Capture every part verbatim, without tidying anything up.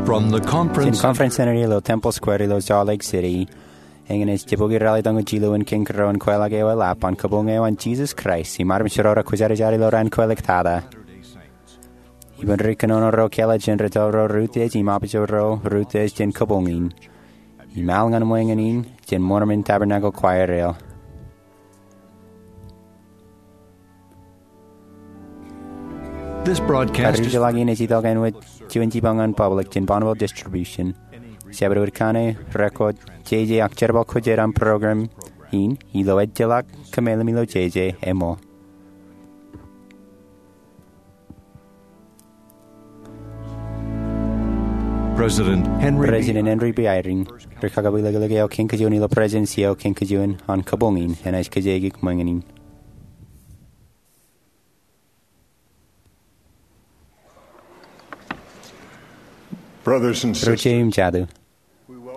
From the conference Jān conference center ilo Temple Square ilo Salt Lake City, eñin ej jibukwi ralitōñoul jilu in kōn kōrā in kweilọk eo eḷap an kabuñ eo an Jisōs Kraist im armej ro rekwōjarjar ilo raan kweiliktata. Ippān ri kōnono ro kōḷḷā jān ri tōl ro ri utiej im apijab ro ri utiej jān kabuñ in im al ñan ṃweñin in jān Mormon Tabernacle Choir eo. This broadcast is Karijeḷā in ej itok āinwōt juon jipañ ñan public jān Bonneville Distribution. Jabdewōt kaṇe, record, jeje ak jerbal ko jet aṃ program in ilo ejjeḷọk kōmeḷeḷe im ilo jeje ṃōk. President Henry B. President Henry B. Eyring, ri kakabwilōklōk eo kōn kajjien ilo Presidentsi eo kōn kajjien an kabuñ in enaaj kōjeañ ṃweñin in. Brothers and sisters, Ri-jeje im jatū,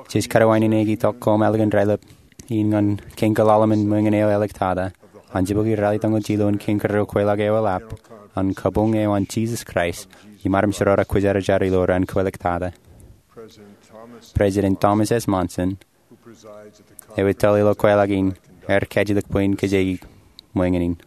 jej kōdewōj in itok koṃ ālikin raelep in ñan kōn kōḷḷalem in ṃweñin eo āliktata an jibukwi ralitōñoul jilu in kōn kōrā in kweilọk eo eḷap an kabuñ eo an Jisōs Kraist im armej ro rekwōjarjar ilo raan kweiliktata. President Thomas S. Monson, eo ettoḷ ilo kweilọk in, ear kajjitōk bwe in kōjeañ ṃweñin in.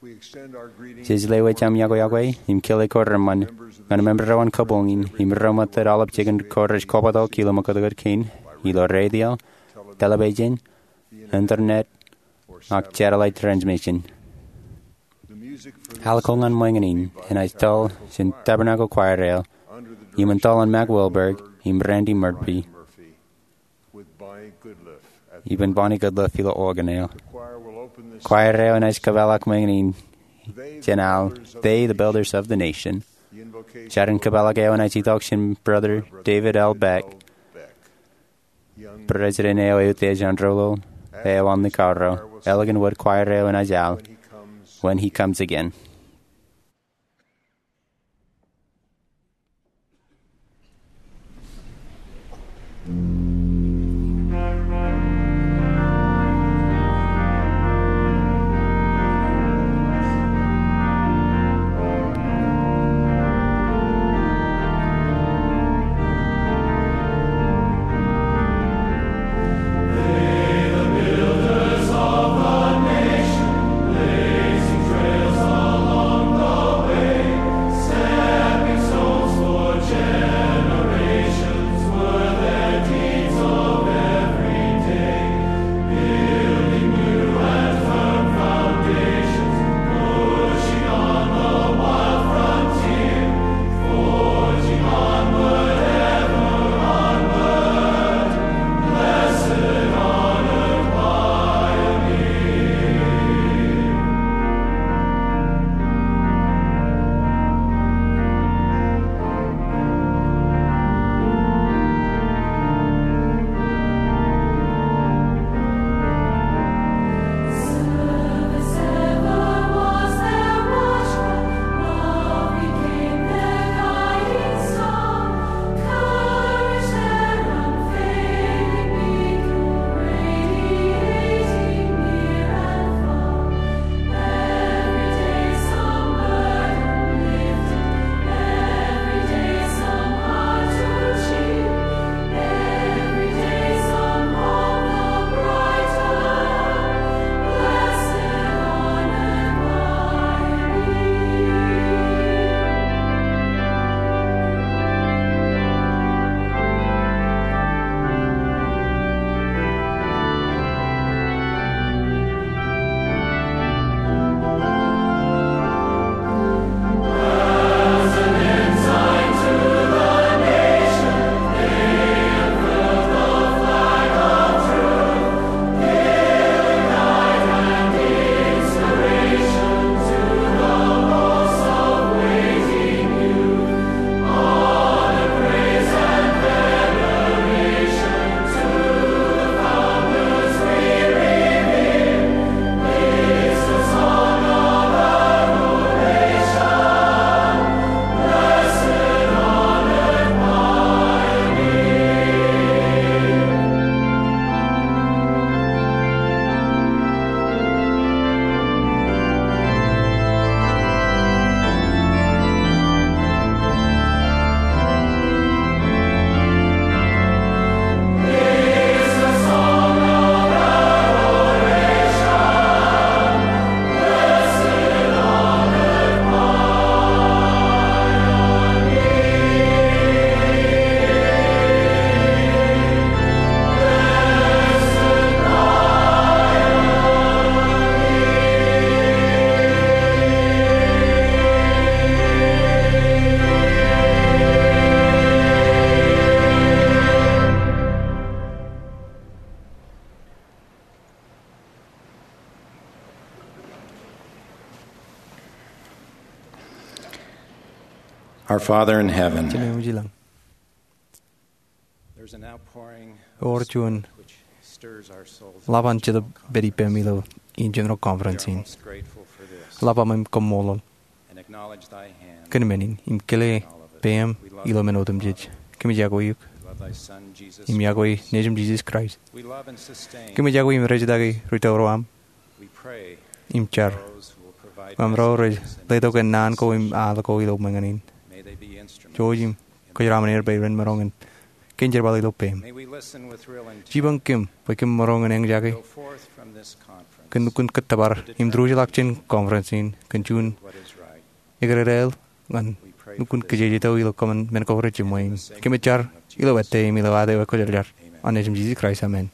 Jej lewōj aṃ iọkwe iọkwe im kile ko reṃṃan ñan member ro an kabuñ in im ro ṃōttad aolep jikin ko rej kobatok ilo ṃōkōtōkōt kein ilo radio, television, internet, ak satellite transmission. Al ko ñan ṃweñin in enaaj toḷ jān Tabernacle Choir eo im ej toḷ an Mac Wilberg im Randy Murphy. Ippān Bonnie Goodliff ilo organ eo. Choir eo enaaj kōpeḷḷọk ṃweñin in jān al They, the Builders of the Nation. Jar in kōpeḷḷọk eo enaaj itok jān Brother David L. Beck, President eo eutiej an Doulul eo an Likao. Ālikin wōt choir eo enaaj al When He Comes Again. Our Father in heaven, Jemem eo ej ilañ, there's an outpouring of ewōr juon which stirs our souls. Ḷap an Jetōb pād ippām ilo in general conference in. Most grateful for this. Ḷap aṃ im kaṃṃoolol. And acknowledge thy hand. Kōn men in im kile peiṃ ilo men otemjej. Kōmij iọkwe eok. Love thy Son, Jesus, im iọkwe Nejūṃ Jisōs Kraist. We love and sustain. Kōmij iọkwe im rejtake ri-tōro aṃ. We pray im jar. Those who will provide messages and rej letok kōn naan ko im al ko ilo ṃōñā in. May they be instruments. Jouj im kōjeraṃṃan er bwe ren maroñ in kōn jerbal ilo peiṃ. May we listen with real intent. Jipañ kōm bwe kōm maroñ in eñjake. Go forth from this conference. Kōn lukkuun kōttōpar im diwōjḷọk jān conference in kōn juon what is right. Ekdedāāl ñan lukkuun kōjejjet eo ilo kōṃṃan men ko rej jiṃwe in. Kōmij jar ilo ettā im ilo ad eo ekwōjarjar. Amen. Āinwōt Nejūṃ Jisōs Kraist, amen.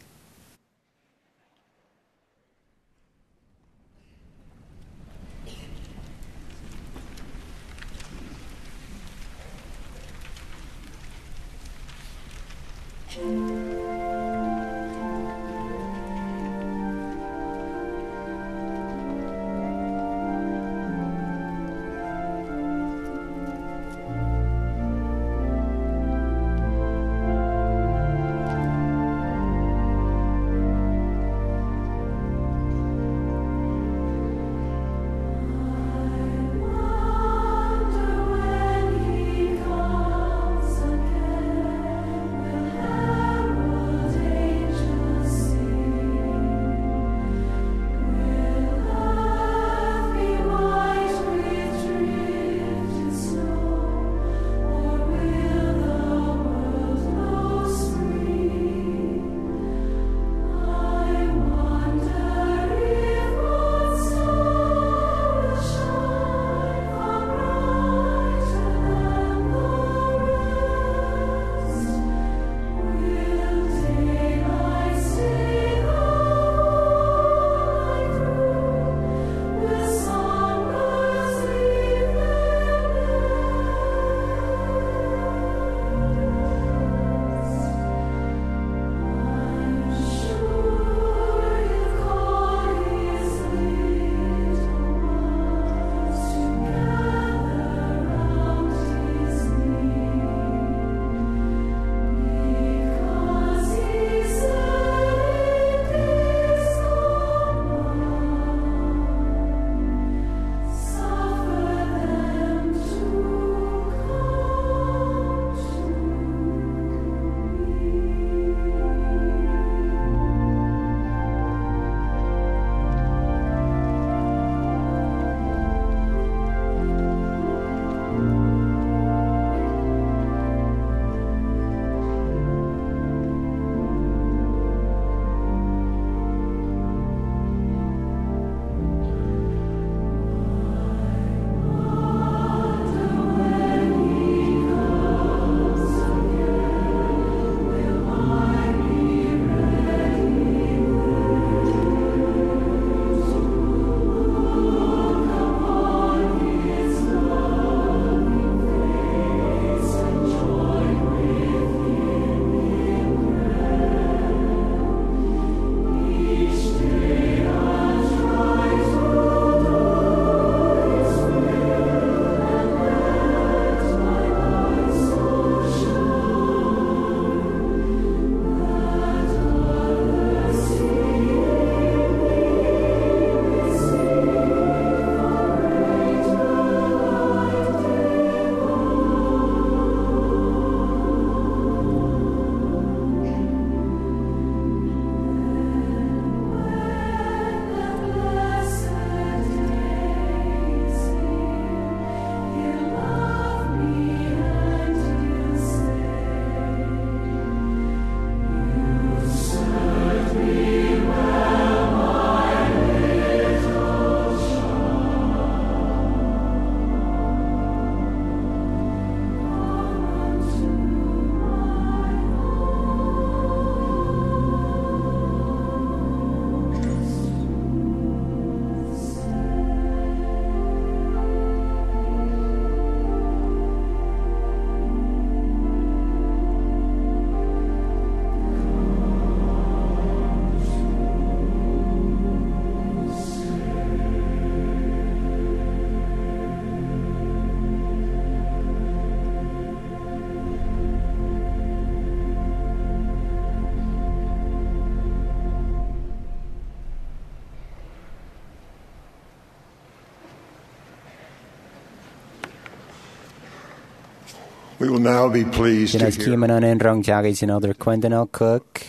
We will now be pleased to Jenaaj hear kiiō ṃōṇōṇō in roñjake jān Elder Quentin L. Cook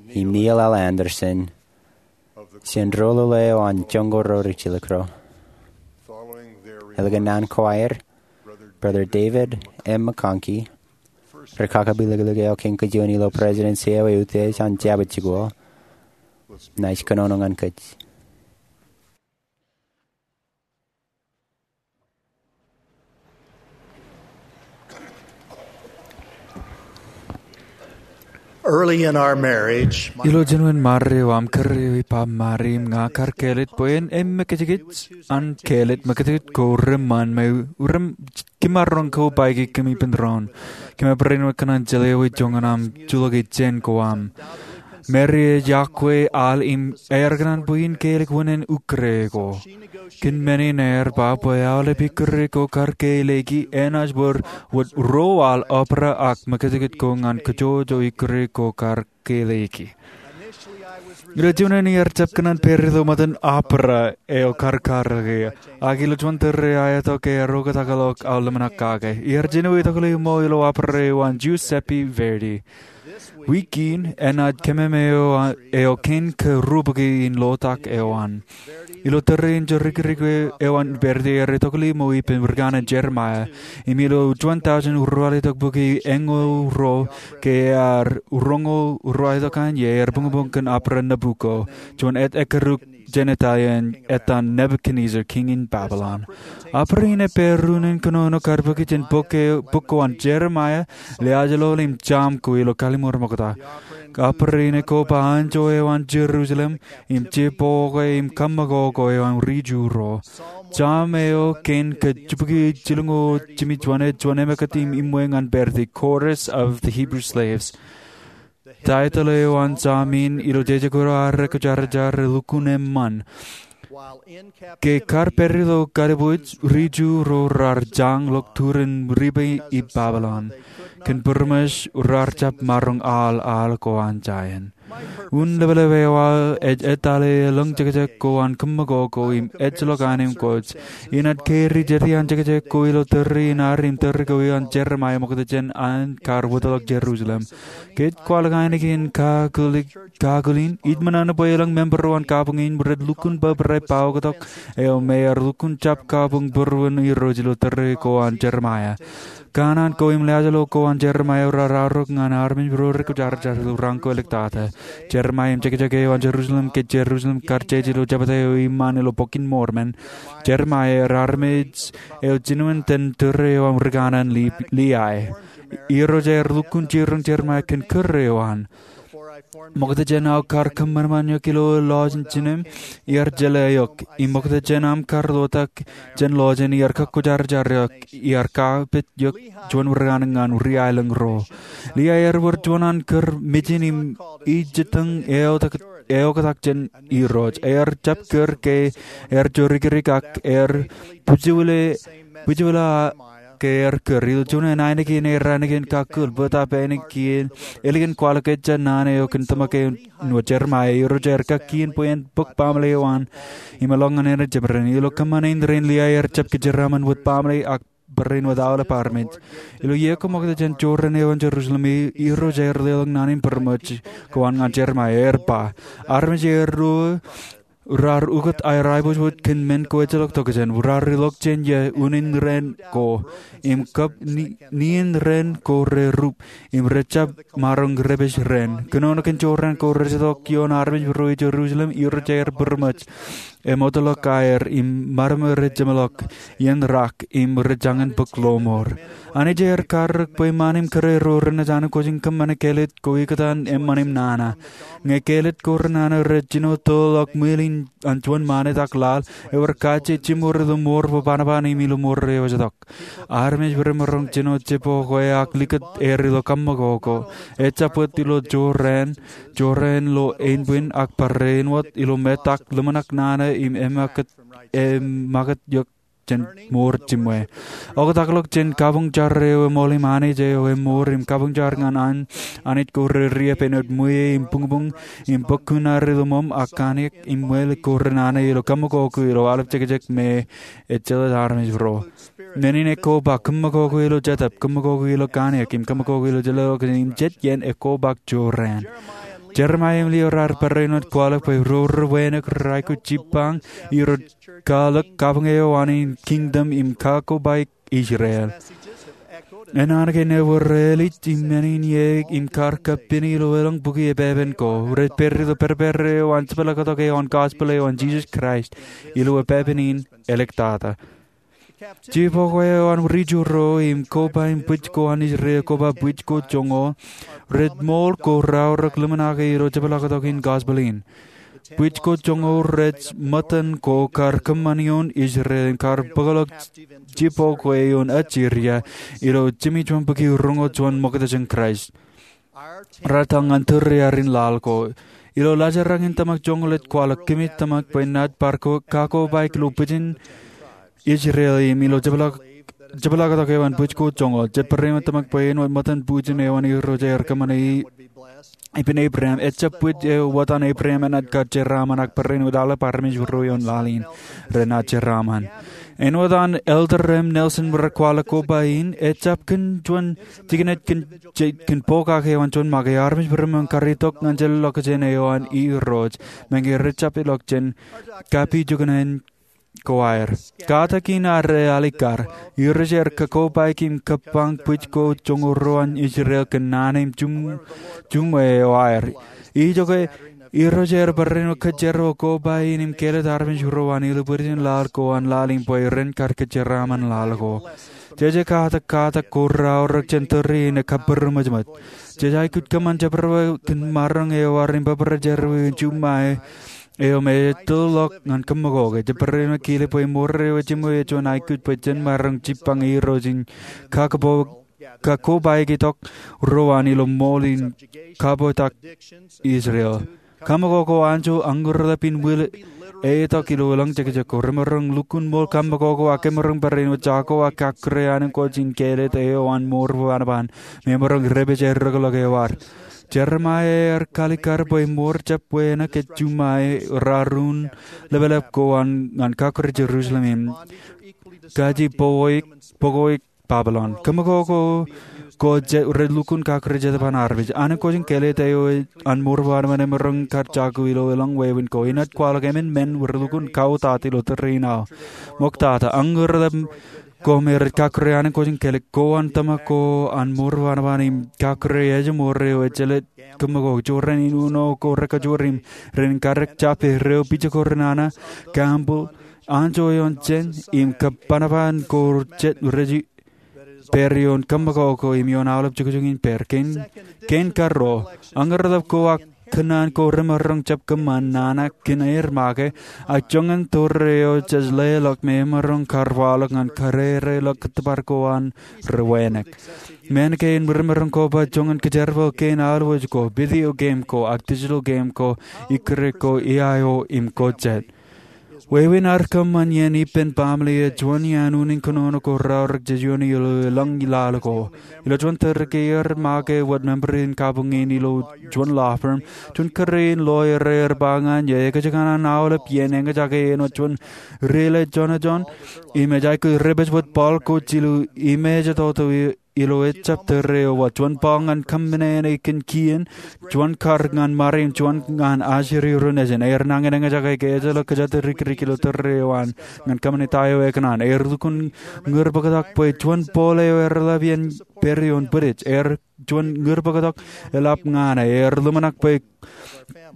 im Neil L. Andersen, jān ro lale eo an Joñkoul ro ri jilkinro. Following their Ālikin naan ko aer, Brother David M. McConkie, ri kakapeḷḷọk eo kein kajjien ilo Presidency eo eutiej an Jabōt Jikuuḷ, naaj kōnono ñan kōj. Early in our marriage, my Ilo jinoin marriage eo aṃ kōrā eo, Bob Marley im ña kar kāālōt bwe en emmekjekej an kāālōt mekjekej ko reṃṃan me rem kimaroñ ko baiki kōm ippān doon. Kōm barāinwōt kōṇaan jeḷā ewi joñan aṃ juḷọk jān ko aṃ. Marley ej yokwe al im ear kōṇaan bwe in kāālōt wūnin ikkure ko. Kōn men in ear ba bwe aolep ikkure ko kar kāālōki enaaj wōr wōt ro al opera ak mekjekej ko ñan kajjojo ikkure ko kar kāālōki. Ilo juon in iar jab kōṇaan pād ilo ṃōttan opera eo kar karōke, ak ilo juon tōre aetok ear oktakḷọk aō ḷōmṇak kake. Iar jino itokḷe ṃool ilo opera eo an Giuseppe Verdi. Wiik in enaaj kememeo eo kein ke ruo bukwi in lotak eo an. Ilo tōre in jorikirik eo an Verdi ear itokḷe ṃool ippān ri kanaan Jeremiah. Im ilo juon tọujin ruo aolep itok bukwi eñoul ruo ke ear roñoul ruo aolep itok an ie ear buñbuñ kōn opera Nabucco, juon ej ekkeruk jān Italian etan Nebuchadnezzar, kiiñ in Babylon. Opera in ej pād unin kōnono kar bōki jān bok ko an Jeremiah, Liaajlol im Sam ko ilo Kallim̧ur Mokta. Opera in ej koba anjọ eo an Jerusalem, im jibboñō im kaṃṃoolol ko eo an ri Ju ro. Sam eo kein ke jibukwi jilñoul jimjuon ej juon emōkūt im iṃwe ñan Verdi, Chorus of the Hebrew Slaves. Taitōḷ eo an Sam in ilo jeje ko ad rekwōjarjar ej Lukkuun Eṃṃan. Ke kar pād ilo kalbuuj, ri Ju ro raar jañḷọk turin riba i Babylon. Kōn būrmōs raar jab maroñ al al ko an Zion. Unin ḷapḷap eo aō ej etale elōñ jekjek ko an kaṃṃoolol ko im ejjeḷọk anemkwōj. Inaaj keri jete an jekjek ko ilo tōre in ad im tōre ko eo an Jeremiah ṃokta jān an kar wōtlọk Jerusalem. Ke ej kwaḷọk ainikien kakūl in, ij ṃōṇōṇō bwe elōñ member eo an kabuñ in rej lukkuun bōbrae bōktok eo me ear lukkuun jab kabuñ būruon Irooj ilo tōre ko an Jeremiah. Kanaan ko im liaajlol ko an Jeremiah raar arok ñan armej ro rekwōjarjar ilo raan ko āliktata. Jeremiah im jekjek eo an Jerusalem ke Jerusalem kar jeje ilo jebta eo iṃaan ilo Bok in Mormon. Jeremiah ear armej eo jinoin tōre eo an ri kanaan Li-, Lehi. Irooj ear lukkuun jiroñ Jeremiah kōn kūr eo an. Ṃokta jān aō kar kōṃanṃan eok ilo lọjin jinem, iar jeḷā eok. Im ṃokta jān aṃ kar lotak jān lọjin, iar kakwōjarjar eok, iar kapit eok juon ri kanaan ñan ri aelōñ ro. Lehi ear wōr juon an kūr mejān im ijjitōñ eoktak jān Irooj. Ear jab kūr ke ear jorikirik ak ear bwijbwila, bwijbwila ke ear kūr. Ilo juon ainikien, ear ainikien kakūl, bōtab ainikien, ālikin kwaḷọk ejja naan eo kōn tōmak eo an Jeremiah. Irooj ear kakkien bwe en bōk baaṃle eo an im eḷọk ñan āinwōt jemād rein. Ilo kōṃṃan in raṇ, Lehi ear jab kōjeraaṃṃan wōt baaṃle ak barāinwōt aolep armej. Ilo iiō ko ṃokta jān jorrāān eo an Jerusalem, Irooj ear leḷọk naan in būrmōj ko an ñan Jeremiah, ear ba, armej eo ruo raar ukōt aer aiboojoj kōn men ko ejjeḷọk tokjān. Raar ilọk jān ie unin raan ko im kab ni-, nien raan ko rerup im rejjab maroñ repād raan. Kōnono kōn jorrāān ko rejjeḷọk ioon armej ro Jerusalem, Irooj ear būrmōj. Eṃootḷọk aer im ṃadṃōd rej jeṃḷọk iien rak im rej jañin bōk lọmọọr. Anij ear karōk bwe iṃaan im kōrā ro renaaj anemkwōj in kōṃṃane kāālōt ko ikōtaan eṃṃan im nana. Ñe kāālōt ko renana rej jino toḷọk ṃwiin an juon ṃanit ak laḷ, ewōr kajjitōk jiṃor ilo mour bōbanaban im ilo mour eo ejjeḷọk. Armej remaroñ jino jibboñō ak likūt er ilo kaṃṃoolol ko. Ejjab wōt ilo jorrāān, jorrāān lo ānbwin ak barāinwōt ilo metak ḷōmṇak nana im eṃṃakūt, eṃṃakūt eok jān mour jiṃwe. Oktak ḷọk jān kabuñ jar eo eṃool im Anij eo eṃool im kabuñ jar ñan an Anij ko rej riab āinwōt ṃweiie im buñbuñ im bōk kuṇaer ilo ṃōṃ ak kaniōk im ṃweilik ko renana ilo kaṃakoko ilo aolep jekjek me ejjeḷọk armej ro. Men in ekkoba kaṃakoko ilo jetōb, kaṃakoko ilo kaniōk im kaṃakoko ilo jelōḷọkjeṇ im jet iien ekkoba jorrāān. Jeremaia im Lio raar barāinwōt kwaḷọk bwe ro rej wānōk rej aikuj jibbañ irooj kwaḷọk kabuñ eo an in kingdom im kakobaik Israel. Enana ke ewōr ālij im men in ie im kar kappini ilo elōñ bukwi epepen ko. Rej pād ilo pād eo an jepḷaaktok eo an gospel eo an Jisōs Kraist ilo epepen in āliktata. Jibokwe eo an ri Ju ro im koba im bwij ko an Israel koba bwij ko joñoul rej ṃool ko raorōk ḷōmṇake ilo jepḷaaktok in gospel in. Bwij ko joñoul rej ṃōttan ko kar kōṃṃan ioon Israel im kar bōkḷọk jibokwe ioon Asiria ilo jimjuon bukwi roñoul juon ṃokta jān Kraist. Raar etal ñan tōre aer in laḷ ko. Ilo laajrak in tōmak joñoul ej kwaḷọk kōmij tōmak bwe naaj bar kakobaik ilo bwijin Israel im ilo jepḷaaktok eo an bwij ko joñoul. Jet barāinwōt tōmak bwe āinwōt ṃōttan bwijin eo an Irooj ear kōṃṃane ippān Ebream, ejjab bwij eo wōt an Ebream enaaj kar jeraaṃṃan ak barāinwōt aolep armej ro ioon laḷ in renaaj jeraaṃṃan. Āinwōt an Elder M. Nelson rej kwaḷọk koba in, ejjab kōn juon jikin ej kōn pokake eo an juon make. Armej ro rej kar itok ñan jelōḷọkjeṇ eo an Irooj, meñe rejjab ilọk jān kapijuknen ko aer. Katak in ad alikkar, Irooj ear kakobaik im kōbbañ bwij ko joñoul ruo an Israel kōn naan im juṃwe eo aer. Ijoke, Irooj ear barāinwōt kōjeraṃṃan koba in im kāālōt armej ro an ilo bwijin laḷ ko an laḷ in bwe ren kar kōjeraaṃṃan laḷ ko. Jeje katak katak ko raorōk jān tōre in ej kabūroṃōjṃōj. Jej aikuj kōṃṃan jebwebwe kōn maroñ eo ad im bōbrae jerọwiwi in juṃae eo me ej tōl ḷọk ñan kaṃakoko. Jen barāinwōt kile bwe mour eo ejiṃwe ej juon aikuj bwe jen maroñ jibbañ Irooj im kakobaik itok ro an ilo ṃool in kapotak Israel. Kaṃakoko anjọ añūrḷap in ṃwilaḷ etok ilo elōñ jekjek ko. Remaroñ lukkuun ṃool kaṃakoko ak emaroñ barāinwōt jako ak kakkure ankooj in kāālōt eo an mour bōbōnbōn me emaroñ rej pād errọọlḷọk eo ad. Jeremaia ear kalikkar bwe mour jab wānōk ej juṃae raar un lepḷap ko an ñan kakkure Jerusalem im kaji bōkoik Babilon. Kaṃakoko ko rej lukkuun kakkure Jetōb an armej. Ankooj in kāālōt eo an mour bōbōnbōn emaroñ kar jako ilo elōñ wāween ko. Inaaj kwaḷọk emān men rej lukkuun kautiej ilo tōre in aō. Ṃoktata, añūrḷap ko me rej kakkure ankooj in kāālōt ko an tōmak ko an mour bōbōnbōn im kakkure ejmour eo ejjeḷọk kaṃakoko. Jorrāān in uno ko rekajoor im ren kadik jab eo pija ko renana, gambling, anjọ ioon jān im kōbbanban ko jet rej pād ioon kaṃakoko im ioon aolep jukjuk in pād. Kein, kein karuo, añūrḷap ko ak kōnnaan ko remaroñ jab kōṃṃan nana kōn aer make, ak joñan tōre eo jej leḷọk me emaroñ kar waḷọk ñan kadedeḷọk kōttōpar ko an rej wānōk. Men kein remaroñ koba joñan kōjerbal kein aolep ko, video game ko, ak digital game ko, ikkure ko, iaio im ko jet. Wāween ad kōṃṃan iien ippān baaṃle ej juon iaan unin kōnono ko raorōk jej iioon ilo elōñ laḷ ko. Ilo juon tōre ke iar make wōt member in kabuñ in ilo juon law firm, juon kōrā in lawyer ear ba ñan eō, ekōjkan an aolep iien eñjake āinwōt juon rilejonejon im ej aikuj rej pād wōt baḷ ko jilu im ej toto ilo ejjab tōre eo wōt, juon baḷ ñan kōmmeneene kōn kien, juon kar ñan ṃare im juon ñan ajri ro nejin. Ear nañin eñjake ke ejjeḷọk kōjatdikdik ilo tōre eo an ñan kōṃṃane ta eo ekōṇaan. Ear lukkuun ñūrbōktok bwe juon pole eo ear ḷap iien pād ioon bwidej. Ear juon ñūrbōktok eḷap ñan e. Ear ḷōmṇak bwe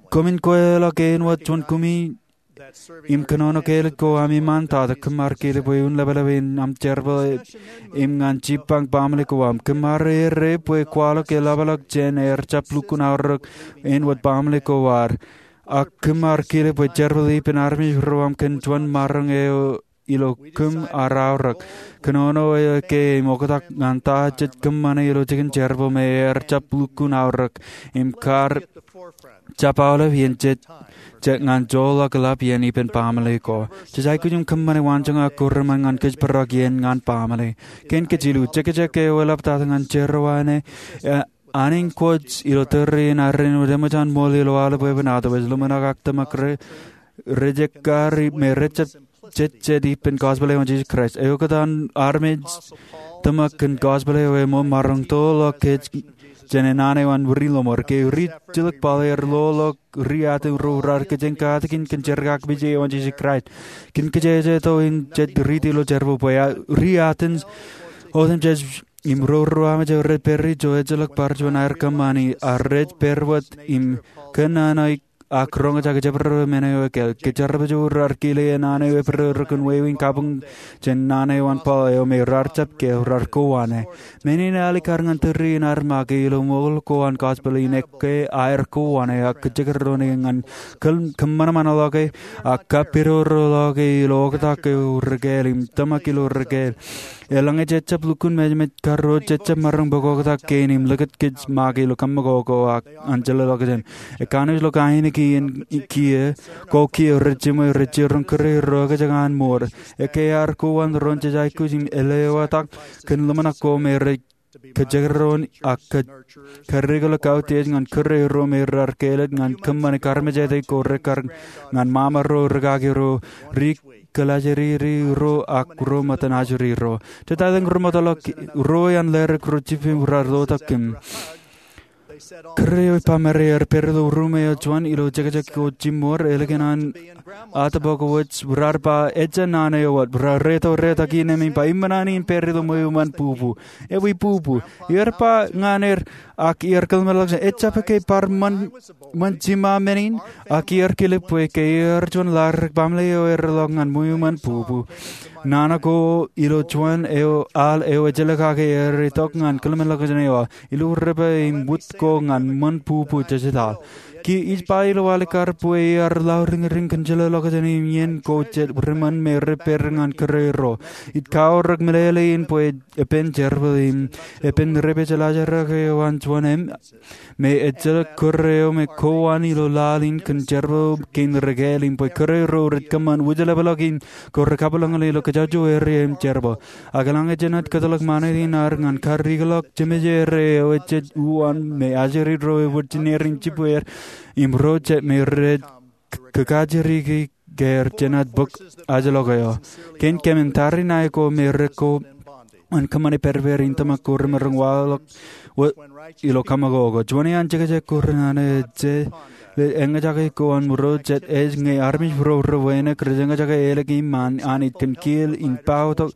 koṃwin kweilọk āinwōt juon kumi im kōnono kāālōt ko ami ṃaantata. Kōm ar kile bwe un lepḷap in aṃ jerbal im ñan jibbañ baaṃle ko aṃ. Kōm ar errā bwe kwaḷọk eḷapḷọk jān ear jab lukkuun aorōk āinwōt baaṃle ko ad. Ak kōm ar kile bwe jerbal ippān armej ro aṃ kōn juon maroñ eo ilo kōm ar aorōk. Kōnono eo ekkā im oktak ñan ta jej kōṃṃane ilo jikin jerbal me ear jab lukkuun aorōk im kar jab aolep iien jej, jej ñan joḷọk eḷap iien ippān baaṃle ko. Jej aikuj im kōṃṃane waanjoñak ko reṃṃan ñan kōjparok iien ñan baaṃle. Kein kōj jilu, jekjek eo eḷaptata ñan jerọwiwi ṇe, e, Anij kwōj ilo tōre in arrin wōt eṃōj an ṃool ilo aolep weeppān, otherwise ḷōmṇak ak tōmak rej, rej ekkar me rej jab jejjet ippān gospel eo an Jisōs Kraist. Eoktak an armej tōmak kōn gospel eo eṃṃan maroñ toḷọk kōj jān naan eo an wūri ḷōṃor. Ke ri jilkinḷọk Paul ear loḷọk ri Atens ro raar kōjeañ katakin kōn jerkakpeje eo an Jisōs Kraist. Kōn kōjejjet eo in jej riiti ilo jerbal bwe ri Atens otemjej im ro ruo emān rej pād ijo ejjeḷọk bar juon aer kōṃṃani, ak rej pād wōt im kōnono ak roñjake jabdewōt men eo ekāāl. Ke jerbal eo raar kile naan eo epidodo kōn wāween kabuñ jān naan eo an Paul eo me raar jab keel, raar kowaan e. Men in ear alikkar ñan tōre in ad make ilo ṃool ko an gospel in ekkā aer kowaan e ak kōjekdọọn e ñan kōm, kōṃanṃanḷọke ak kapidorḷọke ilo oktak eo rekāāl im tōmak ilo rekāāl. Eḷaññe jej jab lukkuun mejeṃej karuo, jej jab maroñ bōk oktak kein im likūt kōj make ilo kaṃṃoolol ko ak an jeḷā ḷọkjeṇ. Ekkā naaj lo ainikien kiiō, ko kiiō rej jiṃwe, rej jiroñ kūrerro ekajjek an mour. Ekkā ear kowaan doon jej aikuj im lewōj tok kōn ḷōmṇak ko me rej kōjekdọọn ak kōj, kōjjikḷọk kautiej ñan kūrerro me raar kāālōt ñan kōṃṃane karmejāde ko rekkar ñan ṃaṃa ro, rikaki ro, ri kōḷajriri ro ak ro ṃōttan ajri ro. Jetateṇ ri ṃōttan ḷọk ro iaan ḷeerōk ro jippaṃ raar lotak kōm. Kūr eo ej ba Mary ear pād ilo ruṃ eo juon ilo jekjek ko jiṃṃoor, ālikin an atbok wōj raar ba, ejja naan eo wōt. Raar reto retak iien im ba, im ṃōṇōṇō in pād ilo ṃweo ṃōn bubu. Ewi bubu? Ear ba ñan er, ak iar kōḷmānḷọkjeṇ, ejjab ke bar ṃōn, ṃōn jiṃa men in? Ak iar kilep bwe ke ear juon ḷadik baaṃle eo ear ḷọk ñan ṃweo ṃōn bubu. Nana ko ilo juon eo al eo ejjeḷọk kake ear itok ñan kōḷmānḷọkjeṇ eo aō, ilo ri ba im wūd ko ñan ṃōn bubu jejetaḷ. Kiiō ij ba ilo alikkar bwe ear lọriñriñ kōn jeḷā ḷọkjeṇ im iien ko jet riṃōn me rej pād ñan kūrerro. Ij kaorōk meḷeḷe in bwe epen jerbal im epen ri ba jeḷā ḷadik eo an juon im me ejjeḷọk kūr eo me kowaan ilo laḷ in kōn jerbal kein rekāāl im bwe kūrerro rej kōṃṃan wūjeḷapḷọk in ko rej kabwilōñlōñ ilo kajjojo area im jerbal. Ak eḷaññe jenaaj kōtḷọk ṃanit in ad ñan karikḷọk jeṃajeer eo ejjab uwaan me ajri ro ewōr jineer in jibwier im ro jet me rej kōkajriki ke er jenaaj bōk ajlọk eo. Kein kōmin tariṇae ko me rej kōṃṃane pād ippād in tōmak ko remaroñ waḷọk ilo kaṃṃoolol ko. Juon iaan jekjek ko renana ej eñjake ko an ro jet ej ñe armej ro ri wānōk rej eñjake ālij im an Anij kōn kiil in paoktak,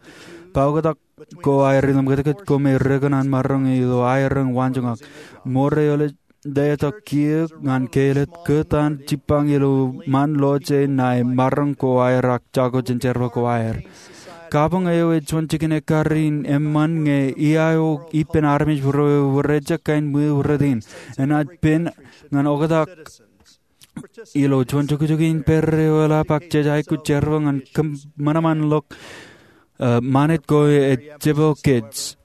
paoktak ko aer ilo ṃakūtkūt ko me rekōṇaan maroñ ilo aer eñ waanjoñak. Mour eo ej letok kiiō ñan kāālōt kōtaan jibbañ ilo ṃaan loje ṇae maroñ ko aer ak jako jān jerbal ko aer. Kabuñ eo ej juon jikin ekkar in eṃṃan ñe ia eo ippān armej ro ewōr ejjab kain ṃweo rot in. Enaaj pen ñan oktak ilo juon jukjuk in pād eo eḷap ak jej aikuj jerbal ñan kōṃanṃanḷọk, e, ṃanit ko ej jepel kōj.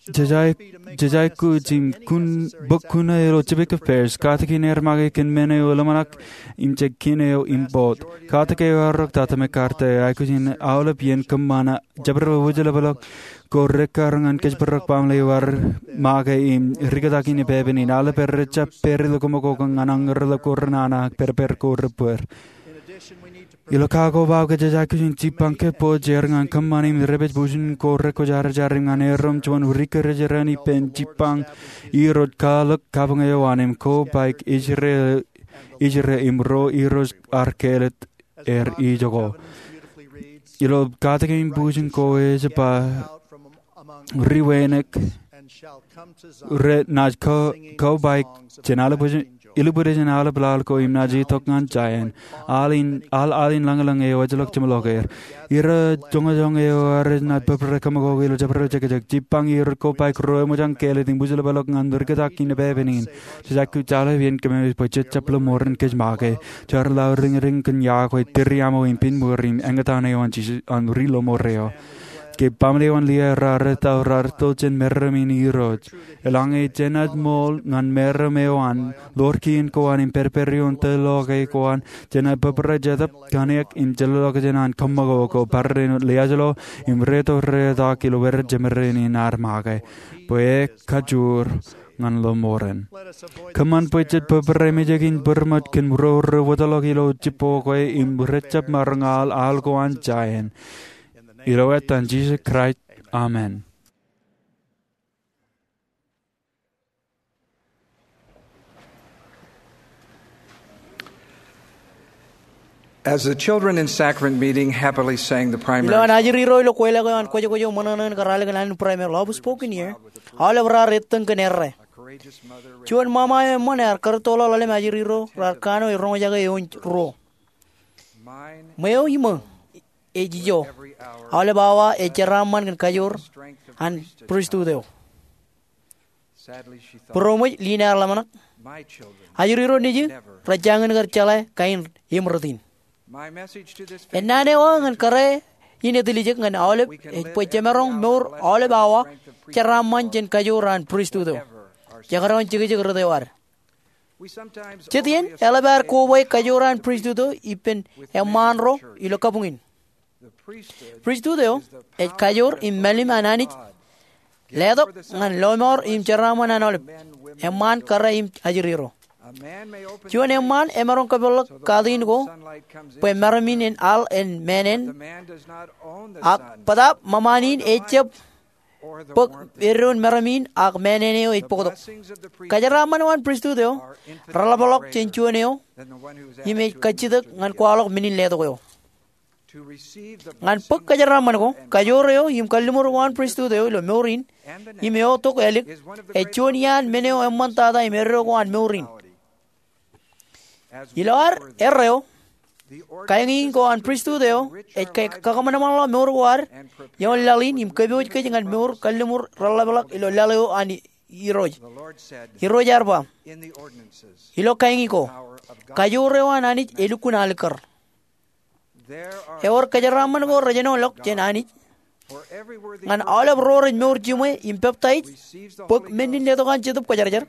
Jej ai-, jej aikuj im kun, bōk kuṇaō ilo Civic Affairs, katakin er make kōn men eo ḷōmṇak im jej kine eo im boot. Katak eo ear rōk tata McCarthy, aikuj in aolep iien kōṃṃane jabdewōt wūjeḷapḷọk ko rekkar ñan kōjparok baaṃle eo ear make im rikōtak in epepen in. Aolep er rejjab pād ilo koṃ ak koṃ ñan añerḷọk ko renana ak pād ippād ko rebbeer. Ilo kakobaok ke jej aikuj in jibbañ kōj bwe jen kōṃṃane im rej pād bujen ko rekwōjarjar im ñan erom juon ri kōjeraṇ ippān jibbañ irooj kwaḷọk kabuñ eo an im kobaik ijre, ijre im ro irooj ar kāālōt er ijoko. Ilo katakin bujen ko ej ba, ri wānōk renaaj ko, kobaik jān aolep bujen ilubwiljin aolep laḷ ko im naaj itok ñan giant. Aḷ in, aḷ, aḷ in lañlōñ eo ejjeḷọk jeṃḷọk er. Irooj joñojoñ eo ear naaj bōbrae kōṃakoko ilo jabdewōt jekjek. Jibbañ irooj kobaik ro eṃōj an kāālōt im wūjlepḷọk ñan rikōtak in epepen in. Jej aikuj aloe iien kōmij bwe jej jab lọmọọren kōj make. Jar lọmọọren kōn iọkwe, tūriaṃo im piñmur im eñtaan eo an Jisōs an ri lọmọọr eo. Ke baaṃle eo an Liai raar etto, raar etto jān meram in irooj. Eḷaññe jenaaj ṃool ñan meram eo an, ḷoor kien ko an im pedped ioon tōl ḷọke ko an, jenaaj bōbrae Jetōb Kōṇiōk in jellọk jān an kōṃakoko, barāinwōt liaajlo im reto retak ilo wōr jeṃrāān in ad make, bwe e kajoor ñan lọmọọren. Kōṃṃan bwe jej bōbrae mejān bōrmōj kōn ro rej wōtḷọk ilo jibboñ kwe im rej jab maroñ aḷ, aḷ ko an giant. Ilo etan Jisōs Kraist, amen. As the children in sacrament meeting happily sang the primary Ilo an ajri ro ilo kweilọk eo an kwōjkwōj eo ṃōṇōṇō in kar alikin an primary, Love Spoken Here, aolep raar ettōñ kōn errā. Juon ṃaṃa eo eṃṃan ear kōrūttoḷọk ḷalem ajri ro raar kanooj roñjake eoon ruo. Ṃweo iṃō, ej ijo. Aolep awa ej jeraaṃṃan kōn kajoor an pristut eo. Būroṃōj, Lina ear ḷōmṇak. Ajri ro nejū rej jañin kar jeḷā kain im rot in. Ennaan eo aō ñan kōrā in etiljek ñan aolep ej bwe jemaroñ mour aolep awa jeraaṃṃan jān kajoor an pristut eo. Jekdọọn jekjek rot eo ad. Jet iien eḷap ad koba kajoor an pristut eo ippān eṃṃaan ro ilo kabuñ in. Pristut eo ej kajoor im mālim an Anij letok ñan lọmọọr im jeraaṃṃan an aolep eṃṃaan, kōrā im ajri ro. Juon eṃṃaan emaroñ kōpeḷḷọk katiin ko bwe meram in en aḷ en māān eṇ, ak bōtaab ṃōṃaan in ejjab bōk eddoin meram in ak māān eṇ eo ej bōktok. Kajeraaṃṃan eo an pristut eo reḷapḷọk jān juon eo im ej kajjitōk ñan kwaḷọk men in letok eo. Ñan bōk kajeraaṃṃan ko, kajoor eo im kalliṃur ko an pristut eo ilo mour in im eotok ālik ej juon iaan men eo eṃṃantata im eddo ko an mour in. Ilo ad erreo, kaeñiiñ ko an pristut eo ej kakaṃanṃanḷọk mour ko ad ioon laḷ in im kōpooj kōj ñan mour kalliṃur reḷapḷọk ilo laḷ eo an Irooj. Irooj ear ba, ilo kaeñiiñ ko, kajoor eo an Anij elukkuun alikkar. Ewōr kajeraaṃṃan ko rejenoḷọk jān Anij ñan aolep ro rej mour jiṃwe im peptaij, bōk men in letok an Jetōb Kwōjarjar,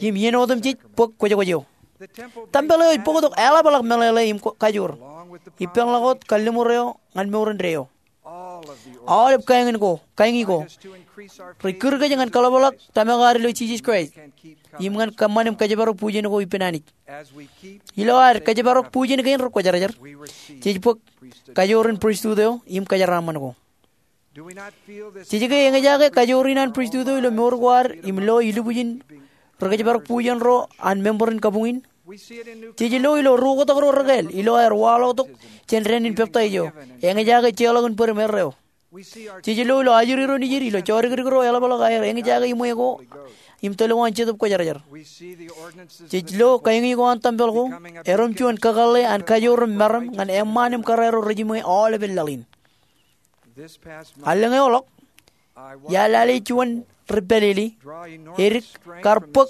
im iien otemjej bōk kwōjkwōj eo. Tempel eo ej bōktok eḷapḷọk meḷeḷe im kajoor, ippānḷọk wōt kalliṃur eo ñan mour indeeo. Aolep kaeñiiñ ko, kaeñiiñ ko rej kūr kōj ñan kaḷapḷọk tōmak ad ilo Jisōs Kraist im ñan kōṃṃan im kōjparok bujen ko ippān Anij. Ilo ad kōjparok bujen kein rekwōjarjar, jej bōk kajoor in pristut eo im kajeraaṃṃan ko. Jej ke eñjake kajoor in an pristut eo ilo mour ko ad im lo ilubwijin rekōjparok bujen ro an member in kabuñ in? Jej lo ilo ri-oktak ro rekāāl ilo aer waḷọktok jān dān in peptaij eo, eñjake jeorḷọk in bōd im erreo. Jej lo ilo ajri ro nejid ilo jodikdik ro eḷapḷọk aer eñjake iṃwe ko im tōl ko an Jetōb Kwōjarjar. Jej lo kaeñiiñ ko an tempel ko erom juon kakōḷḷe an kajoor im meram ñan eṃṃaan im kōrā ro rejiṃwe aolepān laḷ in. Allōñ eoḷọk, iar lale juon ri pālele edik kar bōk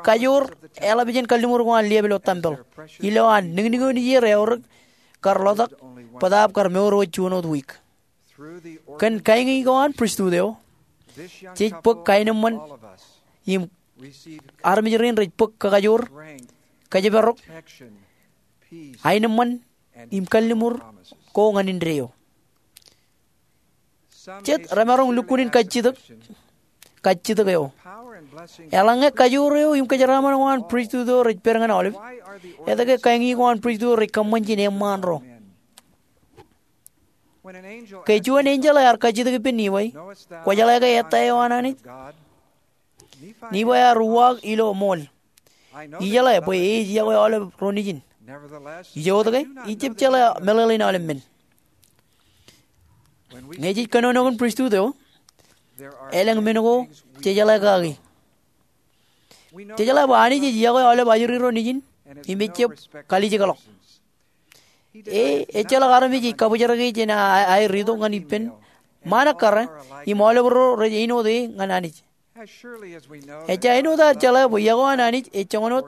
kajoor eḷap jān kalliṃur ko an liep ilo tempel ilo an niñniñ eo nejier eaorōk kar ḷotak bōtaab kar mour wōt juon wōt wiik. Kōn kaeñiiñ ko an pristut eo, jej bōk kaenōṃṃan im armej rein rej bōk kakajoor, kōjparok, aenōṃṃan im kalliṃur ko ñan indeeo. Jet remaroñ lukkuun in kajjitōk, kajjitōk eo. Eḷaññe kajoor eo im kajeraaṃṃan ko an pristut eo rej pād ñan aolep, etke kaeñiiñ ko an pristut eo rej kōṃṃan jān eṃṃaan ro? Ke juon enjeḷ ear kajjitōk ippān Nifai, kwōjeḷā ke ettā eo an Anij? Nifai ear uwaak ilo ṃool, ijeḷā bwe ej yokwe aolep ro nejin. Ijoke, ijjab jeḷā meḷeḷein aolep men. Ñe jej kōnono kōn pristut eo, elōñ men ko jejeḷā kaki. Jejeḷā bwe Anij ej yokwe aolep ajri ro nejin im ejjab kalijekḷọk. E, ejjeḷọk armej ej kabōjrak e jān a, a, aer itok ñan ippān ṃaan ekkar im aolep ro rej āinwōt e ñan Anij. Ejja āinwōt ad jeḷā bwe yokwe an Anij ej joñan wōt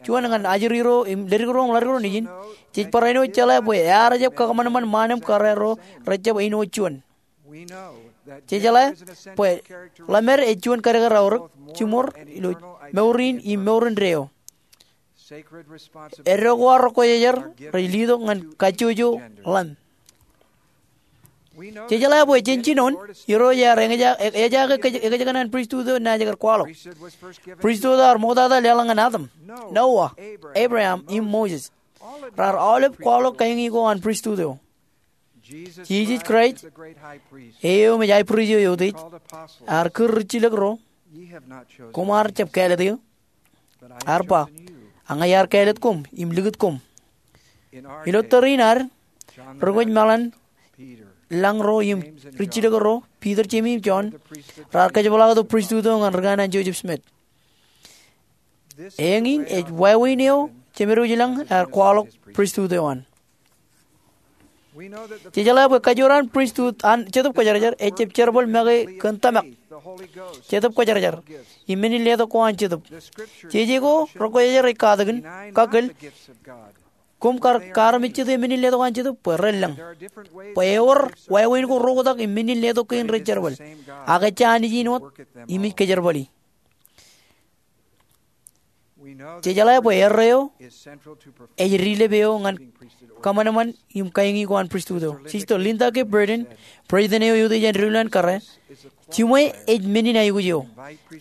juon ñan ajri ro im ledik ro im ḷadik ro nejin, jej barāinwōt jeḷā bwe ear jab kakōṃanṃan ṃaan im kōrā ro rejjab āinwōt juon. Jejeḷā bwe ḷōmād ej juon kadkad aorōk jiṃor ilo mour in im mour indeeo. Eddo ko an Rūkwōjarjar rej letok ñan kajjojo ḷōṃ. Jejeḷā bwe jān jinoin Irooj ear eñjake ekajekōṇaan pristut eo naaj kar kwaḷọk. Pristut eo ear ṃoktata leḷọk ñan Adam, Noah, Abraham im Moses. Raar aolep kwaḷọk kaeñi ko an pristut eo. Jisōs Kraist, e eo im ej high priest eo eutiej, ear kūr rijjilōk ro, koṃar jab kāālōt eō. Ear ba, ña iar kāālōt koṃ im likūt koṃ. Ilo tōre in ad, rūkwōj meḷan lañ ro im rijjilōk ro, Piter, Jemes im Jon, raar kōjepḷaaktok pristut eo ñan rūkanaan Joseph Smith. Eñin ej wāween eo Jemedwōj lañ ear kwaḷọk pristut eo an. Jejeḷā bwe kajoor an pristut an Jetōb Kwōjarjar ejjab jerbal make kōn tōmak, Jetōb Kwōjarjar, im men in letok ko an Jetōb. Jeje ko Rūkwōjarjar ej katakin, kakkōl, koṃ kar, kar armej jete men in letok an Jetōb bwe ren lañ. Bwe ewōr wāween ko ro oktak im men in letok kein rej jerbal. Ak ejja Anij in wōt im ej kōjerbali. Jejeḷā bwe erreo ej dilep eo ñan kōṃanṃan im kaeñi ko an pristut eo. Sister Linda K. Burton, president eo eutiej an diwōjḷọk kōrā, jiṃwe ej men in aikuj eo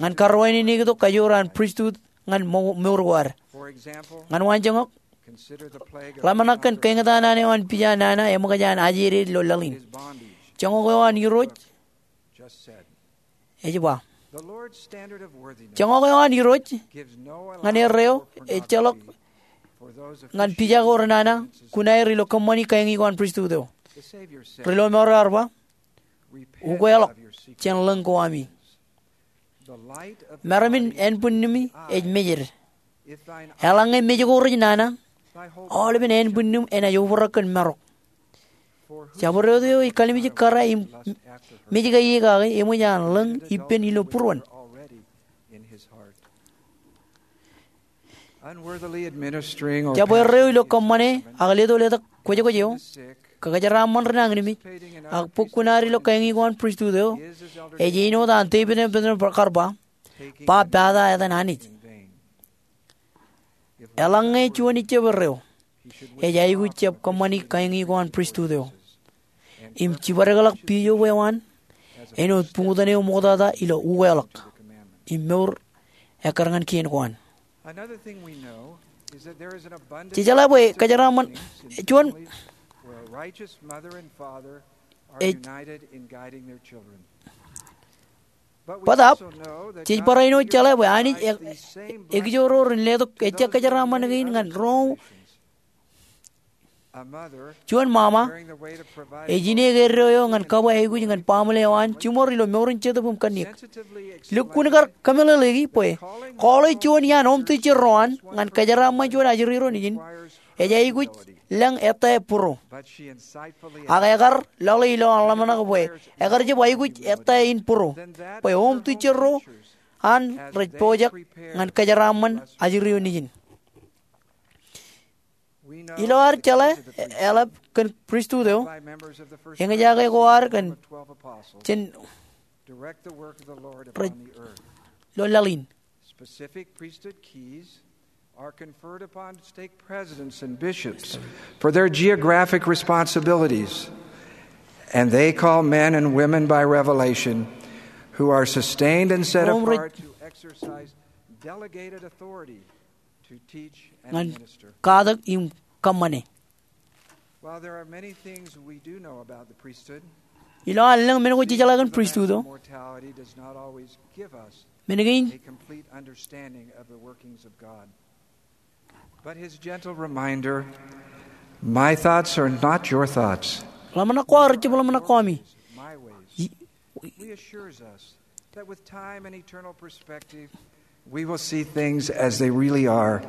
ñan karwaineneiktok kajoor an pristut ñan mo-, mour ko ad. Ñan waanjoñak, ḷōmṇak kōn kaeñtaan eo an pija nana eṃōkaj an ajeded ilo laḷ in. Joñak eo an Irooj ej ba, joñak eo an Irooj ñan erreo ejjeḷọk ñan pija ko renana kuṇaer ilo kōṃṃani kaeñi ko an pristut eo. Ri lọmọọr ear ba, ukweḷọk jān lōñ ko ami. Meram in ānbwinnimi ej mejed. Eḷaññe mej ko rej nana, aolepen ānbwinnim enaaj obrak kōn marok. Jabdewōt eo ej kalimjek kōrā im mej kaiekake eṃōj an lōñ ippān ilo būruon. Jab erreo ilo kōṃṃane ak leto letak kwōjkwōj eo, kōjeraaṃṃan ri nañinmej, ak bōk kuṇaad ilo kaeñi ko an pristut eo, ej āinwōt an David M. Bednar kar ba, ba pata etan Anij. Eḷaññe juon ejjab erreo, ej aikuj jab kōṃṃani kaeñi ko an pristut eo im jibadekḷọk pijo eo an āinwōt buñtōn eo ṃoktata ilo ukweḷọk im mour ekkar ñan kien ko an. Jejeḷā bwe kōjeraaṃṃan juon ej bōtaab, jej barāinwōt jeḷā bwe Anij e-, ekijoor ro ren letok ejja kōjeraaṃṃan kein ñan ro. Juon ṃaṃa ej ineek eddo eo ñan kabwe aikuj ñan baaṃle eo an jiṃor ilo mour in jetōb im kanniōk. Lukkuun kar kōmeḷeḷeiki bwe call eo juon iaan oomtijjerro an ñan kōjeraaṃṃan juon ajri ro nejin ej aikuj lōñ ettā būro. Ak ekar lale ilo an ḷōmṇak bwe ekar jab aikuj ettā in būro bwe oomtijjerro an rej pojak ñan kōjeraaṃṃan ajri eo nejin. Ilo ad jeḷā eḷap kōn pristut eo, eñjake ko ad kōn jān rej lo laḷ in. Specific priesthood keys are conferred upon stake presidents and bishops for their geographic responsibilities, and they call men and women by revelation who are sustained and set apart to exercise delegated authority to teach and minister. Katak im kōṃṃane. While there are many things we do know about the priesthood, ilo an lōñ men ko jejeḷā kōn pristut eo, mortality does not always give us men kein a complete understanding of the workings of God. But his gentle reminder, "My thoughts are not your thoughts." Ḷōmṇak ko aō rej jab ḷōmṇak ko ami. My ways. Reassures us that with time and eternal perspective, We will see things as they really are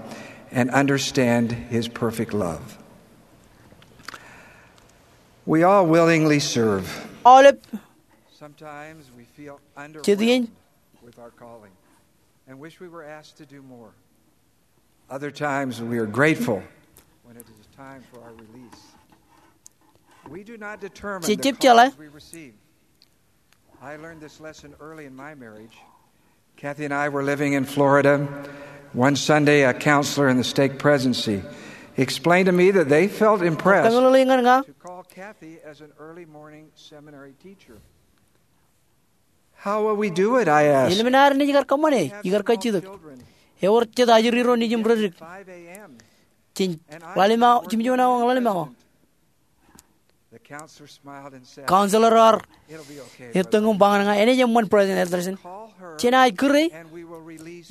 and understand his perfect love. We all willingly serve. Aolep. Sometimes we feel underwhelmed with our calling and wish we were asked to do more. Other times we are grateful when it is time for our release. We do not determine the calls we receive. I learned this lesson early in my marriage. Kathy and I were living in Florida. One Sunday, a counselor in the stake presidency explained to me that they felt impressed to call Kathy as an early morning seminary teacher. How will we do it? I asked. Ilmen ad naaj kar kōṃṃane, ikar kajjitōk? Ewōr jet ajri ro nejiṃ reddik. Jen ḷalem awa, jimjuon awa ñan ḷalem awa. Counselor eo ear ettōñ im ba ñan ña, enaaj eṃṃan, President Elderson. Jenaaj kūr e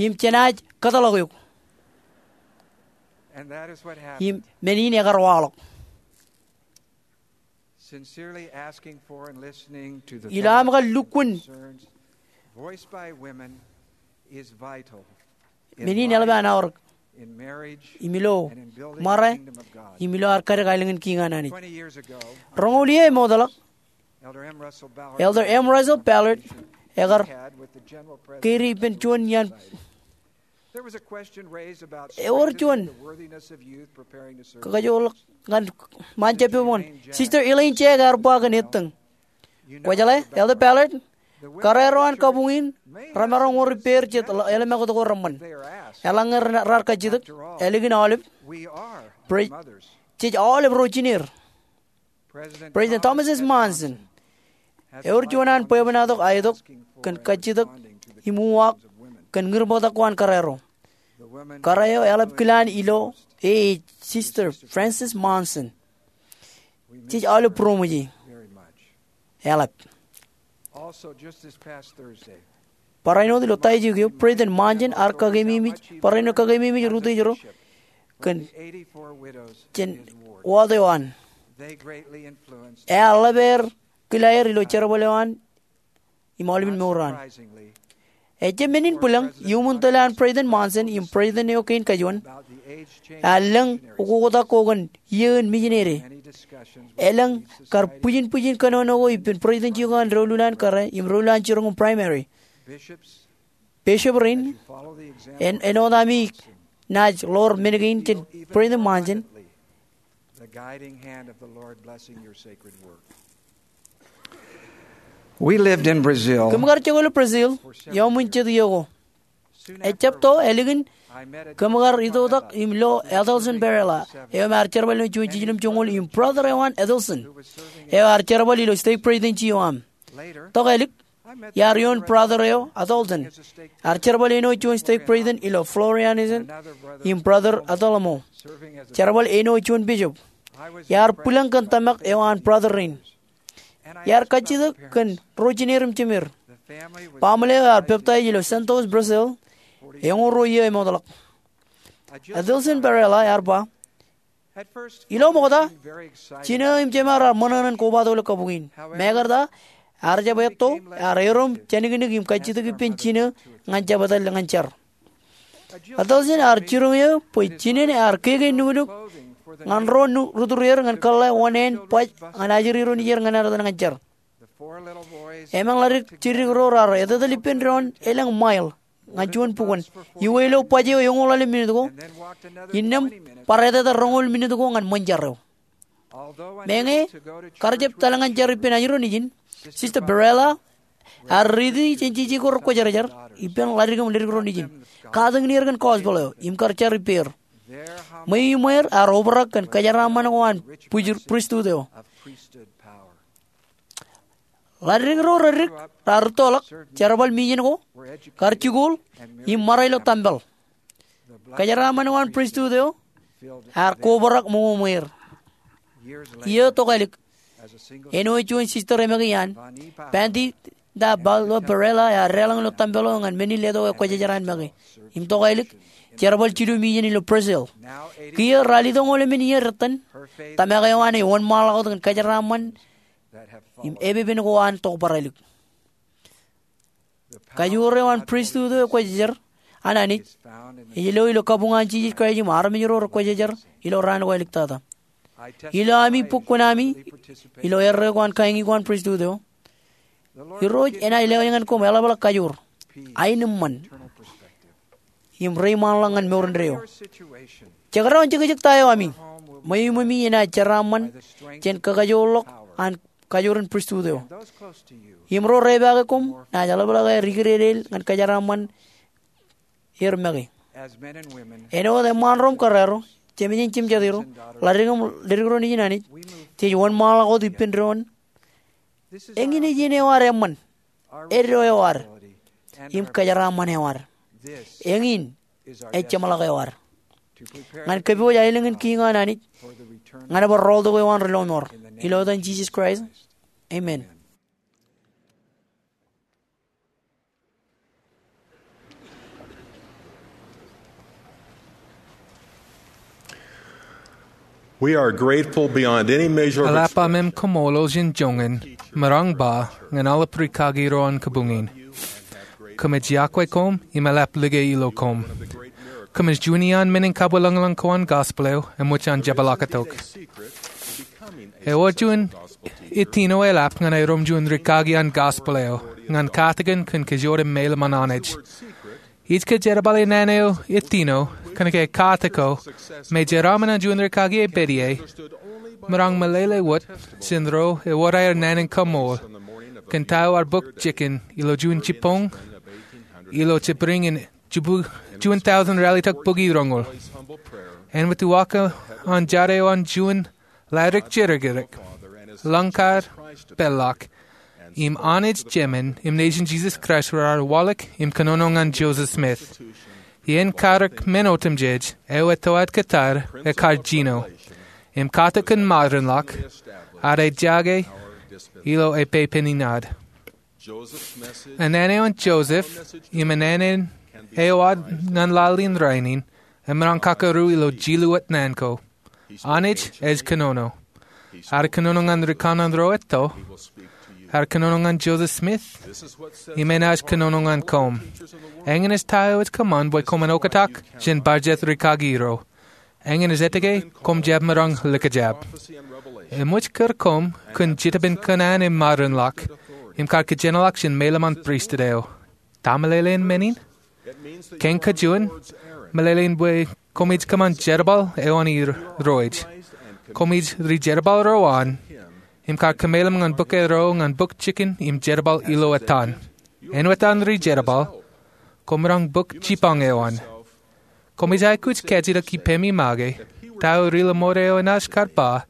im jenaaj kōtḷọk eok. Im men in ekar waḷọk. Ilo aṃ kar lukkuun men in eḷap an aorōk im ilo ṃare im ilo ad kadek aelōñ in kiiñ an Anij. Roñoul iiō emootḷọk, Elder M. Russell Ballard ekar kōrā ippān juon iaan. Ewōr juon kakajoorḷọk ñan ṃaan jab pepe ñan Sister Elaine Jack ear ba kōn ettōñ. Kwōjeḷā, Elder Ballard, karreoer eo an kabuñ in remaroñ wōr ippāer jet ḷō-, ḷōmṇak ko reṃṃan. Eḷaññe raar kajjitōk, ālikin aolep, jej aolep ro jineer. President Thomas S. Monson ewōr juon an bwebwenato aetok kōn kajjitōk im uwaak kōn ñūrbōktak ko an karreoer eo. Karreoer eo eḷap kilaan ilo e, Sister Frances Monson. Jej aolep būroṃōj e. Eḷap. Barāinwōt ilo Taijik eo, President Monson ear kakeememej, barāinwōt kakeememej rūtwōj ro kōn jān wōt eo an. Ear ḷap aer kilaer ilo jerbal eo an im aolepen mour eo an. Ejjab men in bwilōñ, iuṃwin tōl an President Monson im president eo kein kajuon, ear lōñ ukoktak ko kōn iiō in mijinede. Elōñ kar bwijin bwijin kōnono ko ippān president jiok an doulul an kōrā im doulul an jiroñ in primary. Bishop rein, en, āinwōt ami naaj ḷoor men kein jān President Monson, We lived in Brazil. Kōm kar jokwe ilo Brazil ioon jet iiō ko. Ejjab to ālikin kōm kar itoitak im lo Adelson Pereira, eo im ear jerbal ilo juon jiljilimjuonñoul, im brother eo an Adelson, eo ear jerbal ilo stake presidency eo aṃ. Tok ālik, iar ioon brother eo Adelson, ear jerbal āinwōt juon stake president ilo Florianópolis, im brother Adelmo, jerbal āinwōt juon bishop. Iar bwilōñ kōn tōmak eo an brother rein. Iar kajjitōk kōn ro jineer im jemeer. Baaṃle eo ear peptaij ilo Santos, Brazil, eñoul ruo iiō emootḷọk. Adelson Pereira ear ba, ilo ṃokta, jinō im jema raar ṃōṇōṇō in kobatok ilo kabuñ in. Mekarta, ear jab etto, ear erom jānkinnik im kajjitōk ippān jinō ñan jab etal ñan jar. Adelson ear jiroñ eō bwe jinen ear keke nuknuk ñan ro rūturier ñan kōḷḷā oṇāān baj ñan ajri ro nejier ñan ad etal ñan jar. Emān ḷadik jiddik ro raar etetal ippān doon elōñ mile ñan juon bukwōn, iwōj lo baj eo eñoul ḷalem minit ko, innām bar etetal roñoul minit ko ñan ṃōn jar eo. Meñe kar jab etal ñan jar ippān ajri ro nejin, Sister Pereira ear riiti jān jeje ko rekwōjarjar ippān ḷadik im ledik ro nejin, katakin er kōn gospel eo im kar jar ippāer. Ṃweiṃweier ear obrak kōn kōjeraaṃṃan ko an pristut eo. Ḷadik ro reddik raar rūttoḷọk, jerbal mijen ko, kar jikuuḷ, im ṃara ilo tempel. Kōjeraaṃṃan ko an pristut eo ear kobrak ṃweiṃweier. Iiō tok ālik, āinwōt juon sister emake iaan, Bendita Paula Pereira, ear deḷọñ ilo tempel eo ñan men in letok ekwōjarjar an make. Im tok ālik, jerbal jilu mijen ilo Brazil. Kiiō ralitōñoul emān iiō retten, tōmak eo an ej wōnṃaanḷọk wōt kōn kōjeraaṃṃan im epepen ko an tokbarālik. Kajoor eo an pristut eo ekwōjarjar an Anij ej lo ilo kabuñ an Jisōs Kraist im armej ro rekwōjarjar ilo raan ko āliktata. Ilo ami bukkuun ami ilo erreo ko an kaeñi ko an pristut eo, Irooj enaaj lewōj ñan koṃ eḷapḷọk kajoor, aenōṃṃan, im reiṃaanḷọk ñan mour indeeo. Jekdọọn jekjek ta eo ami, ṃweo iṃōmi enaaj jeraaṃṃan jān kakajoorḷọk an kajoor in pristut eo. Im ro repaake koṃ naaj eḷapḷọk aer ikdedeḷ ñan kajeraaṃṃan er make. Āinwōt eṃṃaan ro im kōrā ro, jemān im jemān ro, ḷaddik im ledik ro nejin Anij, jej wōnṃaanḷọk wōt ippān doon. Eñin ej iien eo ad eṃṃan, eddo eo ad, im kajeraaṃṃan eo ad. Eñin ej jeṃḷọk eo ad ñan kōpooj aelōñ in kiiñ an Anij ñan bar rọọltok eo an ri lọmọọr. Ilo etan Jisōs Kraist, amen. We are grateful beyond any measure of Eḷap amem kaṃṃoolol jān joñan, maroñ ba, ñan aolep rikaki ro an kabuñ in. Kōmij iọkwe koṃ im eḷap like ilo koṃ. Kōmij juon iaan men in kabwilōñlōñ ko an gospel eo eṃōj an jepḷaaktok. Ewōr juon ittino eḷap ñan aerōṃ juon rikaki an gospel eo ñan katakin kōn kajjoor im meilōṃ an Anij. Ij kōjerbale naan eo ittino kōnke katak ko me jeraaṃṃan an juon rikaki epād ie, maroñ meḷeḷe wōt jān ro ewōr aer naan in kaṃool kōn ta eo ear bōk jikin ilo juon jibboñ ilo jibboñ in juon taujin ralitōk bōki roñoul. Āinwōt uwaak an jar eo an juon ḷaddik jerkirek, lōñ kar peḷḷọk, im Anij Jemān im Nejin Jisōs Kraist raar waḷọk im kōnono ñan Joseph Smith. Iien karōk men otemjej eo etoaid kōttar ekar jino, im katak kōn modern ḷọk, ad ejake ilo epepen in ad. Naan eo an Joseph im naan eo ad ñan laḷ in rainin emaroñ kakaru ilo jilu wōt naan ko. Anij ej kōnono. Ear kōnono ñan rikanaan ro etto. Ear kōnono ñan Joseph Smith. Im enaaj kōnono ñan koṃ. Eñin ej ta eo ej kōṃṃan bwe koṃwin oktak jān bar jet rikaki ro. Eñin ej etke koṃ jab maroñ likjab. Eṃōj kūr koṃ kōn Jetōb in Kōṇaan im modern ḷọk, im kar kōjenolọk jān meilōṃ an pristut eo. Ta meḷeḷein men in? Kein kajuon, meḷeḷein bwe koṃij kōṃṃan jerbal eo an Irooj. Koṃij rijerbal ro an, im kar kōmeilōṃ ñan bōk ro ñan bōk jikin im jerbal ilo etan. Āinwōt an rijerbal, koṃ maroñ bōk jibboñ eo an. Koṃij aikuj kajjitōk ippemi make, ta eo ri-lọmọọr eo enaaj kar ba,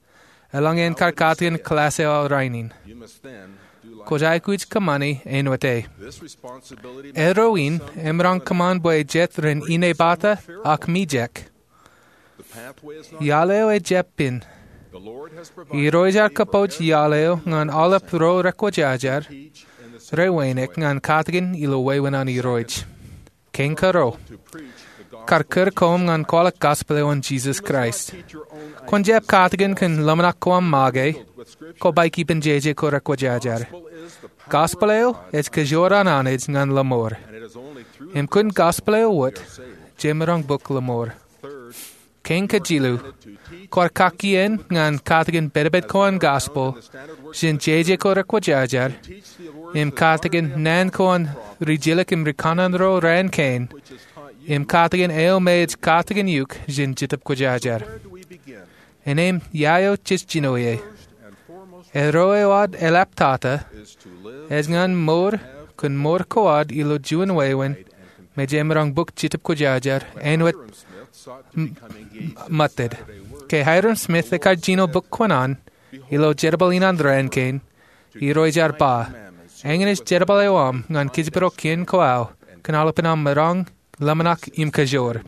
eḷaññe en kar katakin kōḷaas eo aō rainin. Kwōj aikuj kōṃṃani āinwōt e. Erro in emaroñ kōṃṃan bwe jet ren inepata ak mijek. Iaḷ eo ejjab pen. Irooj ear kōpooj iaḷ eo ñan aolep ro rekwōjarjar, rewōjnak ñan katakin ilo wāween an Irooj. Kein karuo. Kar kūr koṃ ñan kwaḷọk gospel eo an Jisōs Kraist. Kwōn jab katakin kōn ḷōmṇak ko aṃ make, kobaik ippān jeje ko rekwōjarjar. Gospel eo ej kajoor an Anij ñan lọmọọr. Im kōn gospel eo wōt, jemaroñ bōk lọmọọr. Kein kajilu, kwaar kakkien ñan katakin pedped ko an gospel jān jeje ko rekwōjarjar, im katakin naan ko an rijilōk im rikanaan ro raan kein, im katakin eo me ej katakin eok jān Jetōb Kwōjarjar. Innām ia eo jej jino ie? Erro eo ad eḷaptata ej ñan mour kōn mour ko ad ilo juon wāween me jemaroñ bōk Jetōb Kwōjarjar āinwōt m-, m-, ṃōttid. Ke Hyrum Smith ekar jino bōk kōṇaan ilo jerbal in an raan kein, Irooj ear ba, eñin ej jerbal eo aṃ ñan kōjparok kien ko aō kōn aolepān aṃ maroñ ḷōmṇak im kajoor.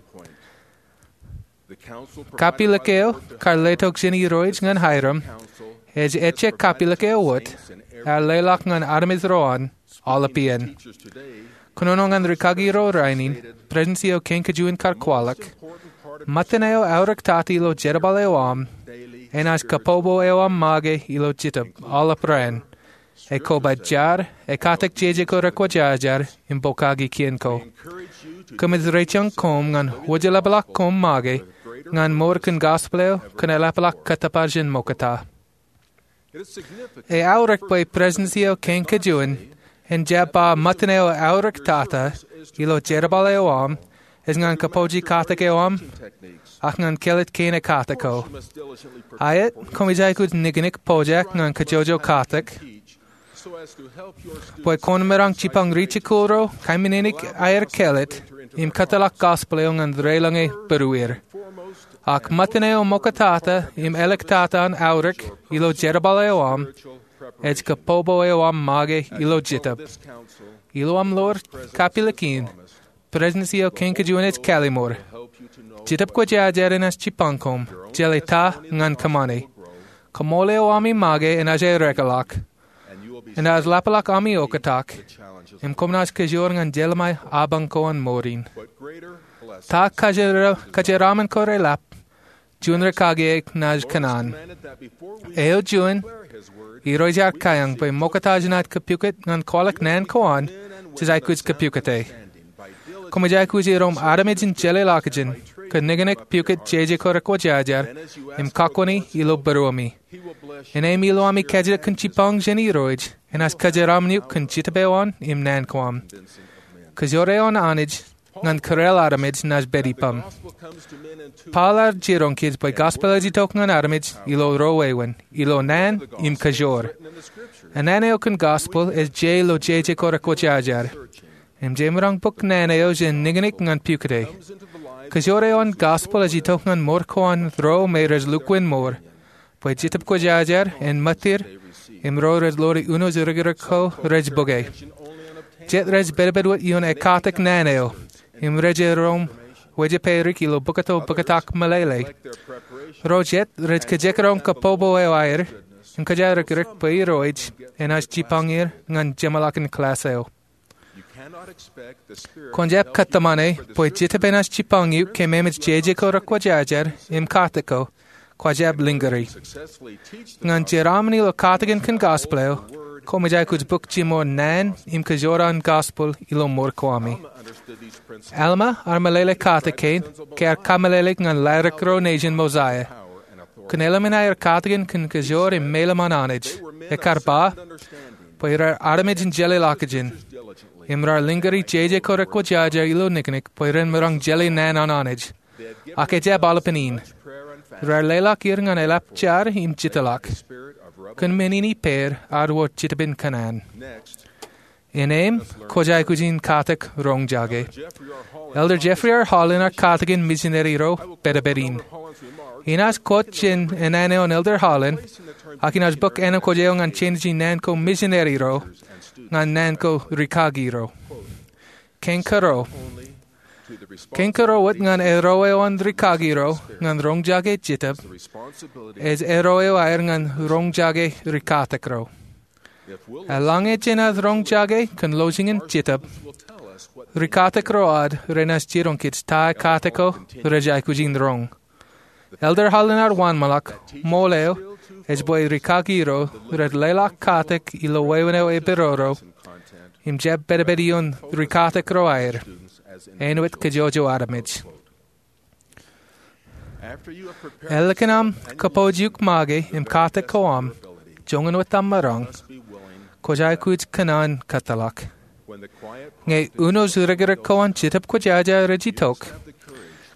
Kapilōk eo kar letok jān Irooj ñan Hyrum ej ejjab kapilōk eo wōt ear leḷọk ñan armej ro an aolep iien. Kōnono ñan rikaki ro rainin, Presidency eo kein kajuon kar kwaḷọk, ṃōttan eo aorōktata ilo jerbal eo aṃ enaaj kabbokbok eo aṃ make ilo Jetōb aolep raan. Ekoba jar, ekatak jeje ko rekwōjarjar im pokake kien ko. Kōmij reijañ koṃ ñan wōjlepḷọk koṃ make ñan mour kōn gospel eo kōn eḷapḷọk kōttōpar jān ṃokta. Eaorōk bwe Presidensị eo Kein Kajuon en jab ba ṃōttan eo eaorōk tata ilo jerbal eo aṃ ej ñan kōpooje katak eo aṃ ak ñan kāālōt kein ekatak ko. Aet, koṃij aikuj niknik pojak ñan kōjwōjwōj katak bwe kwōn maroñ jipañ ri-jikuuḷ ro, kaimānāik aer kāālōt, im kōtḷọk gospel eo ñan reiḷọñe būrueir. Ak ṃōttan eo ṃoktata im āliktata an aorōk ilo jerbal eo aṃ ej kōpopo eo aṃ make ilo Jetōb. Ilo aṃ ḷoor kapilōk in, Presidensị eo Kein Kajuon ej kālimour. Jetōb Kwōjarjar enaaj jipañ koṃ jeḷā ta ñan kōṃṃane. Kaṃool eo ami make enaaj aerekeḷọk. Enaaj ḷapḷọk ami oktak, im koṃ naaj kōjwōr ñan jeḷā ṃae apañ ko an mour in. Ta kōjeraaṃṃan ko reḷap juon rikaki eṇ naaj kōṇaan. Eo juon, Irooj ear kaiōñ bwe ṃokta jenaaj kōpukot ñan kwaḷọk naan ko an jej aikuj kōpukot e. Koṃij aikuj iroṃ armej in jeḷā ḷọkjeṇ kōn niknik pukot jeje ko rekwōjarjar im kakwōni ilo būruemi. Innām ilo ami kajjitōk kōn jipañ jān Irooj, enaaj kōjeraaṃṃan eok kōn Jetōb eo an im naan ko am. Kōjwōj eo an Anij ñan kōrā armej naaj pād ippaṃ. Paul ear jiroñ kōj bwe gospel ej itok ñan armej ilo ruo wāween, ilo naan im kōjwōj. Naan eo kōn gospel ej je ilo jeje ko rekwōjarjar. Im jemaroñ bōk naan eo jān niknik ñan pukot e. Kōjwōj eo an gospel ej itok ñan mour ko an ro me rej lukkuun mour, bwe Jetōb Kwōjarjar en ṃōttir im ro rej ḷoori uno rikrik ko rej bōke. Jet rej pedped wōt ioon ekkatak naan eo im rej iroṃ wejepād ilo bōkto bōktak meḷeḷe. Ro jet rej kajekdọọn kōpopo eo aer im kōjatdikdik bwe Irooj enaaj jipañ er ñan jeṃḷọkin klass eo. Kwōn jab kōtmāne bwe Jetōb enaaj jipañ eok ke ṃemej jeje ko rekwōjarjar im katak ko kwō jab lōñuri. Ñan jeraaṃṃan ilo katakin kōn gospel eo, koṃij aikuj bōk jiṃor naan im kōjwōj an gospel ilo mour ko ami. Alma ear meḷeḷe katak kein ke ear kameḷeḷeik ñan ladik ro nejin Mosiah. Kōn eḷmen aer katakin kōn kōjwōj im meḷeḷe an Anij, ekkar ba bwe raar armej in jeḷā ḷọkjeṇ im raar lōñuri jeje ko rekwōjarjar ilo niknik bwe ren maroñ jeḷā naan an Anij. Ak ejjab aolepān in. Raar leḷọk er ñan eḷap jar im jitḷọk. Kōn men in ippāer ad wōr jetōb in kōṇaan. Innām kwōj aikuj in katak roñjake. Elder Jeffrey R. Holland ear katakin misineri ro pedped in. Inaaj quote jān naan eo an Elder Holland, ak inaaj bōk ānōkwōj eo ñan jenaaj naan ko misineri ro ñan naan ko rikaki ro. Kein kōrā. Kein kōrā wōt ñan erreo eo an rikaki ro ñan roñjake jetōb ej erreo eo aer ñan roñjake rikatak ro. Eḷaññe jenaaj roñjake kōn lọjilñin jetōb, rikatak ro ad renaaj jiroñ kōj ta katak ko rej aikuj in roñ. Elder Holland ear wōnṃaanḷọk ṃool eo ej bwe rikaki ro rej leḷọk katak ilo wāween eo epidodo im jab pedped ioon rikatak ro aer, āinwōt kōjwōjwōj armej. Ālikin aṃ kōpooj eok make im katak ko aṃ, joñan wōt aṃ maroñ, kwōj aikuj kōṇaan kōtḷọk. Ñe uno rikrik ko an Jetōb Kwōjarjar ej itok,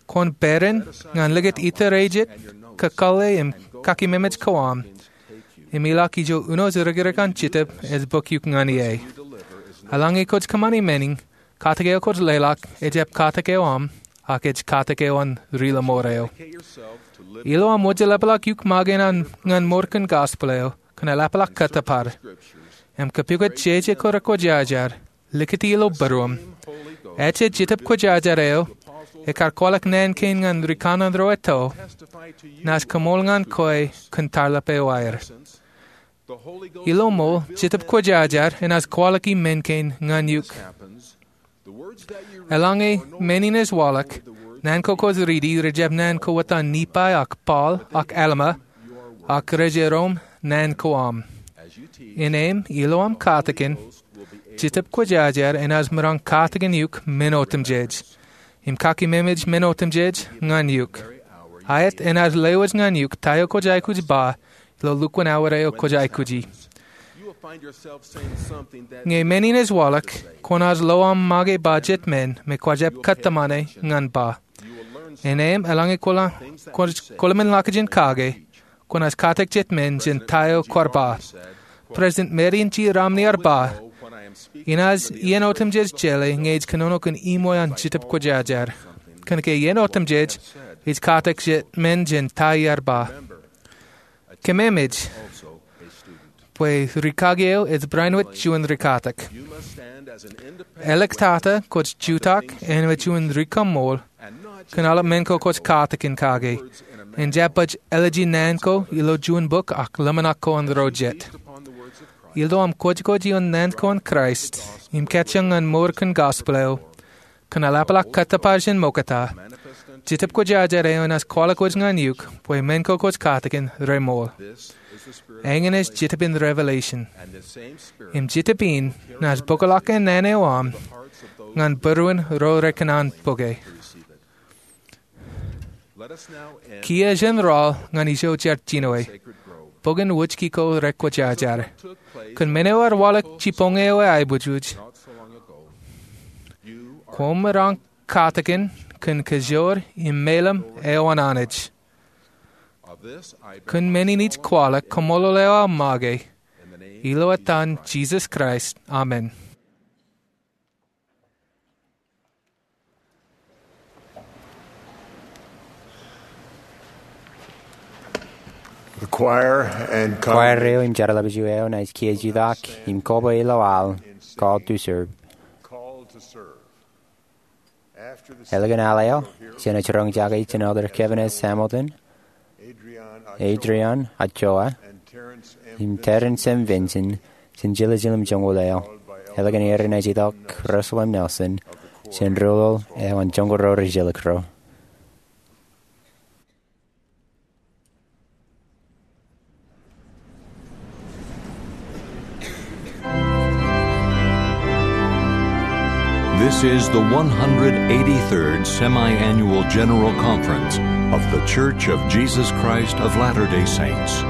kwōn peran ñan likūt itar ejjet, kakōḷḷe im kakememej ko aṃ, im ilọk ijo uno rikrik an Jetōb ej bōk eok ñan ie. Eḷaññe kwōj kōṃṃani men in, katak eo kwōj leḷọk ejjab katak eo aṃ, ak ej katak eo an ri-lọmọọr eo. Ilo aṃ wōjlepḷọk eok make ñan mour kōn gospel eo kōn eḷapḷọk kōttōpar im kōpukot jeje ko rekwōjarjar, likūti ilo būruōṃ. Ejja Jetōb Kwōjarjar eo, ekkar kwaḷọk naan kein ñan rikaṇan ro etto, naaj kaṃool ñan kwe kōn tarlip eo aer. Ilo ṃool, Jetōb Kwōjarjar enaaj kwaḷọki men kein ñan eok. Eḷaññe men in ej waḷọk, naan ko kwōj riiti rejjab naan ko wōt an Nephi ak Paul ak Alma, ak rej erom naan ko aṃ. Innām ilo aṃ katakin, Jetōb Kwōjarjar enaaj maroñ katakin eok men otemjej im kakememej men otemjej ñan eok. Aet enaaj lewōj ñan eok ta eo kwōj aikuj ba ilo lukkuun awa eo kwōj aikuji. Ñe men in ej waḷọk, kwōnaaj lo aṃ make ba jet men me kwōjab kōttōmāne ñan ba. Innām eḷaññe kwō-, kwōlemān ḷọkjeṇ kake, kwōnaaj katak jet men jān ta eo kwaar ba. President Marion G. Romney ear ba, inaaj iien otemjej jeḷā ñe ij kōnono kōn iṃwe an Jetōb Kwōjarjar. Kōnke iien otemjej ij katak jet men jān ta iar ba. Kememej bwe rikaki eo ej barāinwōt juon rikatak. Āliktata kwōj jutak āinwōt juon ri-kaṃṃool kōn aolep men ko kwōj katakin kake, im jab baj eleji naan ko ilo juon bok ak ḷōmṇak ko an ro jet. Ilo aṃ kwōjkwōj ioon naan ko an Kraist im kajjioñ ñan mour kōn gospel eo, kōn eḷapḷọk kōttōpar jān ṃokta, Jetōb Kwōjarjar eo enaaj kwaḷọk wōj ñan eok bwe men ko kwōj katakin reṃool. Eñin ej Jetōb in revelation. Im Jetōb in naaj bōkḷọk naan eo aṃ ñan būruon ro rekōṇaan bōke. Kiiō jen rọọl ñan ijo jar jinoe, bok in wōjki ko rekwōjarjar. Kōn men eo ear waḷọk jibboñōn eo aebōjoj, koṃ maroñ katakin kōn kajoor im meḷeḷe eo an Anij. Kōn men in ij kwaḷọk kaṃṃoolol eo aō make, ilo etan Jisōs Kraist, amen. The choir and congregation. Choir eo im jeorḷapḷọk eo naaj kiiō jutak im koba ilo aḷ Call to Serve. Call to Serve. Ālikin aḷ eo, jen ej roñjake jān Elder Kevin S. Hamilton, Adrian Ochoa, im Terence M. Vinson, jān jiljilimjuonñoul eo. Ālikin er enaaj itok Russell M. Nelson, jān ruḷoḷ eo an Joñoul Ro Rijjelōk ro. This is the one hundred eighty-third Semi-Annual General Conference of The Church of Jesus Christ of Latter-day Saints.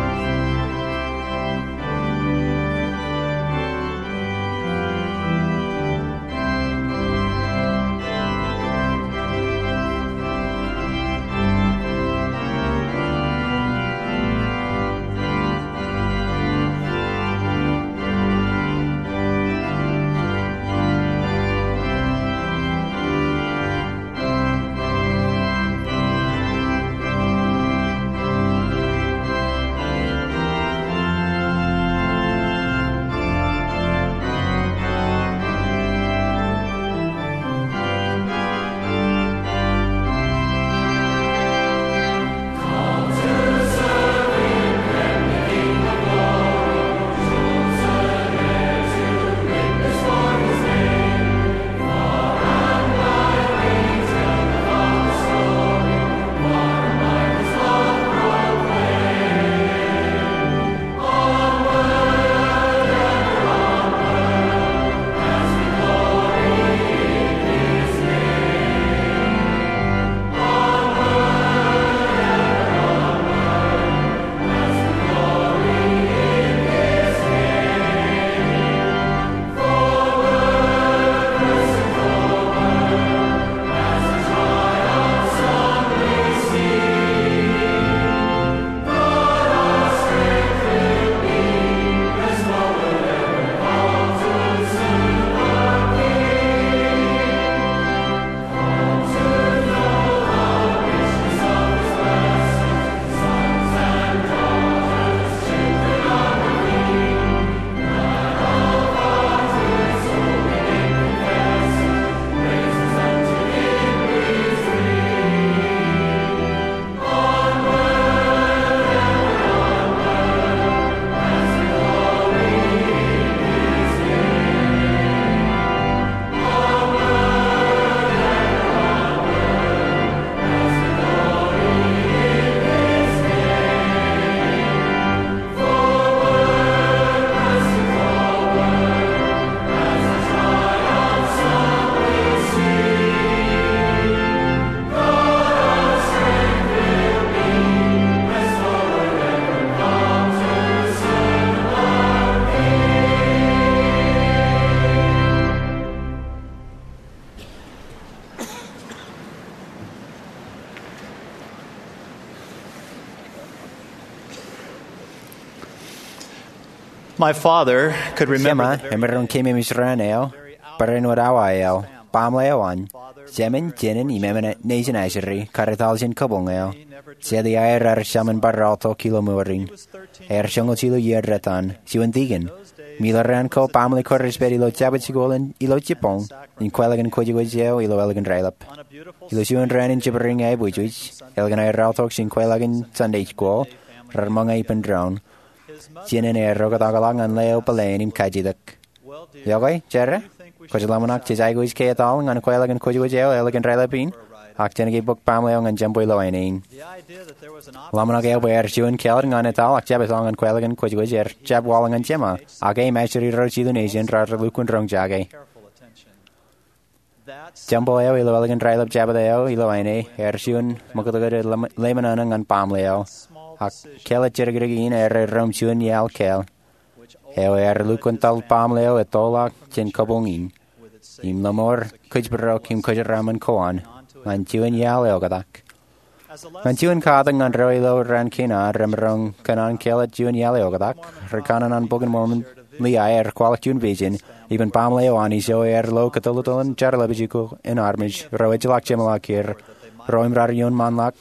My father could remember Jema emaroñ keememej raan eo, barāinwōt awa eo, baaṃle eo an, jemān, jenaān im emān nejin ajri, kar etal jān kabuñ eo, jete aer ad jar im bar aotok ilo mour in. Ear joñoul jilu iiō etan, juon dikon. Im ilo raan ko baaṃle ko rej pād ilo jabōt jikuuḷ in ilo jibboñ, im kweilọk in kwōjkwōj eo ilo ālikin raelep. Ilo juon raan in jibwirin aiboojoj, ālikin aer aotok jān kweilọk in Sunday school, rar ṃōñā ippān doon. Jenaān ear oktakḷọk ñan ḷeo bōlen im kajjitōk. Iọkwe, Jera, kwōj ḷōmṇak jej aikuj ke etal ñan kweilọk in kwōjkwōj eo ālikin raelep in, ak jān ke bōk baaṃle eo ñan jemām ilo āne in. Ḷōmṇak eo bwe ear juon kāālōt ñan etal ak jab etal ñan kweilọk in kwōjkwōj ear jab waḷọk ñan Jema, ak e im ajri ro jilu nejin rar lukkuun roñjake. Jemām eo ilo ālikin raelep Jabōt eo ilo āne ear juon ṃakūtkūt ḷōmṇak ñan baaṃle eo. Ak kāālōt jidikdik in ear reoṃ juon iaḷ kāāl, eo ear lukkuun etal baaṃle eo ettoḷọk jān kabuñ in, im ḷōṃor kōjparok im kōjeraaṃṃan ko an ñan juon iaḷ eoktak. Ñan juon katak ñan ro ilo raan kein ad remaroñ kōṇaan kāālōt juon iaḷ eoktak, ri kanaan an Bok in Mormon Liai ear kwaḷọk juon vision, ippān baaṃle eo an ijo ear lo kōtōltōl in jeorḷapij ko in armej ro ejjeḷọk jeṃḷọk er, ro im rar ioon ṃaanḷọk,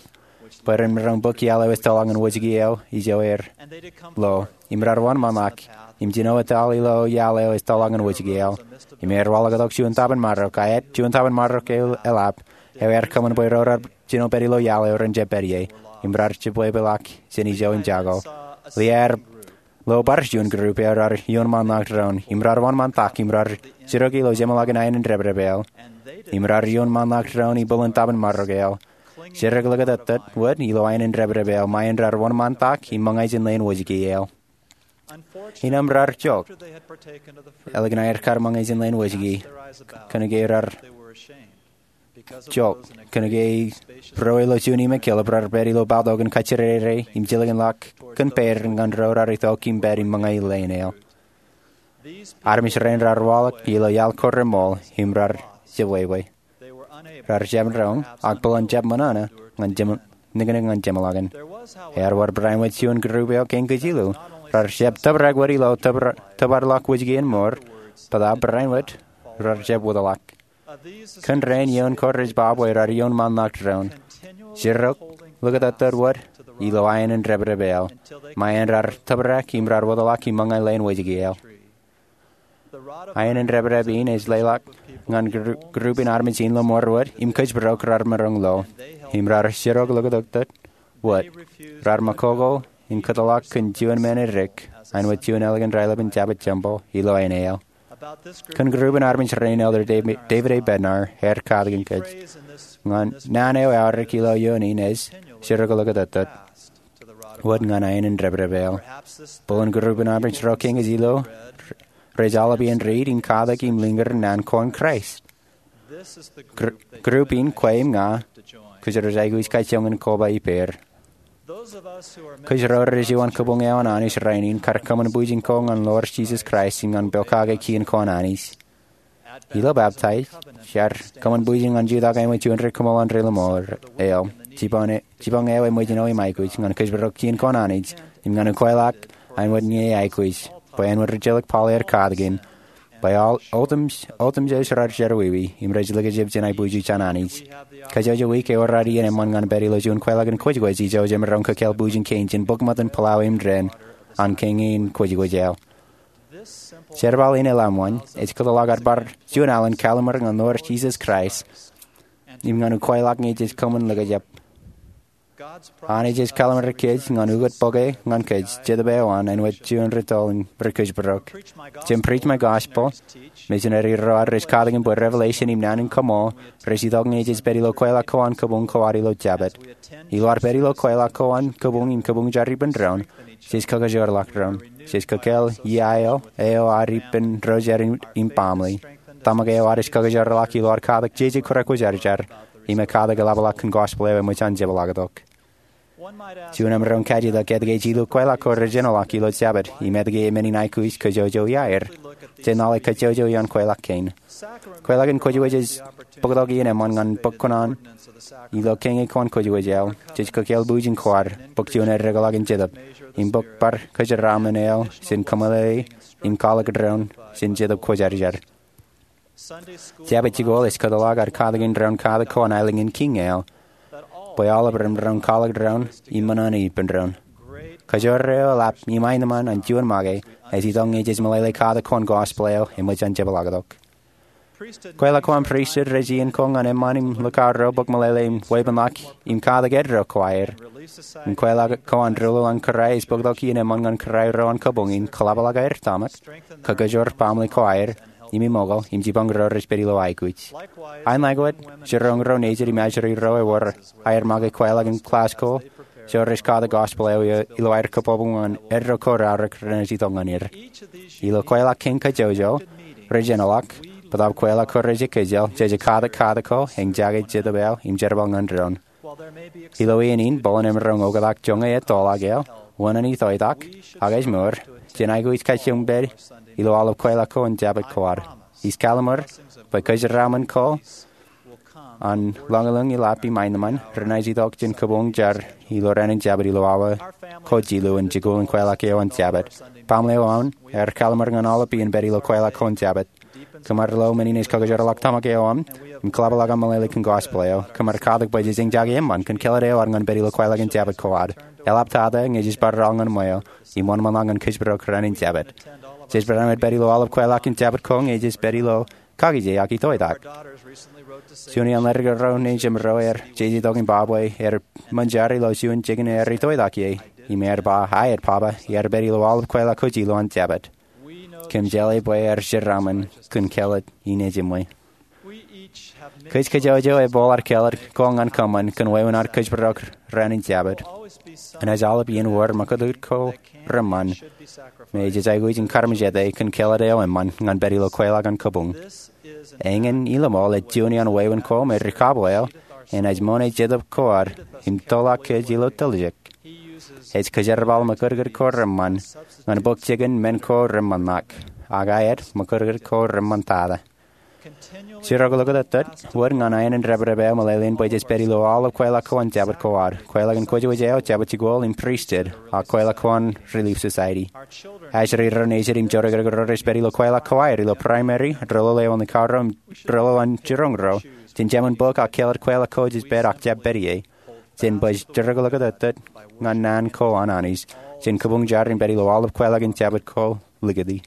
bwe ren maroñ bōk iaḷ eo ettoḷọk ñan wōjke eo ijo ear lo, im rar wōnṃaanḷọk, im jino etal ilo iaḷ eo ettoḷọk ñan wōjke eo. Im ear waḷọktok juon taban marok, a āt juon taban marok eo eḷap, eo ear kōṃṃan bwe ro rar jino pād ilo iaḷ eo ren jab pād ie, im rar jibwebeḷọk jān ijo im jako. Liai ear lo bar juon group eo rar ioon ṃaanḷọk doon, im rar wōnṃaantak, im rar jiroñ ilo jeṃḷọkin aenōn dāpdep eo, im rar ioon ṃaanḷọk doon ibwilōñ taban marok eo, jiroñ likūtōktōt wōt ilo aenōn dāpdep eo, ṃae in rar wōnṃaantak im ṃōñā jān leen wōjke eo. Innām rar jok, ālikin aer kar ṃōñā jān leen wōjke, kōnke rar jok, kōnke ro ilo juon imekiḷap rar pād ilo bōktok in kajjirere im jilkinḷọk kōn pād ñan ro rar itok im pād im ṃōñā leen eo. Armej rein rar waḷọk ilo iaḷ ko reṃool im rar jibwebwe. Rar jab roñ, ak bōlen jab ṃōṇōṇō, ñan jeṃ-, niknik ñan jeṃḷọkin. Ear wōr barāinwōt juon group eo kein kōj jilu, rar jab tōprak wōt ilo tōpar-, tōparḷọk wōjke in mour, bōtaab barāinwōt, rar jab wōtḷọk. Kōn rein ioon ko rej ba bwe rar ioon ṃaanḷọk doon, jiroñ likūtōktōt wōt ilo aenōn dāpdep eo, ṃae in rar tōprak im rar wōtḷọk im ṃōñā leen wōjke eo. Aenōn dāpdep in ej leḷọk ñan gru-, group in armej in ḷōṃor wōt im kōjparok rar maroñ lo, im rar jiroñ likūtōktōt wōt, rar ṃakoko in kōtḷọk kōn juon men edik, āinwōt juon ālikin raelep in Jabōt Tempeḷ ilo āne eo. Kōn group in armej rein Elder David, David A. Bednar ear katakin kōj. Ñan naan eo eaorōk ilo ioon in ej, jiroñ likūtōktōt wōt ñan aenōn dāpdep eo. Bōlen group in armej ro kein kōj jilu rej aolep iien riit in katak im liñūr naan ko an Kraist. Gr-, group in kwe im ña, kōjro ej aikuj kajjioñ in koba ippāer. Kōjro rej juon kabuñ eo an Anij rainin kar kōṃṃan bwijin ko ñan Lord Jesus Christ im ñan pokake kien ko an Anij. Ilo baptize, iar kōṃṃan bwijin ñan jutak āinwōt juon ri kōṃṃool an ri ḷōṃor eo. Jipañ e-, jipañ eo eṃōj ilo im aikuj ñan kōjparok kien ko an Anij, im ñan ukweḷọk āinwōt ñe eaikuj, bwe āinwōt ri jilōk Paul ear katakin, bwe aolep, aolep, aolep jej rar jerọwiwi, im rej likjab jān aibwiuj an Anij. Kajjojo wiik ewōr ad iien eṃṃan ñan pād ilo juon kweilọk in kwōjkwōj ijo jemaroñ kōkāāl bwijin kein jān bōk ṃōttan pulao im dān an kein in kwōjkwōj eo. Jerbal in eḷap ṃōn, ej kōtḷọk ad bar juon alen kalliṃur ñan Lord Jesus Christ, im ñan ukweḷọk ñe jej kōṃṃan likjab. Anij ej kalliṃur kōj ñan ukōt bōke ñan kōj, Jetōb eo an, āinwōt juon ri toḷ in ri kōjparok. Jān Preach My Gospel, misineri ro ad rej katakin bwe Revelation im naan in kaṃṃool rej itok ñe jej pād ilo kweilọk ko an kabuñ ko ad ilo Jabōt. Ilo ad pād ilo kweilọk ko an kabuñ im kabuñ jar ippān doon, jej kakajoorḷọk doon. Jej kōkāāl iaḷ eo ad ippān ro jar im, im baaṃle. Tōmak eo ad ej kakajoorḷọk ilo ad katak jeje kōrā kwōjarjar, im ekatak eḷapḷọk kōn gospel eo eṃōj an jepḷaaktok. Juon emaroñ kajjitōk etke jilu kweilọk ko rej āinḷọk ilo Jabōt, im etke emān in aikuj kōjwōjwōj iaer. Jej naḷe kajjojo ioon kweilọk kein. Kweilọk in kwōjwōj ej bōktok iien eṃṃan ñan bōk kōṇaan ilo kein ko an kwōjwōj eo. Jej kōkāāl bwijin ko ad, bōk juon eddekḷọk in jetōb, im bōk bar kōjeraaṃṃan eo jān kōmeḷeḷe im kwaḷọk doon jān Jetōb Kwōjarjar. Jabōt jikuuḷ ej kōtḷọk ad katak in doon katak ko an aelōñ in Kiiñ eo, bwe aolep ren maroñ kwaḷọk doon im ṃōṇōṇō ippān doon. Kajoor eo eḷap im aenōṃṃan an juon make ej itok ñe jej meḷeḷe katak ko an gospel eo eṃōj an jepḷaaktok. Kweilọk ko an pristut rej iien ko ñan eṃṃan im likao ro bōk meḷeḷe im weeppānḷọk im katak eddo ko aer. Im kweilọk ko an doulul an kōrā ej bōktok iien eṃṃan ñan kōrā ro an kabuñ in kōḷapḷọk aer tōmak, kakajoor baaṃle ko aer, im eṃookḷ im jipañ ro rej pād ilo aikuj. Ak āinwōt, jiroñ ro nejid im ajri ro ewōr aer make kweilọk in klass ko, ro rej katak gospel eo ilo aer kōbōbōb ñan eddo ko raorōk renaaj itok ñan er. Ilo kweilọk kein kajjojo rej enaḷọk, bōtab kweilọk ko rej ekkejel, jej katak katak ko, eñjake jetōb eo im jerbal ñan doon. Ilo iien in, bōlen emaroñ oktak joñan ettoḷọk eo, wōṇāān itoitak, ak ej mour, jen aikuj kajjioñ pād ilo aolep kweilọk ko an Jabōt ko ad. Ij kallimur bwe kōjeraaṃṃan ko an lọñlọñ eḷap im aenōṃṃan renaaj itok jān kabuñ jar ilo raan in Jabōt ilo awa ko jilu in jikuuḷ in kweilọk eo an Jabōt. Baaṃle eo aṃ ear kallimur ñan aolep iien pād ilo kweilọk ko an Jabōt. Kōm ar lo men in ej kakajoorḷọk tōmak eo aṃ im kōḷapḷọk aṃ meḷeḷe kōn gospel eo. Kōm ar katak bwe jej eñjake eṃṃan kōn kāālōt eo ad ñan pād ilo kweilọk in Jabōt ko ad. Eḷap tata ñe jej bar raḷ ñan ṃweo im wōnṃaanḷọk ñan kōjparok raan in Jabōt. Jej bar āinwōt pād ilo aolep kweilọk in Jabōt ko ñe jej pād ilo kakije ak itoitak. Juon iaan ledik ro nejimro ear jeje tok im ba bwe ear ṃōn jar ilo juon jikin ear itoitak ie, im ear ba, aet, Papa, iar pād ilo aolep kweilọk ko jilu an Jabōt. Kōm jeḷā bwe ear jeraaṃṃan kōn kāālōt in ejiṃwe. Kōj kajjojo epooḷ ad kāālōt ko ñan kōṃṃan kōn wāween ad kōjparok raan in Jabōt. Enaaj aolep iien wōr ṃakūtkūt ko reṃṃan me jej aikuj in karmejete kōn kāālōt eo eṃṃan ñan pād ilo kweilọk an kabuñ. Eñin iloṃool ej juon iaan wāween ko me ri-kabwe eo enaaj ṃoṇe jetōb ko ad im toḷọk kōj ilo tiljek. Ej kōjerbal ṃakūtkūt ko reṃṃan ñan bōk jikin men ko reṃṃanḷọk, ak aet, ṃakūtkūt ko reṃṃantata. Jirok ḷōkatōttōt wōt ñan aenōṃṃan dāpdāp eo meḷeḷein bwe jej pād ilo aolep kweilọk ko an Jabōt ko ad. Kweilọk in kwōjwōj eo, Jabōt jikuuḷ im pristut, ak kweilọk ko an Relief Society. Ajri ro nejid im jodikdik ro rej pād ilo kweilọk ko aer ilo primary, doulul eo an likao ro, doulul an jiroñ ro, jen jemān bōk ak kāālōt kweilọk ko jej pād ak jab pād ie. Jen baj jirok ḷōkatōttōt ñan naan ko an Anij, jen kabuñ jar im pād ilo aolep kweilọk in Jabōt ko likūti.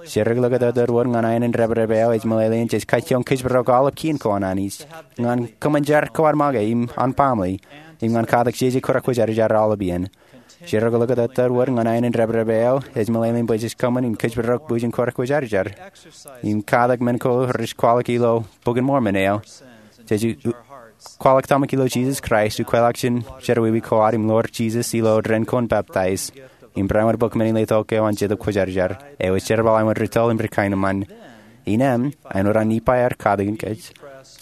Jirok ḷōkatōttōt wōt ñan aenōṃṃan dāpdāp eo ej meḷeḷein jej kajjioñ kōjparok aolep kien ko an Anij, ñan kōṃṃan jar ko ad make im an baaṃle, im ñan katak jeje kōrā kwōjarjar aolep iien. Jirok ḷōkatōttōt wōt ñan aenōṃṃan dāpdāp eo ej meḷeḷein bwe jej kōṃṃan im kōjparok bwijin kōrā kwōjarjar, im katak men ko rej kwaḷọk ilo Bok in Mormon eo. Jej kwaḷọk tōmak ilo Jisōs Kraist, ukweḷọk jān jerọwiwi ko ad im ḷoor Jisōs ilo dān ko an peptaij, im barāinwōt bōk men in letok eo an Jetōb Kwōjarjar, eo ej jerbal āinwōt ri-tōl im ri-kaenōṃṃan. Innām, āinwōt an Nifai ear katakin kōj,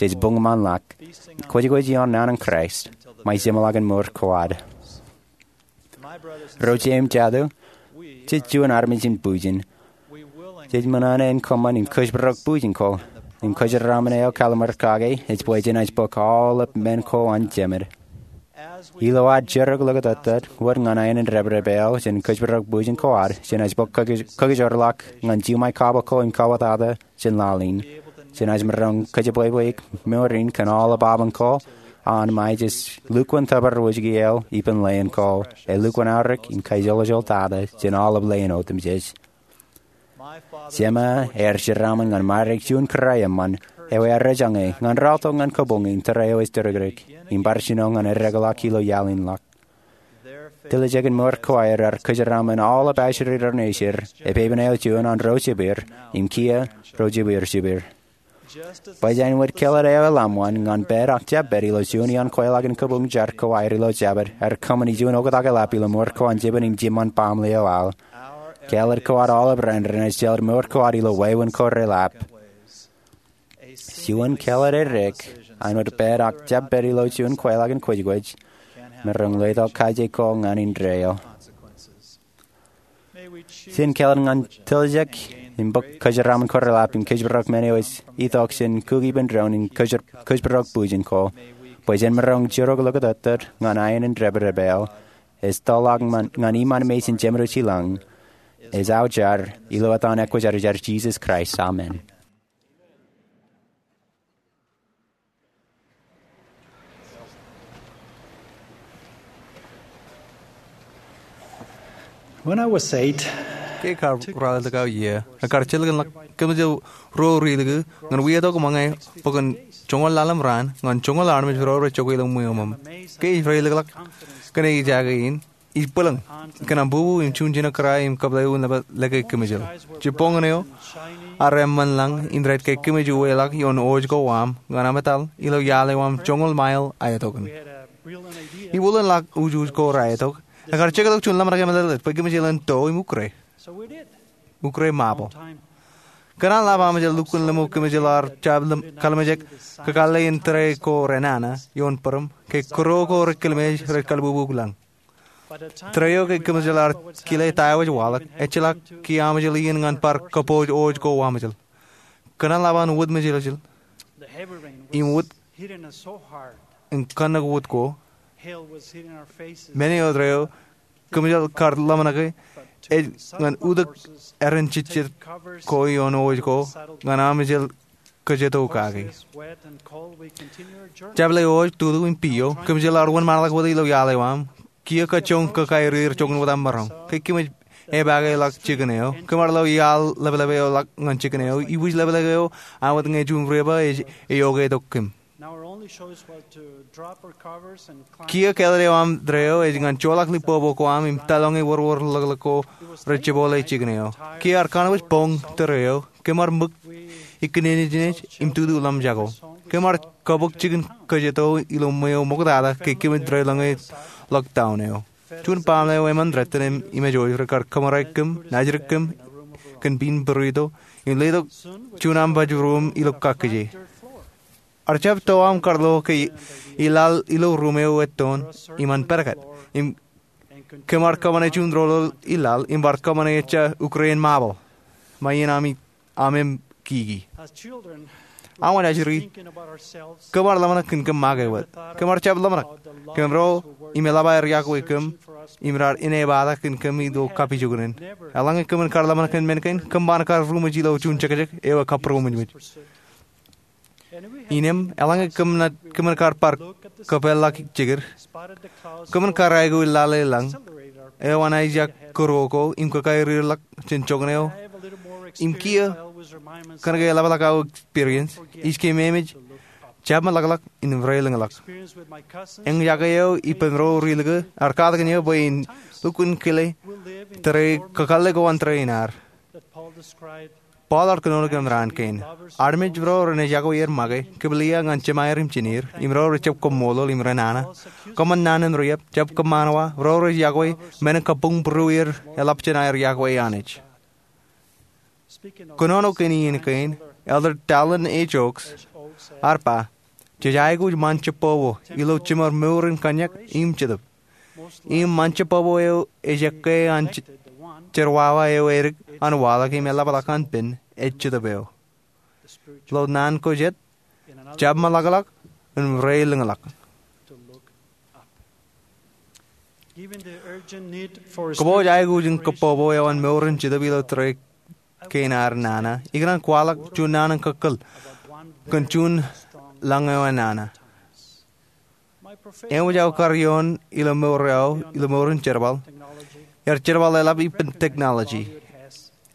jej buñṃanḷọk, kwōjkwōj ioon naan in Kraist, ṃae jeṃḷọkin mour ko ad. Ro jeiū im jatū, jej juon armej in bwijin. Jej ṃōṇōṇō in kōṃṃan im kōjparok bwijin ko, im kōjeraaṃṃan eo kallimur kake ej bwe jenaaj bōk aolep men ko an Jemed. Ilo ad jirok ḷōkatōttōt wōt ñan aenōṃṃan dāpdāp eo jān kōjparok bwijin ko ad, jenaaj bōk kōkōj-, kōkōjorḷọk ñan jiṃwe kabōk ko im kabōtata jān laḷ in. Jenaaj maroñ kōjepwepwe mour in kōn aolep apañ ko an ṃae jej lukkuun tōpar wōjke eo ippān leen ko, elukkuun aorōk im kajeḷājeḷā tata jān aolep leen otemjej. Jeṃa ear jeraaṃṃan ñan ṃadik juon kōrā eṃṃan, eo ear ejañe ñan rọọltok ñan kabuñ in tōre eo ej tōrikdik, im bar jino ñan eddekḷọk ilo iaḷ in ḷọk. Tiljek in mour ko aer ear kōjeraaṃṃan aolep ajri ro nejid, epepen eo juon an ro jepir, im kiiō ro jepir jepir. Bwe āinwōt kāālōt eo eḷap ṃōn ñan pād ak jab pād ilo juon iaan kweilọk in kabuñ jar ko aer ilo Jabōt, ear kōṃṃani juon oktak eḷap ilo mour ko an jibwin im jiṃṃaṃ baaṃle eo aḷ. Kāālōt ko ad aolep raṇ renaaj jeḷā mour ko ad ilo wāween ko reḷap. Juon kāālōt eddek, āinwōt pād ak jab pād ilo juon kweilọk in kwōjkwōj, maroñ letok kaje ko ñan indeeo. Jen kāālōt ñan tiljek im bōk kōjeraaṃṃan ko reḷap im kōjparok men eo ej itok jān kūkipen doon im kōjparok bwijin ko, bwe jen maroñ jiroñ ḷọk tok ñan aenōṃṃan dāpdep eo ej tōlḷọk ñan iṃaan mejān Jemedwōj ilañ. Ej aō jar ilo etan ekwōjarjar Jisōs Kraist, amen. When I was eight, ke kar raelōk aō iiō, ekar jilkinḷọk kōmjel ruo rilikū ñan wia tok ṃōñā bwe kōn joñoul ḷalem raan ñan joñoul armej ro rej jokwe ilo ṃweo ṃōṃ. Ke ij reilōkḷọk kōn ejaake in, ij bwilōñ kōn aṃ bubu im juon jino kōrā im kōplewōj nōbar lōke kōmjel. Jibboñōn eo armej eṃṃan lañ im rej kaikōmij uweḷọk ioon oj ko aṃ ñan ametal ilo iaḷ eo aṃ joñoul mael aetok in. Im wūlōn ḷọk ujuj ko raetok, ekar jektok juon ḷōmṇak emeḷeḷe bwe kōmjel en to im ukre, ukre ṃapo. Kōn an ḷap amejel lukkuun lemñoul kōmjel ar jab kallimjek kakōḷḷe in tōre ko renana ioon bōrōṃ ke kūro ko rej kallimjek rej kalbubu lañ. Tōre eo ke kōmjel ar kile ta eo ej waḷọk, ejjeḷọk kiiō amejel iien ñan bar kōpooj oj ko amejel. Kōn an ḷap an wōt mejeḷjeḷ im wōt im kōnnōk wōt ko, men eo tōre eo kōmjel kar ḷōmṇake ej ñan utōk eran jejjet ko ioon oj ko ñan amejel kōjatō kaki. Jab le oj, tutu im pijo, kōmjel ar wōnṃaanḷọk wōt ilo iaḷ eo aṃ. Kiiō kōjjoñ kōkaerier joñan wōt aṃ maroñ. Kaikōmij epaake ḷọk jikin eo. Kōm ar lo iaḷ ḷapḷap eo ḷọk ñan jikin eo. Ibwij ḷapḷap eo an wōt ñe juon river ej eokwe tok kōm. Kiiō kāālōt eo aṃ tōre eo ej ñan joḷọk lipopo ko aṃ im taḷoñe wōrwōr ḷōkḷōk ko rej jepole jikin eo. Kiiō ar kanooj boñ tōre eo. Kōm ar ṃōk ikōṇaan nejin im tutu ḷōmṇak jako. Kōm ar kōbōk jikin kōjatō ilo ṃweo ṃoktata ke kōmij reilōñe ḷọk down eo. Juon baaṃle eo eṃṃan rot im imejooj rekar kōṃṃare kōm, najidik kōm kōn pin burrito im letok juon aṃ baj ruuṃ ilo kakkije. Ar jab to aṃ kar lo ke ilaḷ ilo ruuṃ eo ettoon im an pedket, im kōm ar kōṃṃane juon doḷoḷ ilaḷ im bar kōṃṃane ejja ukrein ṃapo ṃae in aṃ emkiki. Aṃ wōj ajri, kōm ar ḷōmṇak kōn kōm make wōt. Kōm ar jab ḷōmṇak kōn ro im eḷap aer iọkwe kōm im raar inepata kōn kōm ilo kapijuknen. Eḷaññe kōmin kar ḷōmṇak kōn men kein, kōm ban kar ruṃwij ilo juon jekjek eo ekabūroṃōjṃōj. Innem, eḷaññe kōmin kar bar kōpeḷḷọk jekid, kōmin kar aikuj laḷ eo lañ eo an ijjak kūro ko im kōkaerier ḷọk jān joñan eo. Im kiiō, kōnke eḷapḷọk aō experience, ij keememej jab ṃōḷaḷḷọk im reilōñḷọk. Eñjake eo ippān ro rilikū ar katakin eō bwe in lukkuun kile tōre kakōḷḷe ko an tōre in ad. Paul ear kōnono kōm raan kein. Armej ro ren ej iọkwe er make, kepillia ñan jemāer im jined, im ro rej jab kaṃṃoolol im renana. Kōṃṃan naan in riab, jab kōṃṃan wa, ro rej iọkwe, men in kabuñbūruer eḷap jān aer iọkwe Anij. Kōnono kōn iien kein, Elder Dallin H. Oaks ear ba, jej aikuj ṃan jebbobo ilo jiṃor mour in kōnnyak im jetōb. Im ṃan jebbobo eo ej ekkā an jerwawa eo edik an waḷọk im eḷapḷọk an pen ej jetōb eo. Ilo naan ko jet, jab ṃōḷaḷḷọk im reilōñḷọk. Kōpooj aikuj in kōbbobo eo an mour in jetōb ilo tōre kein ad nana, ikōṇaan kwaḷọk juon naan in kōkōl kōn juon lañ eo an nana. Eṃōj aō kar ioon ilo mour eo, ilo mour in jerbal, ear jerbal eḷap ippān technology.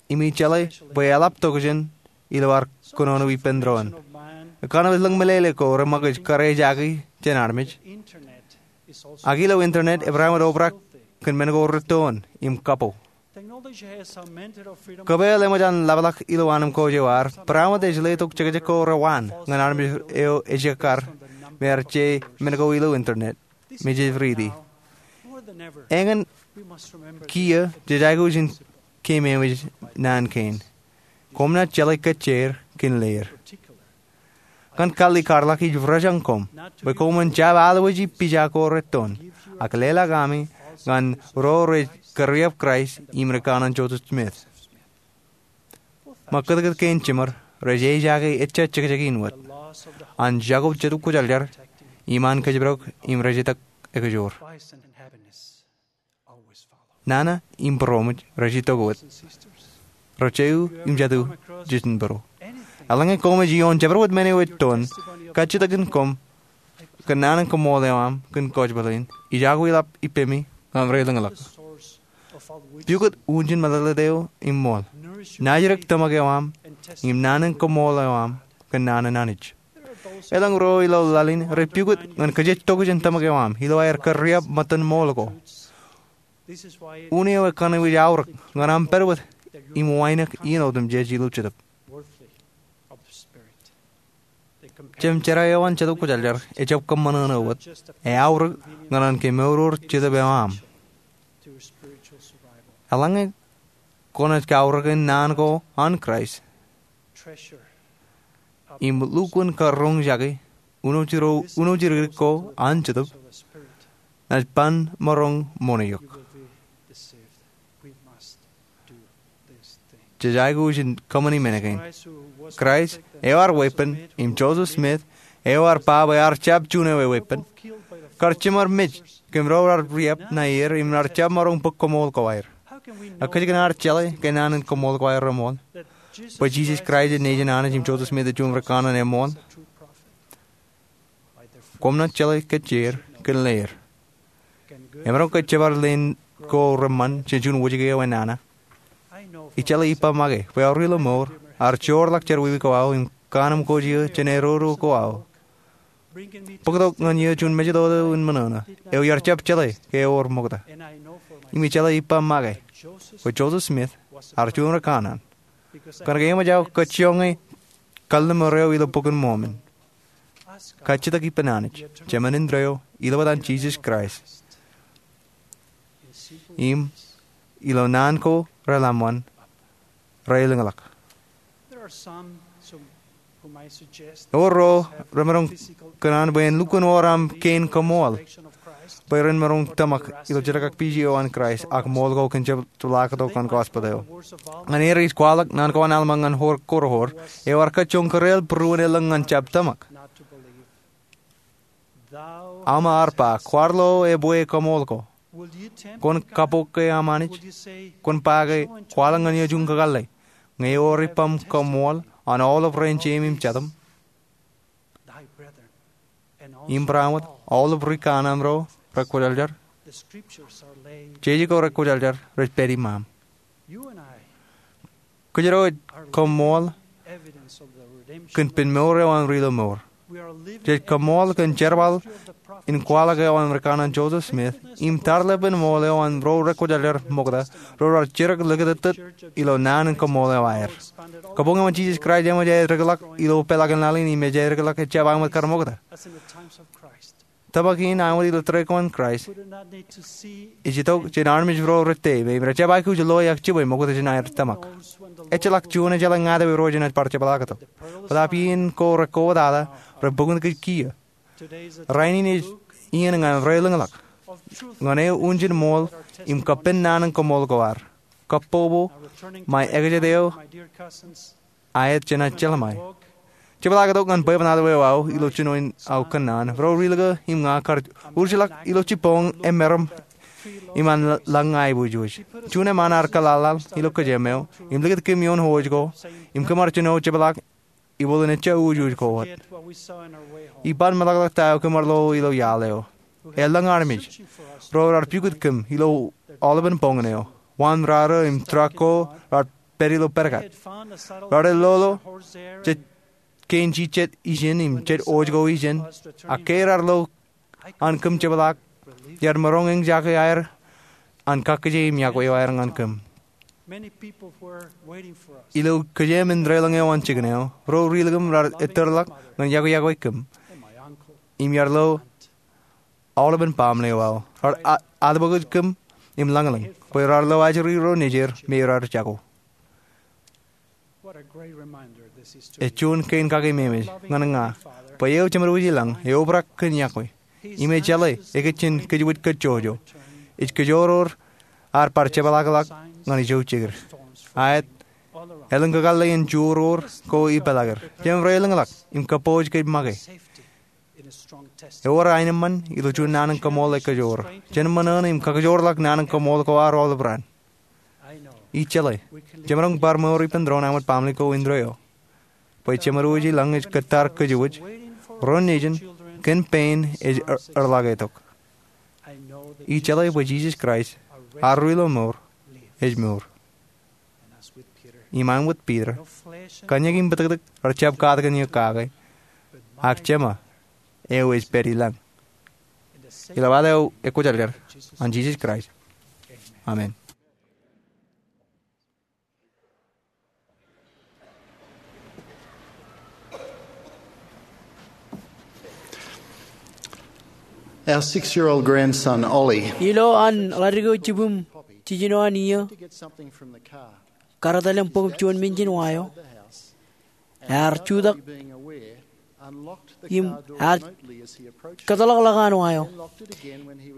Im ij jeḷā bwe eḷap tokjān ilo ad kōnono ippān doon. Ekanooj lōñ meḷeḷe ko reṃōkaj karijeaki jān armej. Ak ilo internet, ebar ṃōj obrak kōn men ko rettoon im kapo. Kōpeḷ eṃōj an ḷapḷọk ilo anemkwōj eo ad, barāinwōt ej letok jekjek ko rewaan ñan armej eo ej ekkar, im ear je men ko ilo internet, im jej riiti. Eñin, kiiō, jej aikuj in keememej naan kein. Koṃ naaj jeḷā kōjjeer kōn leer. Kōn kallikarḷọk ij rojañ koṃ bwe koṃwin jab alwōji pija ko rettoon, ak leḷọk ami ñan ro rej kōrreoḷọk Kraist im ri kanaan Joseph Smith. Ṃōk kōtkōt kein jiṃor rej ejaake ejja jekjek in wōt an jako Jetōb Kwōjarjar im an kōjparok im rej itok ekajoor. Nana im būroṃōj rej itok wōt. Ro jeiū im jatū, jejin būro. Eḷaññe koṃij ioon jabdewōt men eo ettoon, kajjitōkin koṃ kōn naan in koṃṃool eo aṃ kōn kōjparok in ej aikuj ḷap ippemi ñan reilōñḷọk. Pukot unin meḷeḷe eo im ṃool, naajdik tōmak eo aṃ im naan in koṃṃool eo aṃ kōn naan in Anij. Elōñ ro ilo laḷ in rej pukot ñan kōjejtok jān tōmak eo aṃ ilo aer kōrriab ṃōttan ṃool ko. Unin eo ekanooj ej aorōk ñan aṃ pād wōt im wānōk iien otemjej ilo Jetōb. Jemjerā eo an Jetōb Kwōjarjar ejjab kōṃṃan eo wōt, eaorōk ñan an kemour Jetōb eo aṃ. Eḷaññe kwōnaaj kaorōk in naan ko an Kraist im lukkuun karuñjake unooj dikdik ko an Jetōb, naaj ban maroñ ṃoṇe eok. Jej aikuj in kōṃṃani men kein. Kraist eo ad weeppān im Joseph Smith eo ad ba bwe ad jab juon eweeppān, kar jiṃor mej kōm ro raar riab ṇa er im raar jab maroñ bōk koṃṃool ko aer. Ak kōjkan ad jeḷā ke naan in koṃṃool ko aer reṃool, bwe Jisōs Kraist ej nejin Anij im Joseph Smith ej juon rikanaan eṃool? Koṃ naaj jeḷā kōj jeid kōn leid. Emaroñ ke jebar leen ko reṃṃan jān juon wōjke eo enana? Ij jeḷā ippa make bwe aor ilo mour, ad joorḷọk jerọwiwi ko aō im kaanemkwōj eō jān eroro ko aō. Bōktok ñan eō juon mejatoto in ṃōṇōṇō eo iar jab jeḷā ke ewōr ṃokta. Im ij jeḷā ippa make bwe Joseph Smith ear juon rikanaan. Kōnke eṃōj aō kajjioñe kalliṃur eo ilo Bok in Mormon. Kajjitōk ippān Anij, Jemān indeeo, ilo etan Jisōs Kraist, im ilo naan ko reḷōmṇak, reilōñḷọk. Ewōr ro remaroñ kōṇaan bwe en lukkuun wōr aṃ kein koṃṃool bwe ren maroñ tōmak ilo jerakrōk piiji eo an Kraist ak ṃool ko kōn jepḷaaktok an gospel eo. Ñan er ij kwaḷọk naan ko an Alma ñan Korihor eo ear kajjioñ kōreel būruon elōñ ñan jab tōmak. Alma ear ba, kwaar lo ebwe koṃṃool ko? Kwōn kappok ke aṃ Anij? Kwōn ba ke, kwaḷọk ñan eō juon kakōḷḷe, ñe ewōr ippaṃ koṃṃool an aolep rein jeim im jatūṃ? Im barāinwōt aolep rikanaan ro rekwōjarjar, jeje ko rekwōjarjar rej pād iṃaaṃ. Kōjro ej koṃṃool kōn pen mour eo an ri ilo mour. Jej koṃṃool kōn jerbal in kwaḷọk eo an rikanaan Joseph Smith im tarlepen ṃool eo an ro rekwōjarjar ṃokta ro raar jidik likūtōttōt ilo naan in koṃṃool eo aer. Kabuñ eo an Jisōs Kraist eṃōj aer dikḷọk ilo peḷaakin laḷ in im ej aer dikḷọk ejjab aṃ wōt kar ṃokta. Tōmak in aṃ wōt ilo tōre ko an Kraist ej itok jān armej ro rettōmej im rejjab aikuj loe ak jibwe ṃokta jān aer tōmak. Ejjeḷọk juon ejeḷā ñāāt ewe ro jenaaj bar jepḷaaktok. Bōtaab iien ko rekwoḷọk ḷọk, rej bōk kōn kiiō. Rainin ej iien ñan reilōñḷọk ñan eō unin ṃool im kappān naan in koṃṃool ko ad. Kabbokbok ṃae ekajet eo aet jenaaj jeḷā ṃae. Jepḷaaktok ñan bwebwenato eo aō ilo jino in aō kōnnaan. Ro ri-lōke im ña kar urjilọk ilo jibboñ emeram im an lañ aiboojoj. Juon eṃṃan ear kōḷaḷḷaḷ ilo kōjām eo im likūt kōm ioon hooid ko im kōm ar jino jepḷaak ibooḷ in ejja uwuj ko wōt. Iban meḷọkḷọk ta eo kōm ar lo ilo iaḷ eo. Elōñ armej ro raar pukot kōm ilo aolepen boñōn eo. Wāween raorro im truck ko raar pād ilo pedkat. Raar lolo jet kein jijet ijin im jet hooid ko ijin, ak ke raar lo an kōm jepḷaak, iar maroñ eñjake aer an kakkije im yokwe eo aer ñan kōm. Ilo kōjām in deḷọñ eo an jikin eo, ro ri-lōke im raar ettōrḷọk ñan yokwe yokwe kōm. Im iar lo aolepen baaṃle eo aō. Raar a- atbōkōj kōm im lañlōñ bwe raar lo ajri ro nejier me raar jako. Ej juon kein kakememej ñan ña bwe eō Jemedwōj ilañ eobrak kōn yokwe im ej jeḷā ekōjjien kōjwōj kōjjojo. Ej kōjoror ad bar jepḷaakḷọk ñan ijo jikier. Aet Elōñ kakōḷḷe in juruo ko ipeḷaaker. Jemem rej elōñḷọk im kōpooj kōj make. Ewōr aenōṃṃan ilo juon naan in kaṃool ej kajoor. Jemem ṃōṇōṇō im kakajoorḷọk naan in kaṃool ko aer aolep raan. Ij jeḷā, jemaroñ bar mour ippān doon āinwōt baaṃle ko indeeo, bwe Jemedwōj ilañ ej kōttar kōjwōj, ro nejin kōn pein ej er-, erḷọk etok. Ij jeḷā bwe Jisōs Kraist, ear ru ilo mour, ej mour. Im āinwōt Piter, kōn eñin im bōtōktōk rejjab katakin eō kake, ak Jema eo ej pād ilañ. Ilo ad eo ekwōjarjar, an Jisōs Kraist. Amen. Our six-year-old grandson, Ollie, ilo an ḷadik eo jibwim jiljino an iiō, karital im bōk juon men jān wa eo, ear jutak im ear kōtḷọk ḷọk an wa eo.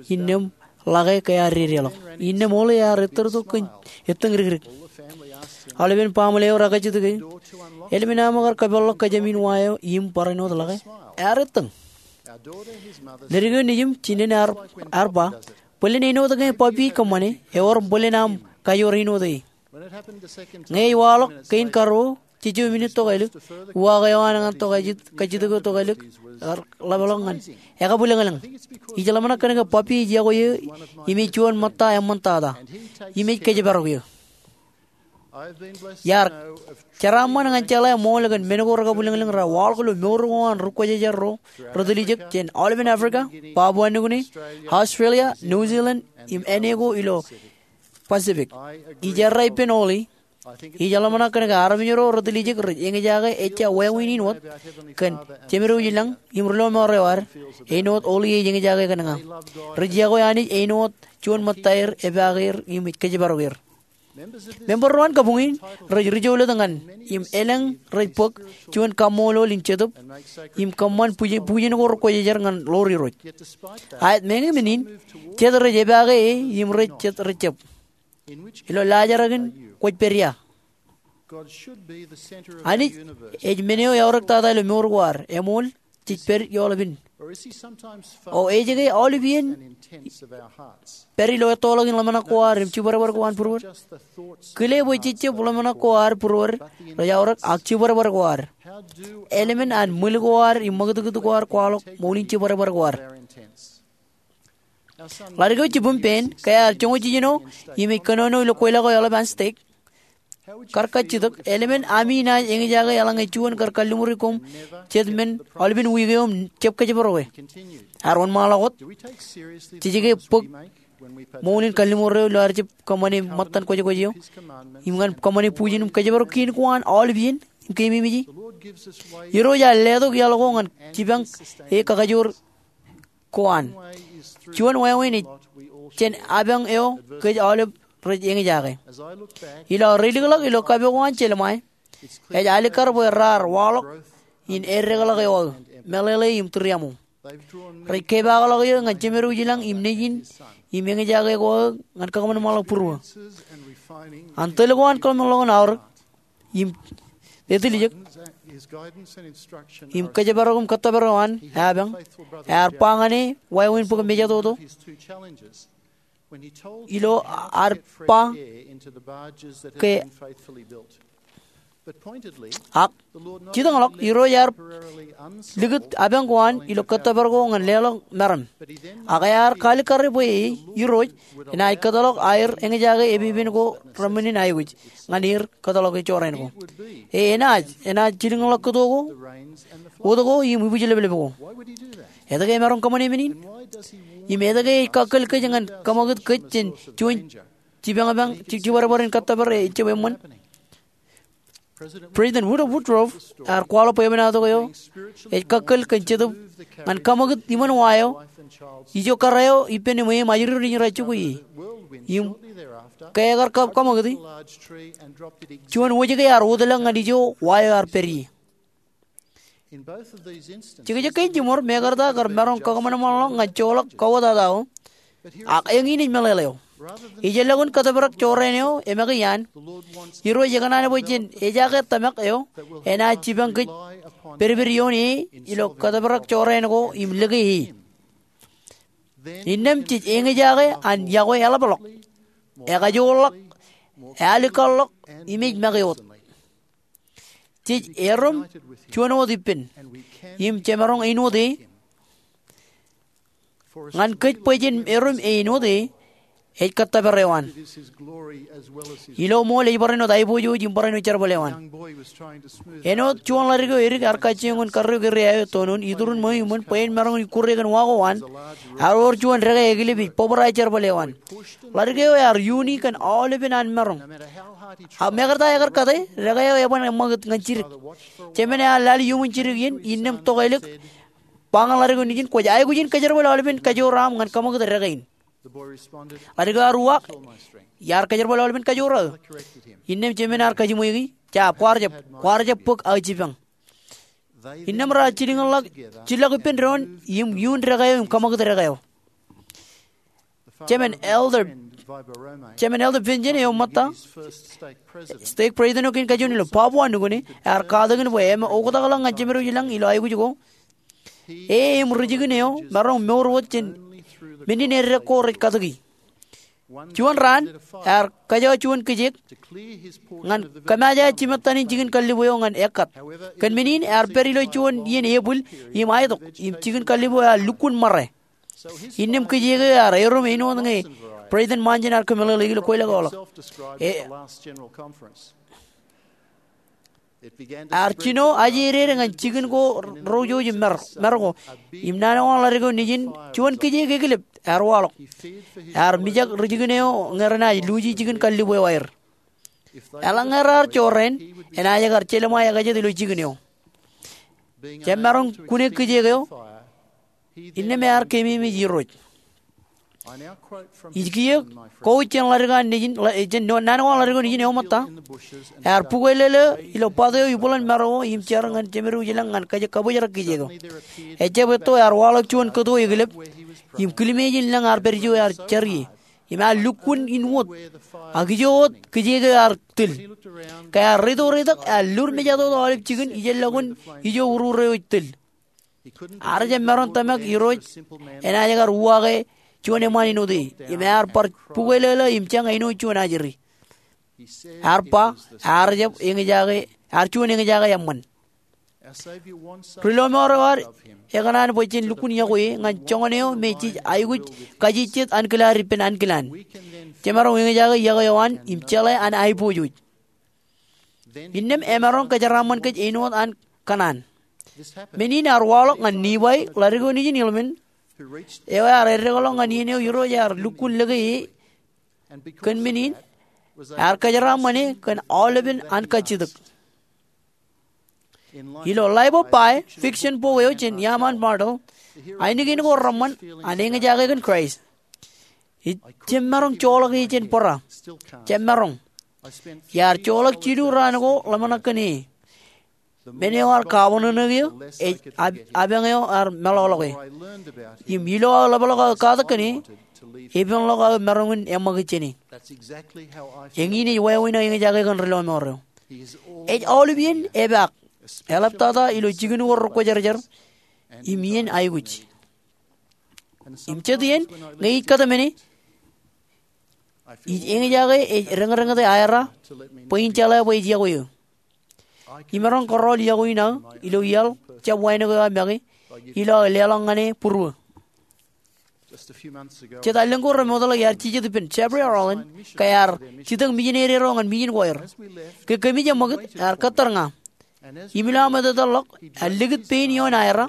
Innām ḷake ke ear dedeḷọk. Innām Ollie ear ettōrtok kōn ettōñ dikdik. Aolepen baaṃle eo rekajjitōk e. Eḷap an aṃ kar kōpeḷḷọk kōjām in wa eo im barāinwōt ḷake? Ear ettōñ. Ledik eo nejiṃ, jinen ear, ear ba, bōlen āinwōt ke puppy ej kōṃṃane, ewōr bōlen aṃ kajoor āinwōt e. Ñe ej waḷọk kein karuo, jejjo minit tokālik, uwaak eo an ñan tokālik, kajjitōk eo tokālik, ear ḷapḷọk ñan ekabwilōñlōñ. Ij ḷōmṇak kōn ke puppy ej yokwe eō im ej juon ṃōtta eṃṃan tata. Im ej kōjparok eō. Iar jeraaṃṃan ñan jeḷā ṃool kōn men ko rekabwilōñlōñ raar waḷọk ilo mour ko an ri kwōjarjar ro retiljek jān aolepen Africa, Papua New Guinea, Australia, New Zealand, im āne ko ilo Pacific. Ij errā ippān Ollie. Ij ḷōmṇak kōn ke armej ro retiljek rej eñjake ejja wāween in wōt kōn Jemedwōj ilañ im ri lọmọọr eo ad, āinwōt Ollie ej eñjake kōn ña. Rej yokwe Anij āinwōt juon ṃōtta er, epaake er im ej kōjparok er. Member ro an kabuñ in rej ri-jouḷet ñan im elōñ rej bōk juon kaṃṃoolol in jetōb im kōṃṃan bujen, bujen ko rekwōjarjar ñan ḷoor Irooj. Aet meñe men in, jet rej epaake e im rej jet rejjab. Ilo laajrak in kwōj pād ia? Anij ej men eo eaorōk tata ilo mour ko ad, eṃool, jej pād ioḷapin? O ej ke aolep iien pād ilo ettoḷọk in ḷōmṇak ko ad im jibadbad ko an būruod? Kile bwe jejjab ḷōmṇak ko ad būruod rej aorōk, ak jibadbad ko ad. Eḷmen an ṃwil ko ad im ṃakūtkūt ko ad kwaḷọk ṃool in jibadbad ko ad. Ḷadik eo jibwim, Ben, ke ear joñoul jiljino im ej kōnono ilo kweilọk eo eḷap an stek, kar kajjitōk, eḷmen ami naaj eñjake eḷaññe juon kar kalliṃuri koṃ jet men aolepen wiik eo im jab kōjparok e. Ear wōnṃaanḷọk wōt, jej ke bōk ṃool in kalliṃur eo ilo ad jab kōṃṃane ṃōttan kwōjkwōj eo im ñan kōṃṃane bujen im kōjparok kein ko an aolep iien im keememej e? Irooj ear letok iaḷ ko ñan jipañ e kakajoor ko an. Juon wāween ej jān apañ eo kōj aolep rej eñjake. Ilo aō reilikḷọk ilo kapo ko an Jelemaia, ej alikkar bwe raar waḷọk in eddekḷọk eo aō, meḷeḷe im tūriaṃo. Rej kepaakḷọk eō ñan Jemedwōj ilañ im Nejin im eñjake ko aō ñan kakōṃanṃanḷọk būruō. An tōl ko an kōḷmānḷọkjeṇ aorōk im etiljek im kōjparok im kōttōpar eo an apañ, ear ba ñan e wāween bōk mejatoto ilo ad ba ke Ak jitōñḷọk, Irooj ear likūt apañ ko an ilo kōttōpar ko ñan leḷọk meram. Ak ear kaalikkare bwe e, Irooj, enaaj kōtḷọk aer eñjake epepen ko reṃṃan in aikuj ñan er kōtḷọk e jorrāān ko. E, enaaj, enaaj jilkinḷọk kōto ko, wōt ko im ibwijleplep ko. Etke emaroñ kōṃṃane men in? Im etke ej kakkōl kōj ñan kōṃakūt kōj jān juon jipañpañ, ji-, jibadbad in kōttōpar ejjab eṃṃan? President Woodrow Wilson ear kwaḷọk bwebwenato eo ej kakkōl kōn Jetōb ñan kōṃakūt iṃaan wa eo, ijo kōrā eo ippān eṃ ajri ro nejin rej jokwe ie. Im ke ekar kō-, kōṃakūti, juon wōjke ear wōtlọk ñan ijo wa eo ear pād ie. Jekjek kein jiṃor, mekarta kar maroñ kakōṃanṃanḷọk ñan joḷọk kōwōtata eo, ak eñin ej meḷeḷe eo. Ijellọkun kōtōprak jorrāān eo emake iaan, Irooj ekōṇaan bwe jen ejaake tōmak eo enaaj jipañ kōj pedped ioon e ilo kōtōprak jorrāān ko im lōke e. Innām jej eñjake an yokwe eḷapḷọk, ekajoorḷọk, ealikkar ḷọk, im ej make wōt. Jej erom juon wōt ippān im jemaroñ āinwōt e. Ñan kōj bwe jen erom āinwōt e, ej kōttōpar eo an. Ilo ṃool ej barāinwōt aiboojoj im barāinwōt jerbal eo an. Āinwōt juon ḷadik eo edik ear kajjioñ in karreo kōrā eo etonon iturin ṃweo iṃōn bwe en maroñ in kure kōn wa ko an, ear wōr juon dekā eklep ej bōbrae jerbal eo an. Ḷadik eo ear iuni kōn aolepen an maroñ. Ak mekarta ekar kate, dekā eo eban eṃṃakūt ñan jidik. Jemān ear lale iuṃwin jidik iien, innām tok ālik, ba ñan ḷadik eo nejin, kwōj aikuj in kōjerbal aolepen kajoor aṃ ñan kaṃakūt dekā in. Ḷadik eo ear uwaak, iar kōjerbal aolepen kajoor aō. Innām jemān ear kajiṃweiki, jab, kwaar jab, kwaar jab bōk aō jipañ. Innām raar jilkinḷọk, jillọk ippān doon im iun dekā eo im kaṃakūt dekā eo. Jemān Elder, Jemān Elder Benjen eo ṃōtta, stake president eo kein kajuon ilo Papua New Guinea, ear katakin bwe eṃōj oktakḷọk ñan Jemedwōj ilañ ilo aikuj ko. E im ri jikin eo maroñ mour wōt jān men in eddek ko rej katōki. Juon raan, ear kōjọ juon kijeek ñan kōmāje jimettan in jikin kallib eo ñan ekkat. Kōn men in ear pād ilo juon iien epwil im aetok im jikin kallib eo ear lukkuun ṃare. Innām kijeek eo ear erom āinwōt ñe President Monson ear kōmeḷeḷeik ilo kweilọk eo ḷọk. E, ear jino ajeded ñan jikin ko ro jouj im mar, mar ko. Im naan eo an ḷadik eo nejin, juon kijeek eklep ear waḷọk. Ear mijak ri jikin eo ñe renaaj luuji jikin kallib eo aer. Eḷaññe raar jorrāān, enaaj kar jelṃae ekajet ilo jikin eo. Jemaroñ kune kijeek eo, innām ear keememej Irooj. Ij kiiō kowōj jān ḷadik eo an nejin, ḷa-, jān naan eo an ḷadik eo nejin eo ṃōtta. Ear bukwelōlō ilo bat eo ibwiḷan mar ko im jar ñan Jemedwōj ilañ ñan kōj kabōjrak kijeek eo. Ejjab etto ear waḷọk juon kōto eklep im kilmeej in lañ ear pād ijo ear jar ie. Im ear lukkuun in wōt. Ak ijo wōt kijeek eo ear tōl. Ke ear reitok reitok ear lur mejatoto aolep jikin ijellọkun ijo urur eo ej tōl. Ear jab maroñ tōmak Irooj enaaj kar uwaake juon eṃṃaan āinwōt e. Im ear bar bukwelōlō im jañ āinwōt juon ajri. Ear ba, ear jab eñjake, ear juon eñjake eṃṃan. Ri lọmọọr eo ad ekōṇaan bwe jen lukkuun yokwe e ñan joñan eo me jej aikuj kajejjet ankilaad ippān ankilaan. Jemaroñ eñjake yokwe eo an im jeḷā an aiboojoj. Innām emaroñ kōjeraaṃṃan kōj āinwōt an kōṇaan. Men in ear waḷọk ñan Nifai ḷadik eo nejin Hilman, eo ear eddekḷọk ñan iien eo Irooj ear lukkuun lōke e. Kōn men in, ear kōjeraaṃṃan e kōn aolepen an kajjitōk. Ilo Life of Pi, fiction bok eo jān iaam an Martell, ainikien ko reṃṃan an eñjake kōn Kraist. Ij jab maroñ joḷọk e jān bōra. Jab maroñ. Iar joḷọk jilu raan ko ḷōmṇak kōn e. Men eo ear kawanōṇō eō, ej ab-, apañ eo ear meḷọkḷọk e. Im ilo aō ḷapḷọk aō katak kōn e, epenḷọk aō maroñ in eṃṃakūt jān e. Eñin ej wāween aō eñjake kōn ri lọmọọr eo. Ej aolep iien epaak, eḷaptata ilo jikin ko rekwōjarjar, im iien aikuj. Im jet iien, ñe ij kōtmāne, ij eñjake ej deñdeñete aera bwe in jeḷā bwe ij yokwe eō. Imaroñ kōrọọl yokwe in aō ilo iaḷ jab wānōk eo aō make ilo aō leḷọk ñan e būruō. Jet allōñ ko remootḷọk iar jijet ippān Jeffrey Holland ke ear jitōñ mijineri ro ñan mijin ko aer. Ke kōmij eṃṃakūt, ear kōttar ña. Im ilo am etetal ḷọk, ear likūt pein ioon aera.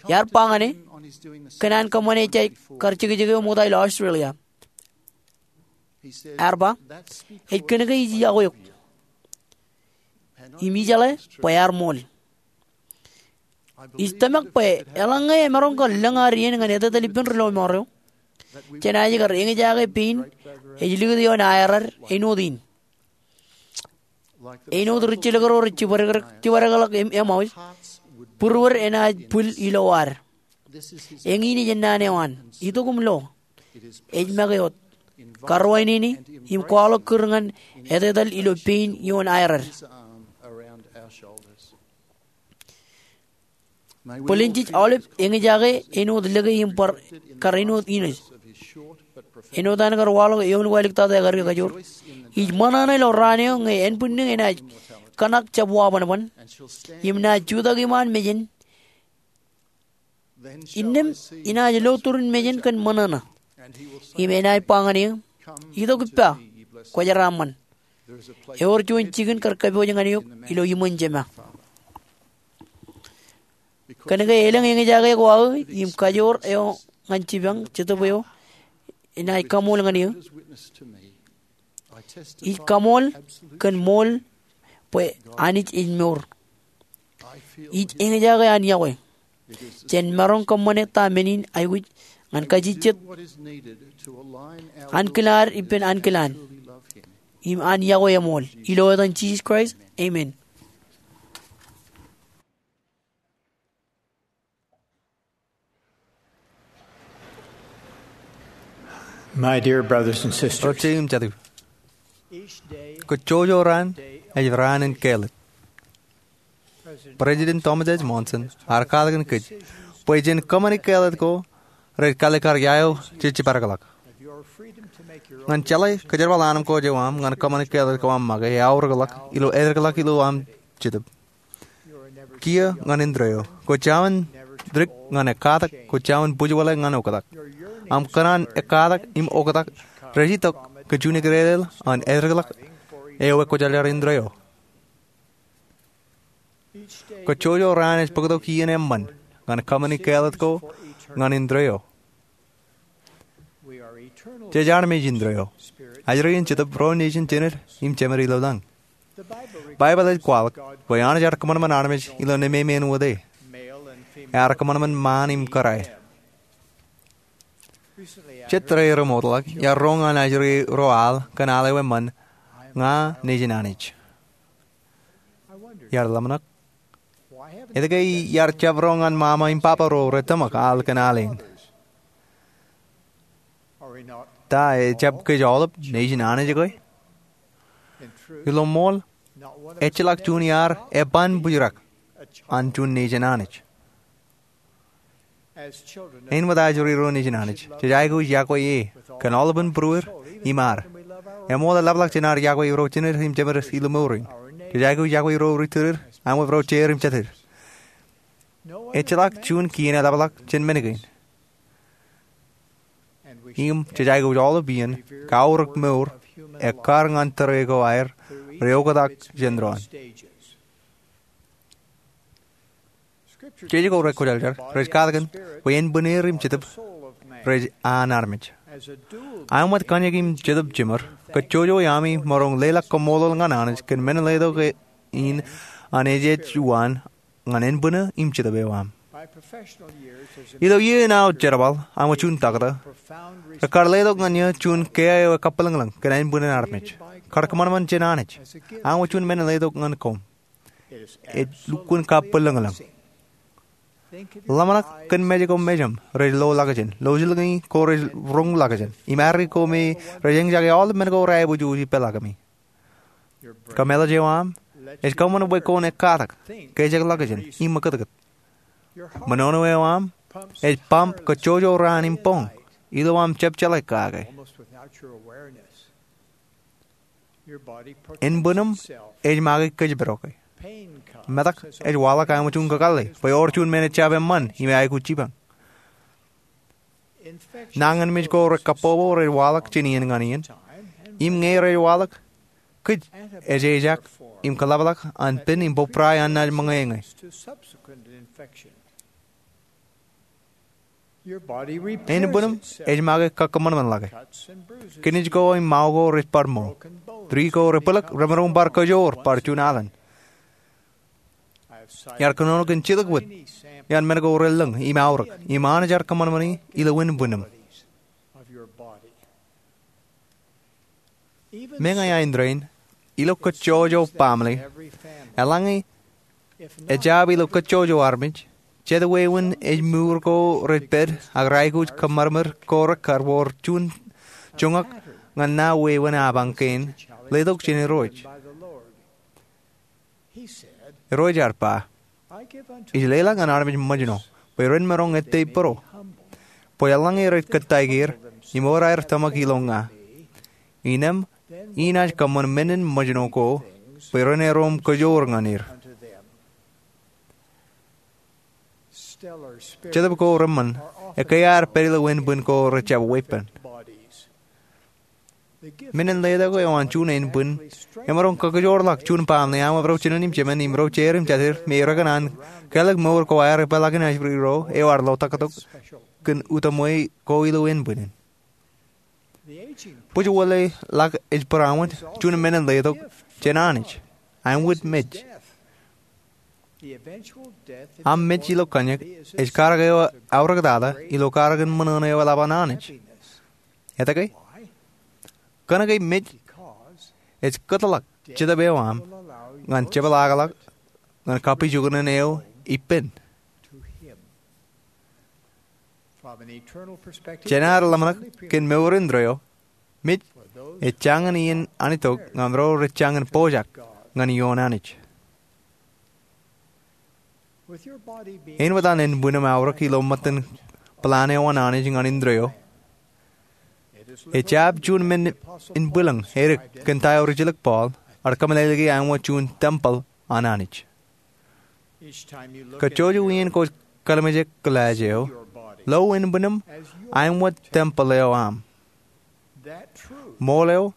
Iar ba ñan e, kōn an kōṃṃane ejja kar jekjek eo ṃokta ilo Australia. Ear ba, ej kōnke ij yokwe eok. Im ijeḷā bwe ear ṃool. Ij tōmak bwe eḷaññe emaroñ kar lōñ ad iien ñan etetal ippān ri lọmọọr eo, jenaaj kar eñjake pein ej likūt ioon aerad āinwōt in. Āinwōt ri jilkinḷọk ro rej jibadekḷọk, jibadekḷọk Em-, Emmaus, būruod enaaj bwil ilo ad. Eñin ej ennaan eo an, itok im lo. Ej make wōt, karuwainene im kwaḷọk kūr ñan etetal ilo pein ioon aerar. Bōlen jej aolep eñjake āinwōt lōke im bar kar āinwōt inej. Āinwōt an kar waḷọk eoon waḷọk tata ekadik kajoor. Ij ṃōṇōṇō ilo raan eo ñe ānbwinnū enaaj kōṇak jab wabanban im naaj jutak iṃaan mejān. Innām enaaj lo turin mejān kōn ṃōṇōṇō. Im enaaj ba ñan eō, "Itok ippa, kwōjeraaṃṃan. Ewōr juon jikin kar kōpooj ñan eok ilo iṃōn Jema." Kōnke elōñ eñjake ko aō im kajoor eo ñan jipañ, Jetōb eo enaaj kaṃool ñan eō. Ij kaṃool kōn ṃool bwe Anij ej mour. Ij eñjake an yokwe. Jen maroñ kōṃṃane ta men in aikuj ñan kajejjet ankilaad ippān ankilaan im an yokwe eṃool. Ilo etan Jisōs Kraist, amen. My dear brothers and sisters, Rej im jatū, kōjjojo raan ej raan in kāālōt. President Thomas S. Monson ear katakin kōj bwe jen kōṃṃani kāālōt ko rej kaalikkar ia eo jej jibadekḷọk. Ñan jeḷā kōjerbal anemkwōj eo aṃ ñan kōṃṃani kāālōt ko aṃ make, eaorōkḷọk ilo, eaorōkḷọk ilo aṃ Jetōb. Kiiō ñan indeeo. Kwōj jaṃin dik ñan ekkatak, kwōj jaṃin bwijbweḷe ñan oktak. Aṃ kōṇaan ekkatak im oktak rej itok kōn juon ikdedeḷ an eaorōkḷọk eo ekwōjarjar indeeo. Kōjjojo raan ej bōktok iien eṃṃan ñan kōṃṃani kāālōt ko ñan indeeo. Jej armej indeeo. Ajri in Jetōb ro nejin jined im jemed ilo lañ. Baibōḷ ej kwaḷọk bwe Anij ear kōṃanṃan armej ilo nemāmein wōt e. Ear kōṃanṃan ṃaan im kōrā. Jet reremootḷọk iar roñ an ajri ro al kōn al eo eṃṃan, "Ña nejin Anij." Iar ḷōmṇak, etke iar jab roñ an mama im baba ro rej tōmak al kōn al in? Ta ejab kōj aolep nejin Anij ke? Ilo ṃool, ejjeḷọk juon iaad eban bwijrak an juon nejin Anij. Āinwōt ajri ro nejin Anij, jej aikuj iọkwe e kōn aolepen būruod im ad. Eṃool eḷapḷọk jān ad iọkwe ro jined im jemed ilo mour in. Jej aikuj iọkwe ro ri-tōl, āinwōt ro jeid im jatid. Ejjeḷọk juon kien eḷapḷọk jān men kein. Im jej aikuj aolep iien kaorōk mour ekkar ñan tōre ko aer rej oktak jān doon. Jeje ko rekwōjarjar rej katakin bwe ānbwinnier im jetōb rej an armej. Āinwōt kōnyak im jetōb jiṃor, kōjjojo iaami maroñ leḷọk kaṃṃoolol ñan Anij kōn men letok in an ejej uwaan ñan ānbwinnū im jetōb eo aṃ. Ilo iiō in aō jerbal, āinwōt juon taktō, rekar letok ñan eō juon kiiō eo ekabwilōñlōñ kōn ānbwinnū armej. Kar kōṃanṃan jān Anij, āinwōt juon men letok ñan koṃ. Ej lukkuun kabwilōñlōñ. Ḷōmṇak kōn mej ko mejaṃ rej loḷọkjeṇ, lọjilñi ko rej roñḷọkjeṇ, im arri ko me rej eñjake aolep men ko reaiboojoj ippālọkemi. Kōmālij eo aṃ ej kōṃṃan bwe kwōn ekkatak, kejakḷọkjeṇ, im ṃakūtkūt. Ṃōṇōṇō eo aṃ ej pump kōjjojo raan im boñ ilo aṃ jab jeḷā kake. Ānbwinnūṃ ej make kōjparoke. Metak ej waḷọk āinwōt juon kakōḷḷe bwe ewōr juon men ejjab eṃṃan im eaikuj jipañ. Nañinmej ko rekabbokbok rej waḷọk jān iien ñan iien. Im ñe rej waḷọk, kōj ejejak im kōḷapḷọk an pen im bōbrae an naaj ṃōñā ñe. Ānbwinnūṃ ej make kakkōṃanṃanḷọke. Kinij ko im mao ko rej bar ṃool. Tūri ko rej bwilōk remaroñ bar kōjoor bar juon alen. Iar kōnono kōn jidik wōt iaan men ko relōñ im aorōk im Anij ear kōṃanṃani ilo ānbwinnūṃ. Meñe aō indeeo in, ilo kōjjojo baaṃle, eḷaññe ejjab ilo kōjjojo armej, Jet wāween ej mour ko rej pād ak rej aikuj kōṃṃan ko rekar wōr juon joñak ñan naan wāween apañ kein, letok jān Irooj. Irooj ear ba, ij leḷọk ñan armej ṃōjṇọ bwe ren maroñ ettā būruō, bwe eḷaññe rej kōttāik er im ewōr aer tōmak ilo ña, innām inaaj kōṃṃan menin ṃōjṇọ ko bwe ren erom kajoor ñan er. Jetōb ko reṃṃan ekkā ear pād ilo ānbwin ko rejjab weeppān. Menin letok eo an juon ānbwin emaroñ kajoorḷọk juon baaṃle aṃ ro jinen im jemān im ro jeir im jatid me rekōṇaan kāālōt mour ko aer epeḷḷọk inaaj ri ro eo ear lotaktok kōn utaṃwe ko ilo ānbwin in. Bwijwōjḷọk ej būruō wōt juon menin letok jān Anij, aṃ wōt mej. Aṃ mej ilo kōnjak ej karōk eo aorōktata ilo karōk in ṃōṇōṇō eo eḷap an Anij. Etke? Kōnke mej ej kōtḷọk Jetōb eo aṃ ñan jepḷaakḷọk ñan kapijuknen eo ippān. Jān ad ḷōmṇak kōn mour indeeo, mej ej jañin iien an itok ñan ro rej jañin pojak ñan ioon Anij. Āinwōt an ānbwinim aorōk ilo ṃōttan plan eo an Anij ñan indeeo, ej jab juon men in bwilōñ edik kōn ta eo rijjilōk Paul ear kōmeḷeḷeiki aṃ wōt juon tempel an Anij. Kajjojo iien kwōj kōḷmānjeḷọk glass eo, lo ānbwinim aṃ wōt tempel eo aṃ. Ṃool eo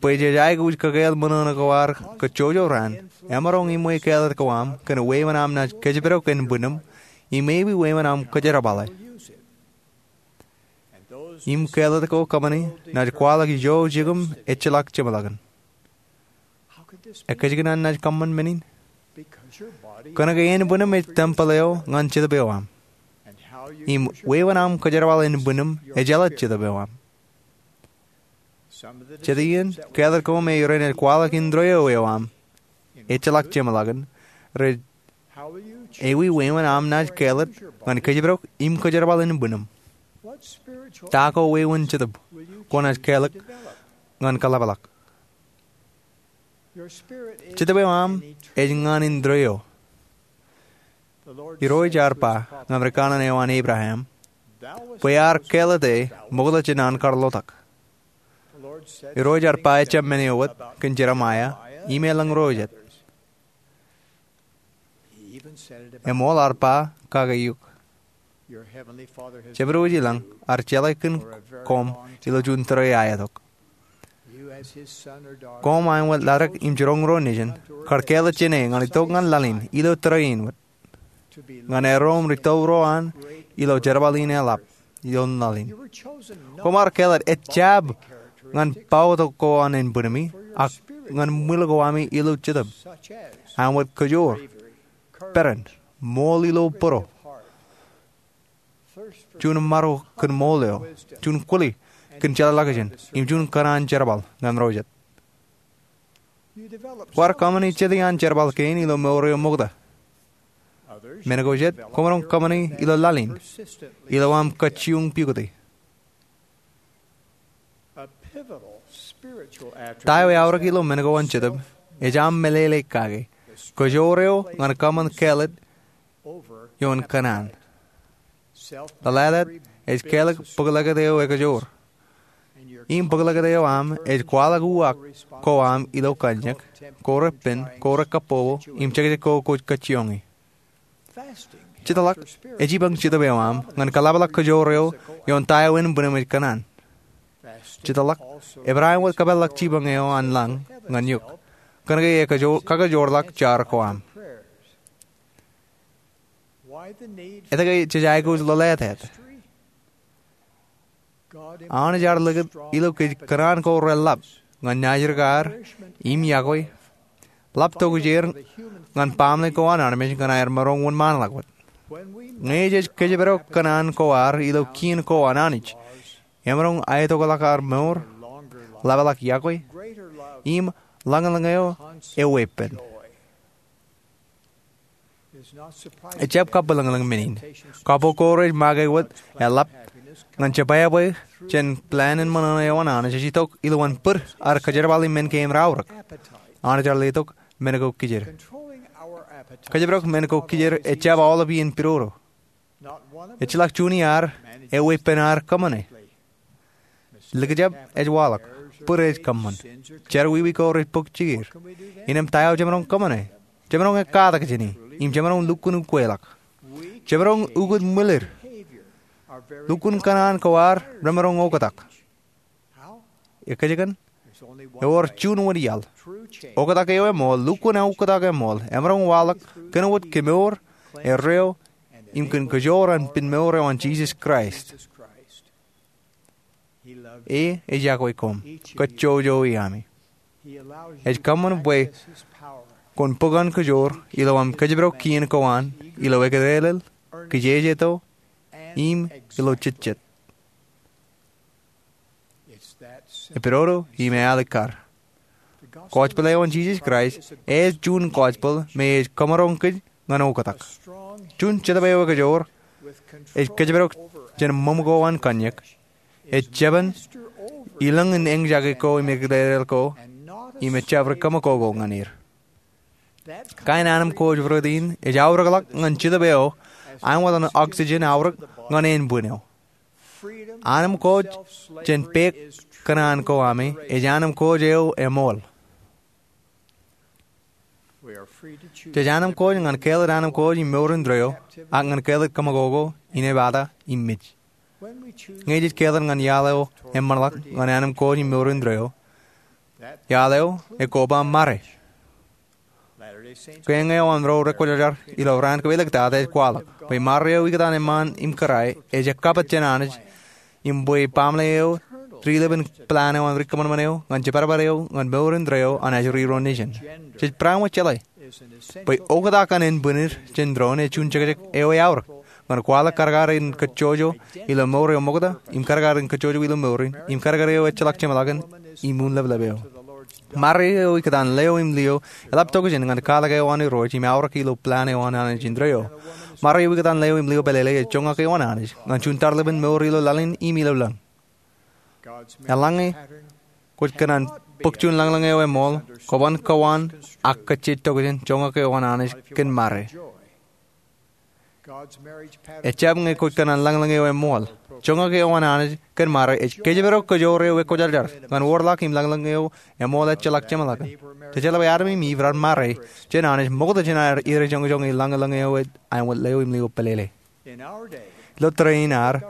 bwe jej aikuj kōkāāl ṃōṇōṇō ko ad kajjojo raan emaroñ iṃwe kāālōt ko am kōn wāween am naaj kōjparok ānbwinim im maybe wāween am kōjerbale. Im kāālōt ko kōṃṃani naaj kwaḷọk ijo jikin ejjeḷọk jeṃḷọkin. Ekajjikōṇaan naaj kōṃṃan men in? Kōnke ānbwinim ej tempel eo ñan Jetōb eo aṃ. Im wāween am kōjerbal ānbwinim ejjeḷọk Jetōb eo aṃ. Jet iien kāālōt ko me ren ej kwaḷọk indeeo eo aṃ ejjeḷọk jeṃḷọkin rej ewi wāween am naaj kāālōt ñan kōjparok im kōjerbal ānbwinim. Ta ko wāween jetōb kwōnaaj kāālōt ñan kōḷapḷọk? Jetōb eo aṃ ej ñan indeeo. Irooj ear ba ñan ri kanaan eo an Abraham bwe ear kāālōte ṃokta jān an kar lotak. Irooj ear ba ejjab men eo wōt kōn Jeremaia im elōñ ro jet. Eṃool ear ba kake eok. Jemedwōj ilañ ear jeḷā kōn koṃ ilo juon tōre aetok. Koṃ aṃ wōt ladik im jiroñ ro nejin kar kāālōt jān e ñan itok ñan laḷ in ilo tōre in wōt, ñan erom ri toḷ ro an ilo jerbal in eḷap ioon laḷ in. Koṃ ar kāālōt ejjab ñan bōktok ko an ānbwinimi ak ñan ṃwil ko ami ilo jetōb, aṃ wōt kajoor, peran, ṃool ilo būruō, juon maro kōn ṃool eo, juon kwōli kōn jeḷāḷọkjeṇ, im juon kōṇaan jerbal ñan ro jet. Kwaar kōṃṃani jet iaan jerbal kein ilo mour eo ṃokta. Men ko jet kwōmaroñ kōṃṃani ilo laḷ in ilo aṃ kajjioñ pukoti. Ta eo eaorōk ilo men ko an Jetōb ej aṃ meḷeḷe kake, kajoor eo ñan kōṃṃan kāālōt ioon kōṇaan. Ḷōḷātāt ej kāālōt bōklōkōt eo ekajoor. Im bōklōkōt eo aṃ ej kwaḷọk uwaak ko aṃ ilo kōnjak, ko repen, ko rekabbokbok, im jekjek ko kwōj kajjioñi. Jetḷọk ej ippān Jetōb eo aṃ ñan kōḷapḷọk kajoor eo ioon ta eo ānbwinim ej kōṇaan. Jetḷọk ebar aṃ wōt kōpeḷḷọk jipañ eo an lañ ñan eok, kōnke e kakajoorḷọk jar ko aṃ. Etke jej aikuj ḷōḷātāt? Anij ear likūt ilo kōj kōṇaan ko reḷap ñan naajrōkaar im yokwe, ḷap tokjāer ñan baaṃle ko an armej ñan aer maroñ wōnṃaanḷọk wōt. Ñe jej kōjparok kōṇaan ko ad ilo kien ko an Anij, emaroñ aetokḷọk ad mour, ḷapḷọk yokwe, im ḷañlōñ eo eweeppān. Ejjab kabwilōñlōñ men in. Kabwilōñ ko rej make wōt eḷap ñan jebwābwe jān plan in ṃōṇōṇō eo an Anij ej itok ilowaan bōd ad kōjerbali men kein raorōk. Anij ear letok men ko kijer. Kōjparok men ko kijer ejjab aolep iien pidodo. Ejjeḷọk juon iaad eweeppān ad kōṃṃane. Likjab ej waḷọk. Bōd ej kōṃṃan. Jerọwiwi ko rej bōk jikier. Innām ta eo jemaroñ kōṃṃane? Jemaroñ ekkatak jāne im jemaroñ lukkuun ukweḷọk. Jemaroñ ukōt ṃwilōd. Lukkuun kōṇaan ko ad remaroñ oktak. Ekōjkan? Ewōr juon wōt iaḷ. Oktak eo eṃool, lukkuun oktak eṃool, emaroñ waḷọk kōn wōt kemour, erreo, im kōn kōjoor an pinmour eo an Jisōs Kraist. E ej iọkwe koṃ, kōjjojo iaami. Ej kōṃṃan bwe kwōn bōk an kōjoor ilo aṃ kōjparok kien ko an ilo eklelel, kijejeto, im ilo jejjet. Epidodo im ealikkar. Gospel eo an Jisōs Kraist ej juon gospel me ej kōmaroñ kōj ñan oktak. Juon Jetōb eo ekajoor ej kōjparok jān ṃōṃ ko an kōnñak. Ej jeban ilōñ in eñjake ko im eklelel ko im ejjab ri kōṃakoko ñan er. Kain anemkwōj rot in ej aorōkḷọk ñan Jetōb eo aenwōt an oxygen aorōk ñan ānbwin eo. Anemkwōj jān peek kōṇaan ko ami ej anemkwōj eo eṃool. Jej anemkwōj ñan kāālōt anemkwōj im mour indeeo, ak ñan kāālōt kōṃakoko, inepata, im mej. Ñe jej kāālōt ñan iaḷ eo eṃṃanḷọk ñan anemkwōj im mour indeeo, iaḷ eo ekoba mare. Kein eo an ro rekwōjarjar ilo raan kawōtlōk tata ej kwaḷọk bwe mare eo ikōtaan eṃṃaan im kōrā ej ekkapit jān Anij im bwe baaṃle eo, ri-lepen plan eo an ri kōṃanṃan eo ñan jibadbad eo ñan mour indeeo an ajri ro nejin. Jej bareinwōt jeḷā bwe oktak an ānbwinid jān doon ej juon jekjek eo eaorōk ñan kwaḷọk kadkadin kōjjojo ilo mour eo ṃokta im kadkadin kōjjojo ilo mour in im kadkad eo ejjeḷọk jeṃḷọkin im unin leplep eo. Mare eo ikōtaan leo im lio eḷap tokjān ñan katak eo an Irooj im aorōk ilo plan eo an Anij indeeo. Mare eo ikōtaan leo im lio pālele ej joñak eo an Anij ñan juon tarlepen mour ilo laḷ in im ilo lañ. Eḷaññe kwōj kōṇaan bōk juon lañlōñ eo eṃool, kwōban kowaan ak kōjjeej tokjān joñak eo an Anij kōn mare. Ejjab ñe kwōj kōṇaan lañlōñ eo eṃool. Joñak eo an Anij kōn mare ej kōjparok kōjoor eo ekwōjarjar ñan wōrḷọk im lañlōñ eo eṃool ejjeḷọk jeṃḷọkin. Jejeḷā bwe Adam im Iv raar mare jān Anij ṃokta jān aer irejoñjoñe lañlōñ eo ej aenwōt leo im lio pālele. Ilo tōre in ad,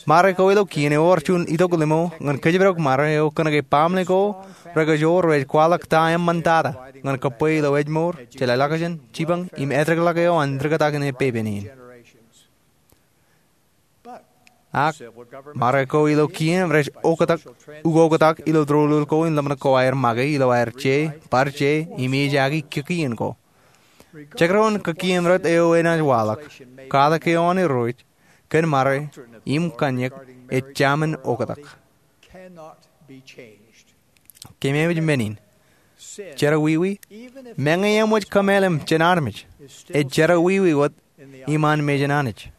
mare ko ilo kien ewōr juon itok limo ñan kōjparok mare eo kōnke baaṃle ko rekajoor rej kwaḷọk ta eṃṃantata ñan kōbwe ilo ājmour, jeḷāḷọkjeṇ, jipañ im etōkḷọk eo an rikatakin epepen in. Ak mare ko ilo kien rej oktak, ukoktak ilo doulul ko im ḷōmṇak ko aer make ilo aer je, bar je, im ejaki kikiien ko. Jekdọọn kikiien rot eo enaaj waḷọk, katak eo an Irooj kōn mare im kōnñak ej jaṃin oktak. Kememej men in. Jerọwiwi, meñe eṃōj kōmeḷeḷe jān armej, ej jerọwiwi wōt iṃaan mejān Anij.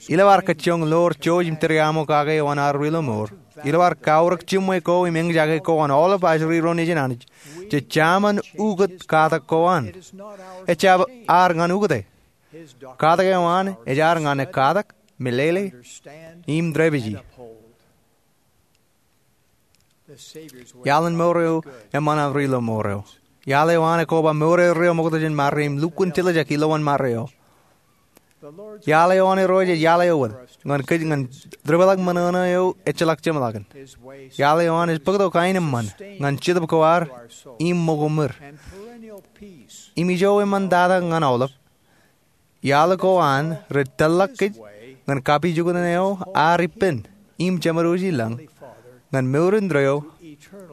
Ilo ad kajjioñ ḷoor jouj im tūriaṃo kake eo an ad ri lọmọọr, ilo ad kaorōk jiṃwe ko im eñjake ko an aolep ajri ro nejin Anij, jej jaṃin ukōt katak ko an. Ejjab ad ñan ukōte. Katak eo an ej ad ñan ekkatak, meḷeḷe, im dāpiji. Iaḷ in mour eo eṃṃan an ri lọmọọr eo. Iaḷ eo an ekoba mour eo ri ṃokta jān mare im lukkuun tiljek ilowaan mare eo. Iaḷ eo an Irooj ej iaḷ eo wōt ñan kōj ñan dipḷọk ṃōṇōṇō eo ejjeḷọk jeṃḷọkin. Iaḷ eo an ej bōktok aenōṃṃan ñan jetōb ko ad im ṃōko ṃwir. Im ijo eṃṃantata ñan aolep. Iaḷ ko an rej tōllọk kōj ñan kapijuknen eo ad ippān im jeṃadwōj i lañ ñan mour indeeo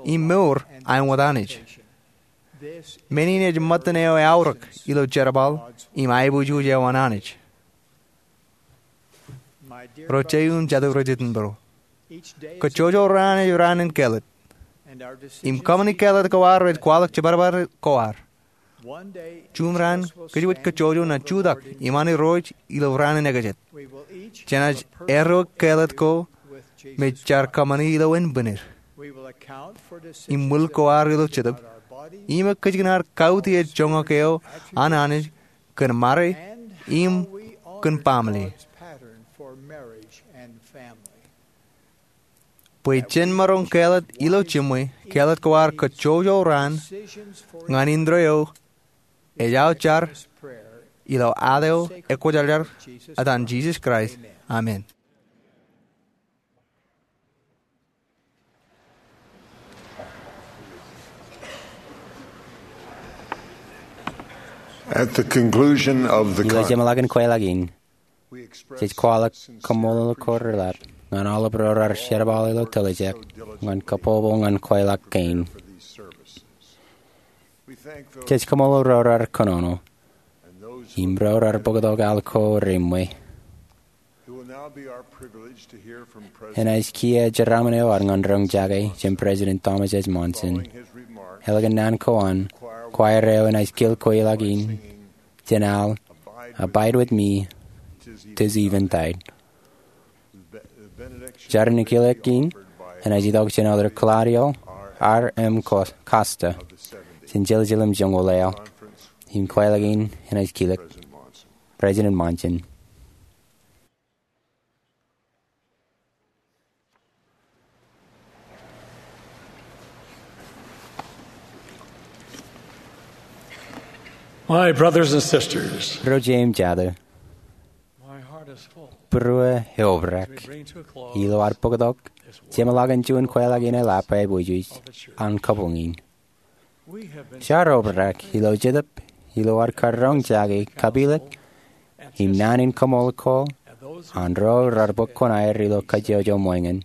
im mour āinwōt Anij. Men in ej ṃōttan eo eaorōk ilo jerbal im aiboojoj eo an Anij. Ro jeiū im jatū rej jitōnbōro, kōjjojo raan ej raan in kāālōt. Im kōṃṃani kāālōt ko ad rej kwaḷọk jibadbad ko ad. Juṃ raan kōjwōj kōjjojo ñan jutak iṃaan Irooj ilo raan in ekajet. Jenaaj erro keḷḷot ko me jaar kōṃṃani ilo enbwinnid im ṃwil ko ad ilo jetōb im ekōjkan ad kautiej joñak eo an Anij kōn ṃare im kōn baaṃle. Bwe jen maroñ keḷḷot ilo jiṃwe, keḷḷot ko ad kōjjojo raan ñan indeeo eo ej aō jar ilo ad eo ekwōjarjar etan Jisōs Kraist. Amen. At the conclusion of the Ilo jeṃḷọkin kweilọk in, jej kwaḷọk kaṃṃoolol ko reḷap ñan aolep ro raar jerbal ilo tiljek ñan kabbokbok ñan kweilọk kein. Jej kaṃṃoolol ro raar kōnono im ro raar bōktok al ko reṃṃe. Enaaj kiiō jeraaṃṃan eo ad ñan roñjake jān President Thomas S. Monson. Ālikin naan ko an, kwaer eo enaaj kil kweilọk in jān al Abide with Me, 'Tis Eventide. Jar in kilek in enaaj itok jān Elder Claudio R. M. Costa jān Jerusalem joñoul eo im kweilọk in enaaj kilōk President Monson. My brothers and sisters, Ro jeiū im jatū, my heart is full. Būruō eobrak ilo ad bōktok jeṃḷọkin juon kweilọk in eḷap aiboojoj an kabuñ in. Jaar obrak ilo jetōb ilo ad karoñjake kapilōk im naan in kaṃṃoolol ko an ro raar bōk kuṇaer ilo kajjojo ṃweiñin.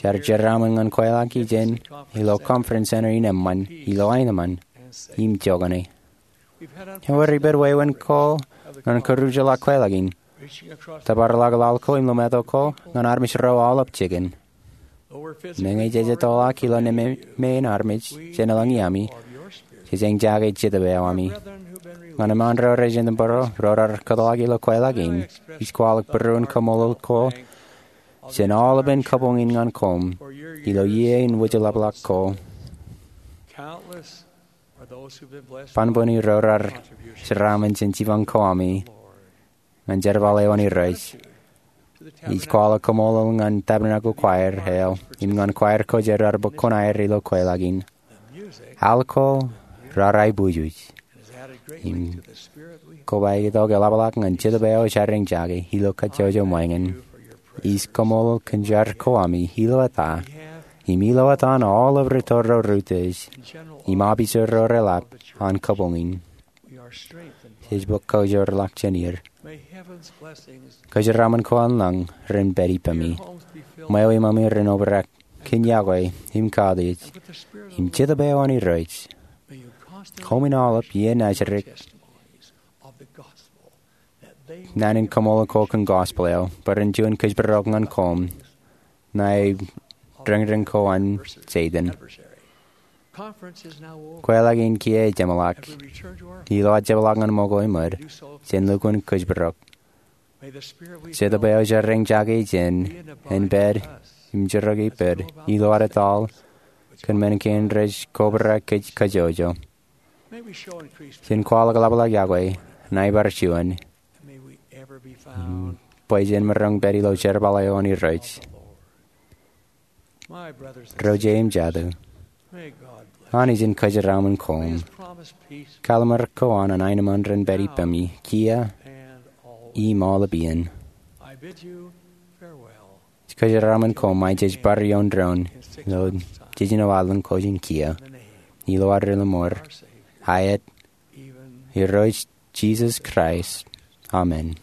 Jaar jeraaṃṃan ñan kweilọk ijin ilo Conference Center in eṃṃan ilo aenōṃṃan im jokane. Ewōr ippān wāween ko ñan kōjro ḷọk kweilọk in, tōpar ḷọk laḷ ko im ḷōmāto ko ñan armej ro aolep jikin. Meñe jej ettoḷọk ilo nemāmein armej jān eḷaññe ami, jej eñjake jetōb eo ami. Ñan eṃṃan ro rej jino bōro ro raar kōtḷọk ilo kweilọk in, ij kwaḷọk būruon kaṃṃoolol ko jān aolepān kabuñ in ñan koṃ ilo iiō in wūjlepḷọk ko. Banbwini ro raar jeraaṃṃan jān jipañ ko ami ñan jerbal eo an Irooj. Ij kwaḷọk kaṃṃoolol ñan Tabernacle Choir eo im ñan choir ko jān raar bōk kuṇaer ilo kweilọk in. Al ko raar aiboojoj im kobaik itok eḷapḷọk ñan jetōb eo jaar eñjake ilo kajjojo ṃweiñin. Ij kaṃṃoolol kōn jar ko ami ilo eta im ilo etan aolep ri tōre ro rūtiej im opijer ro reḷap an kabuñ in. Jej bōk kaujorḷọk jān er. Kōjeraaṃṃan ko an lañ ren pād ippemi. Ṃweo iṃōmi ren obrak kōn yokwe im kautiej im jetōb eo an Irooj. Koṃwin aolep iien ajri naan in kaṃṃoolol ko kōn gospel eo bwe ren juon kōjparok ñan koṃ ṇae reñreñ ko an Setan. Kweilọk in kiiō jeṃḷọk. Ilo ad jepḷaak ñan ṃōko eṃōd jān lukkuun kōjparok, jetōb eo jaar eñjake ijin en pād im jerkakpeid ilo ad etal kōn men kein rej kobrak kōj kajjojo. Jen kwaḷọk ḷapḷọk yokwe ṇae bar juon bwe jen maroñ pād ilo jerbal eo an Irooj. Ro jeiū im jatū, Anij en kōjeraaṃṃan koṃ. Kallim̧ur ko an aenōṃṃan ren pād ippemi kiiō im aolep iien. Kōjeraaṃṃan koṃ ṃae jej bar ioon doon ilo jejino ad lōñ ko jān kiiō. Ilo ad Rilōṃur, aet, Irooj Jisōs Kraist. Amen.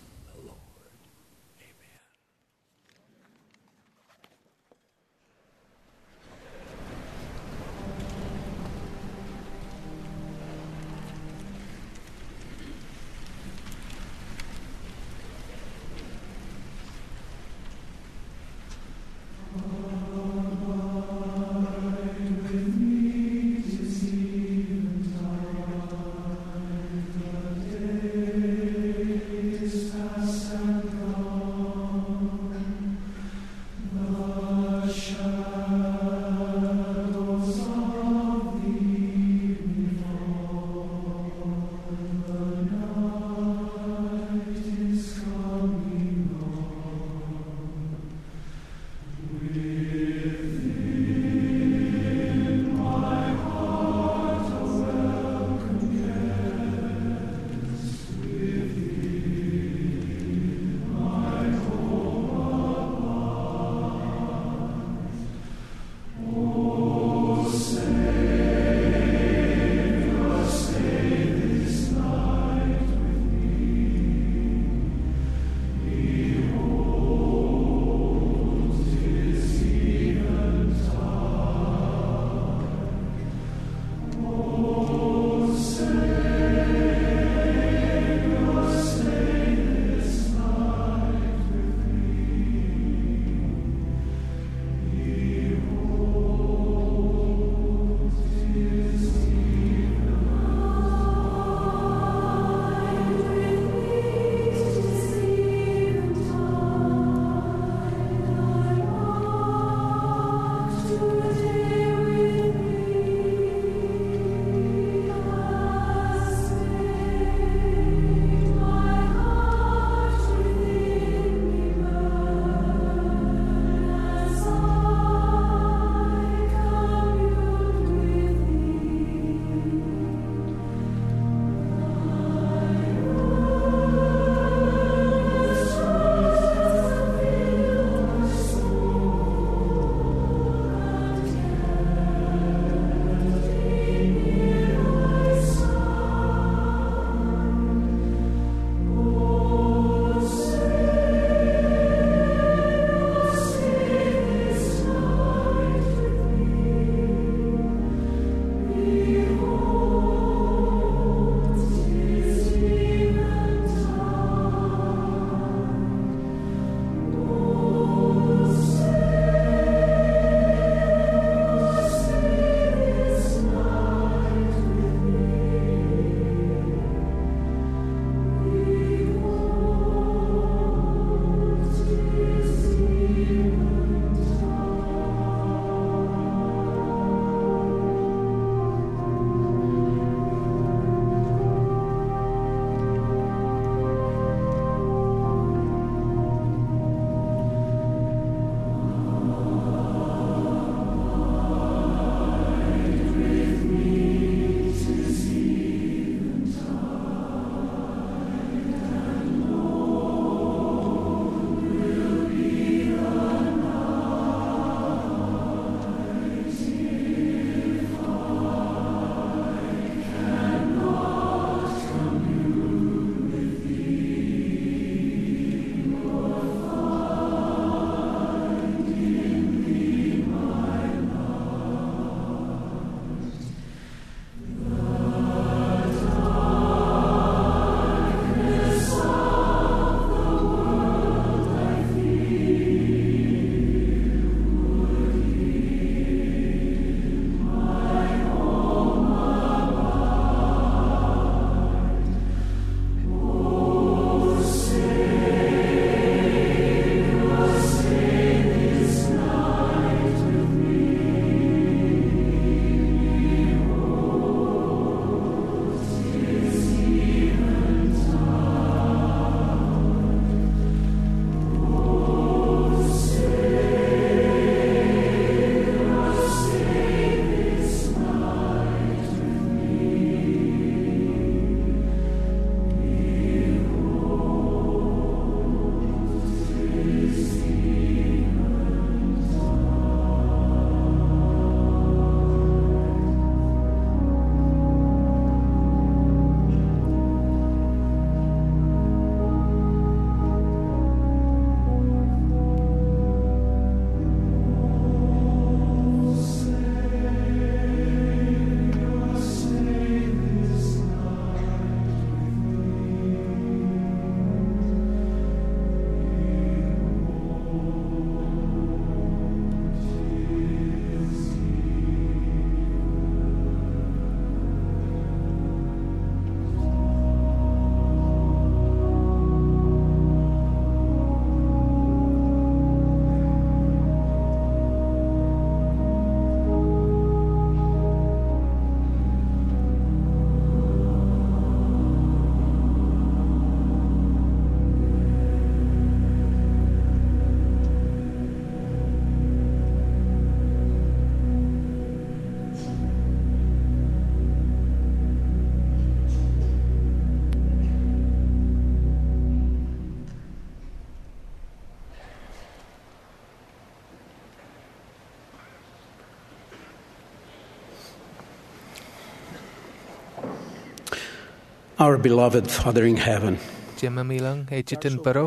Our beloved Father in heaven, Jemem ilañ ej itok bōro,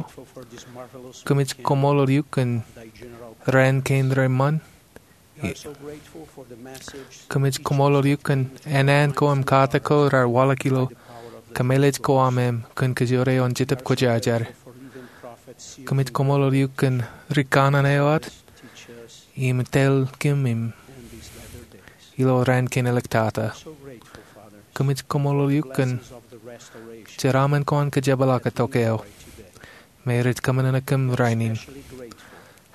kōmij koṃṃool eok kōn raan kein reṃṃan. Kōmij koṃṃool eok kōn ānaan ko im katak ko raar waḷọk ilo kōmālij ko aṃ im kōn kōjro eo an Jetōb Kwōjarjar. Kōmij koṃṃool eok kōn ri kanaan eo aō im tōl kōm im ilo raan kein āliktata. Kōmij koṃṃool eok kōn jeraaṃṃan ko an kōjepḷaak itok eo me rej kōṃṃane kōm rainin.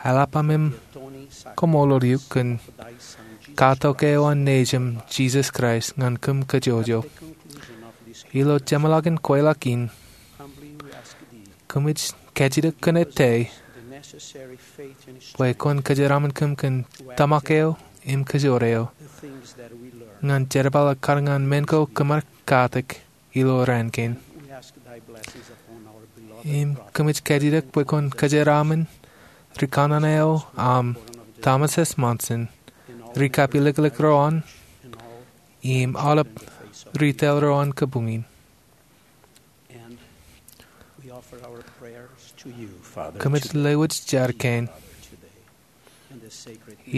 Eḷap aṃ im koṃṃool eok kōn katok eo an Nejūṃ Jisōs Kraist ñan kōm kōjwōjwōj. Ilo jeṃḷọkin kweilọk in, kōmij kajjitōk kōn ettā bwe kwōn kōjeraaṃṃan kōm kōn tōmak eo im kōjro eo ñan jerbal ak kar ñan men ko kōm ar katak ilo raan kein. Im kōmij kajjitōk bwe kwōn kōjeraaṃṃan ri kanaan eo aṃ Thomas S. Monson, ri kappilōklōk ro an, im aolep ri tōl ro an kabuñ in. Kōmij lewōj jar kein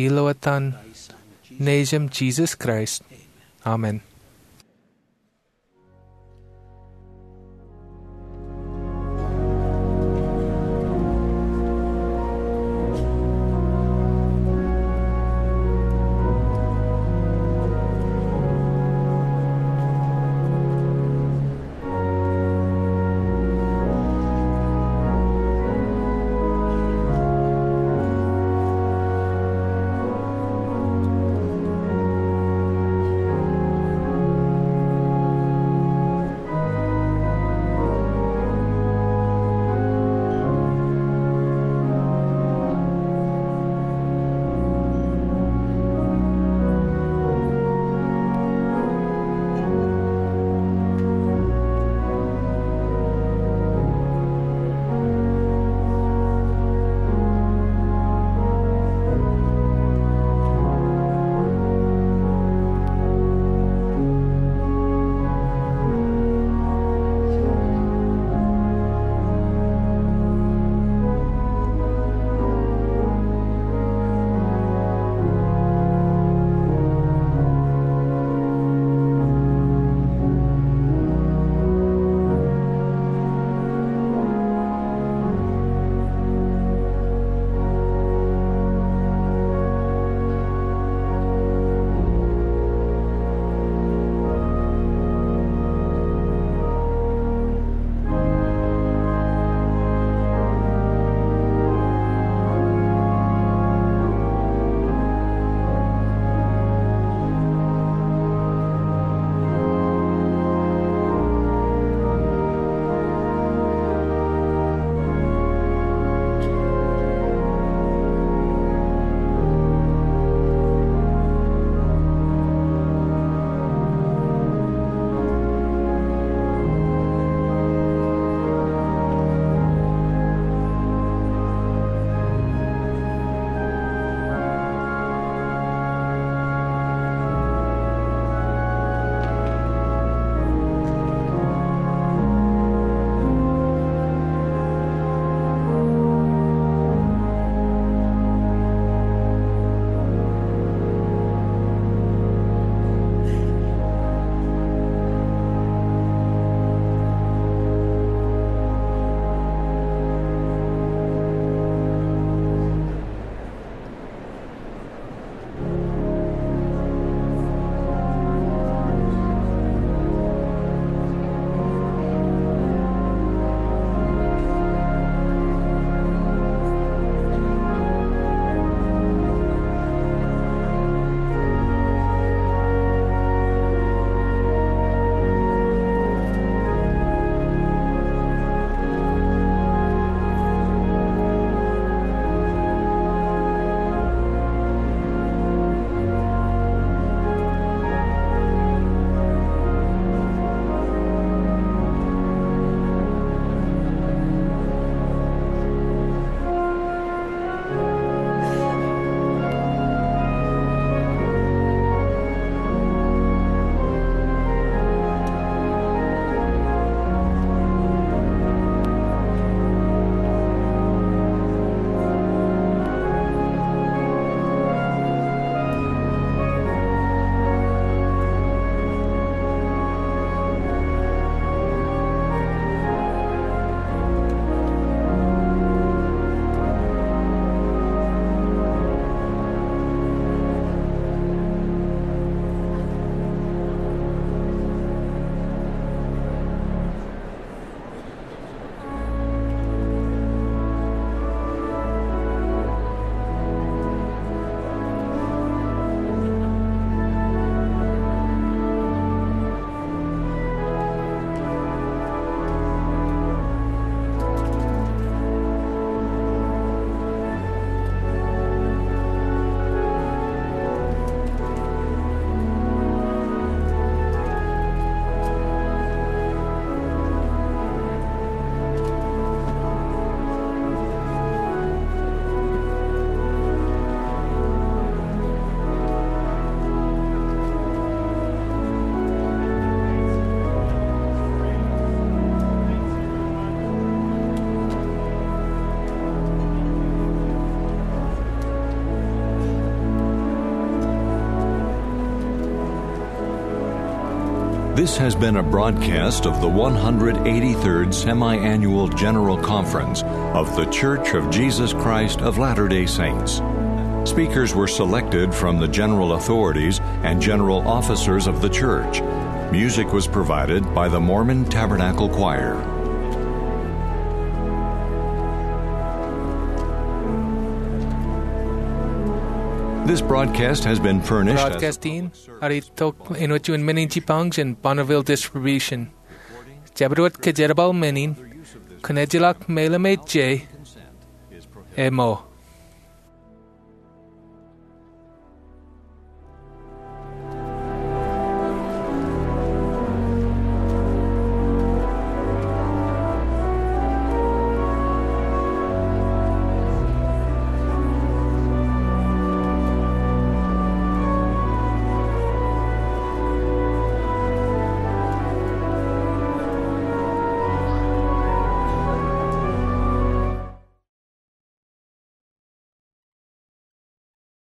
ilo etan Nejūṃ Jisōs Kraist. Amen. This has been a broadcast of the one hundred eighty-third Semi-Annual General Conference of The Church of Jesus Christ of Latter-day Saints. Speakers were selected from the general authorities and general officers of the church. Music was provided by the Mormon Tabernacle Choir. This broadcast has been furnished as Broadcast in, ear itok āinwōt juon men in jipañ jān Bonneville Distribution. Jabdewōt kōjerbal men in, kwōn ejjeḷọk meḷeḷe me je, emo.